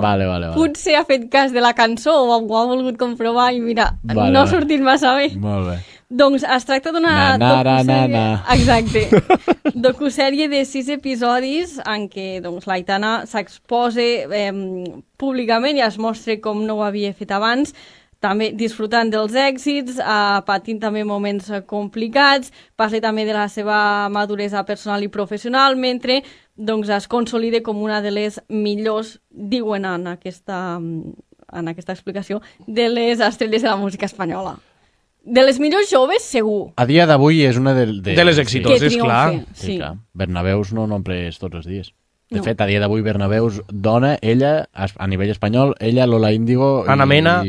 Vale. Potser ha fet cas de la cançó o ho ha volgut comprovar i mira, no ha sortit massa bé. Molt bé. Doncs es tracta d'una docusèrie... Exacte. Docusèrie de 6 episodis en què l'Aitana s'exposa públicament i es mostra com no ho havia fet abans, també disfrutant dels èxits, patint també moments complicats, parla també de la seva maduresa personal i professional, mentre es consolida com una de les millors, diuen en aquesta explicació, de les estrelles de la música espanyola. De les millors joves, segur. A dia d'avui és una de les exitoses, clar. Sí. Clar. Bernabeus no omples tots els dies. De fet, a dia d'avui Bernabeus dona, ella, a nivell espanyol, ella, Lola Índigo... Ana Mena...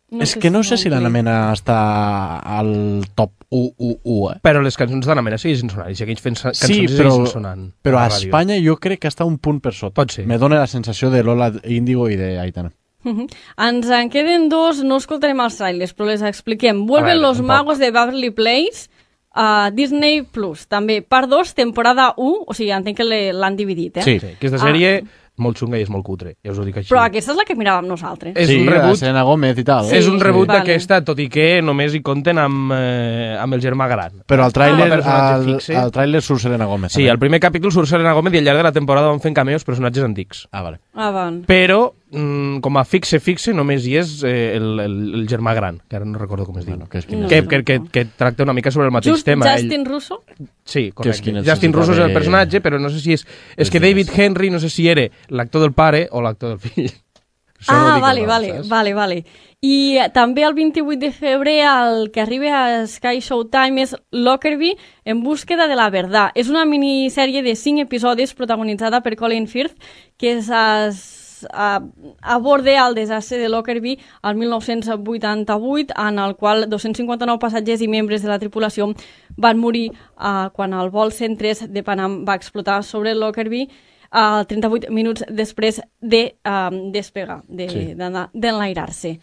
És que no sé si l'Anna Mena està al top 1. Però les cançons d'Anna Mena segueixen sonant, i segueix fent cançons i segueixen sonant. Però a Espanya jo crec que està un punt per sota. Pot ser. Me dona la sensació de Lola Índigo i d'Aitana. Ens en queden 2, no escoltarem els trailers, però les expliquem. Vuelven los magos de Beverly Place a Disney Plus. També, part 2, temporada 1, o sigui, entenc que l'han dividit, Sí, aquesta sèrie... molt xunga i és molt cutre, ja us ho dic així. Però aquesta és la que miràvem nosaltres. És un reboot, Selena Gómez i tal. És un reboot d'aquesta, tot i que només hi compten amb el germà gran. Però al tràiler surt Selena Gómez. Sí, al primer capítol surt Selena Gómez i al llarg de la temporada van fent cameos personatges antics. Vale. Però, com a fixe, només hi és el germà gran, que ara no recordo com es diu. Que tracta una mica sobre el mateix tema. Justin Russo? Sí, correcte. Justin Russo és el personatge, però no sé si és... És que David Henry no sé si era l'actor del pare o l'actor del fill. Vale. I també el 28 de febrer el que arriba a Sky Showtime és Lockerbie en búsqueda de la verdad. És una minissèrie de 5 episodis protagonitzada per Colin Firth que aborda el desastre de Lockerbie al 1988, en el qual 259 passatgers i membres de la tripulació van morir quan el vol 103 de Panam va explotar sobre Lockerbie 38 minuts després de despegar, d'enlairar-se.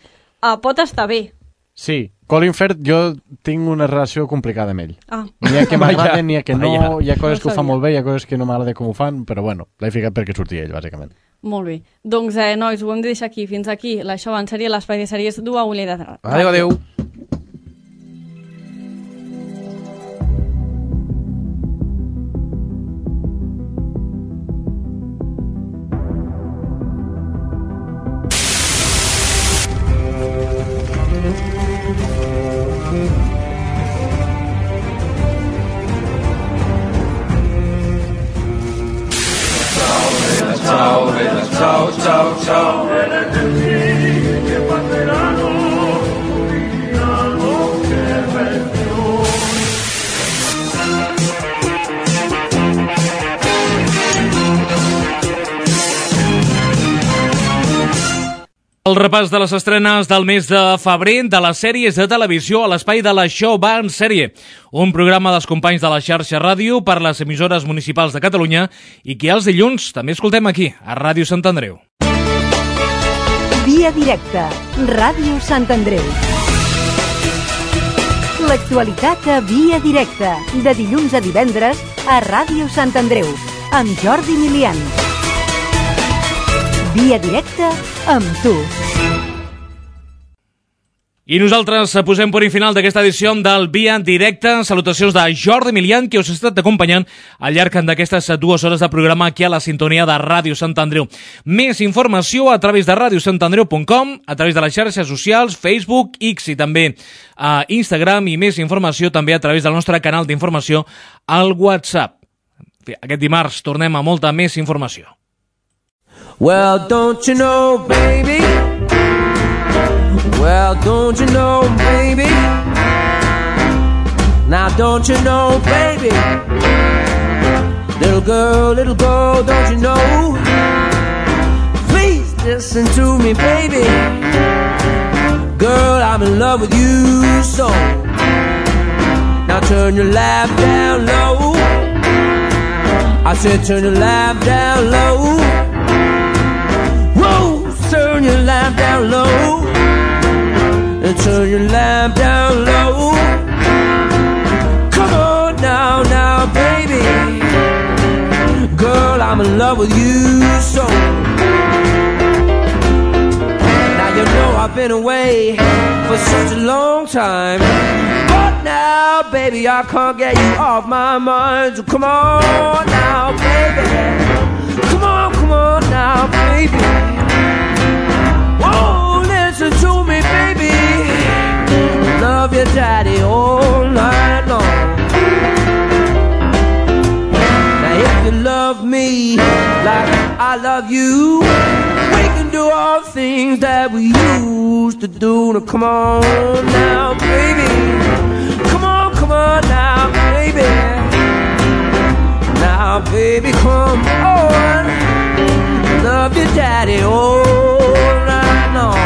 Pot estar bé. Sí, Colin Firth jo tinc una relació complicada amb ell. N'hi ha que m'agraden, n'hi ha que no, hi ha coses que ho fan molt bé, hi ha coses que no m'agrada com ho fan, però bueno, l'he ficat perquè sortia ell, bàsicament. Molt bé. Doncs, nois, ho hem de deixar aquí. Fins aquí l'Això en sèrie, l'espai de sèries d'Ua Ulla de Ràdio. Adéu. Ciao. El repàs de les estrenes del mes de febrer de les sèries de televisió a l'espai de l'Això va en sèrie, un programa dels companys de la xarxa ràdio per les emissores municipals de Catalunya i que els dilluns també escoltem aquí, a Ràdio Sant Andreu. Via directa, Ràdio Sant Andreu. L'actualitat a Via directa, de dilluns a divendres a Ràdio Sant Andreu, amb Jordi Milian. Via directa amb tu. I nosaltres posem punt final d'aquesta edició del Via Directe. Salutacions de Jordi Milian, que us ha estat acompanyant al llarg d'aquestes 2 hores de programa aquí a la sintonia de Ràdio Sant Andreu. Més informació a través de radiosantandreu.com, a través de les xarxes socials, Facebook, X i també a Instagram, i més informació també a través del nostre canal d'informació al WhatsApp. Aquest dimarts tornem a molta més informació. Well, don't you know, baby? Well, don't you know, baby? Now don't you know, baby? Little girl, don't you know? Please listen to me, baby. Girl, I'm in love with you so. Now turn your laugh down low. I said turn your laugh down low. Whoa, turn your laugh down low. And turn your lamp down low. Come on now, now, baby. Girl, I'm in love with you so. Now you know I've been away for such a long time, but now, baby, I can't get you off my mind. So come on now, baby. Come on now, baby. Whoa, listen to me, baby. Love your daddy all night long. Now if you love me like I love you, we can do all things that we used to do. Now come on now, baby. Come on now, baby. Now, baby, come on. Love your daddy all night long.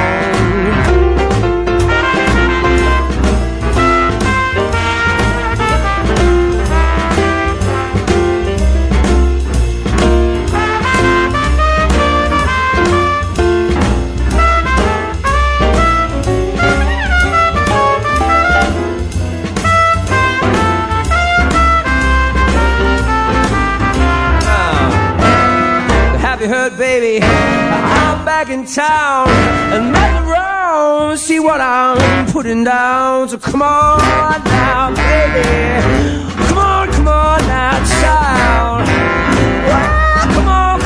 Have you heard, baby? I'm back in town and back around. See what I'm putting down. So come on now, baby. Come on now, child. Well, come on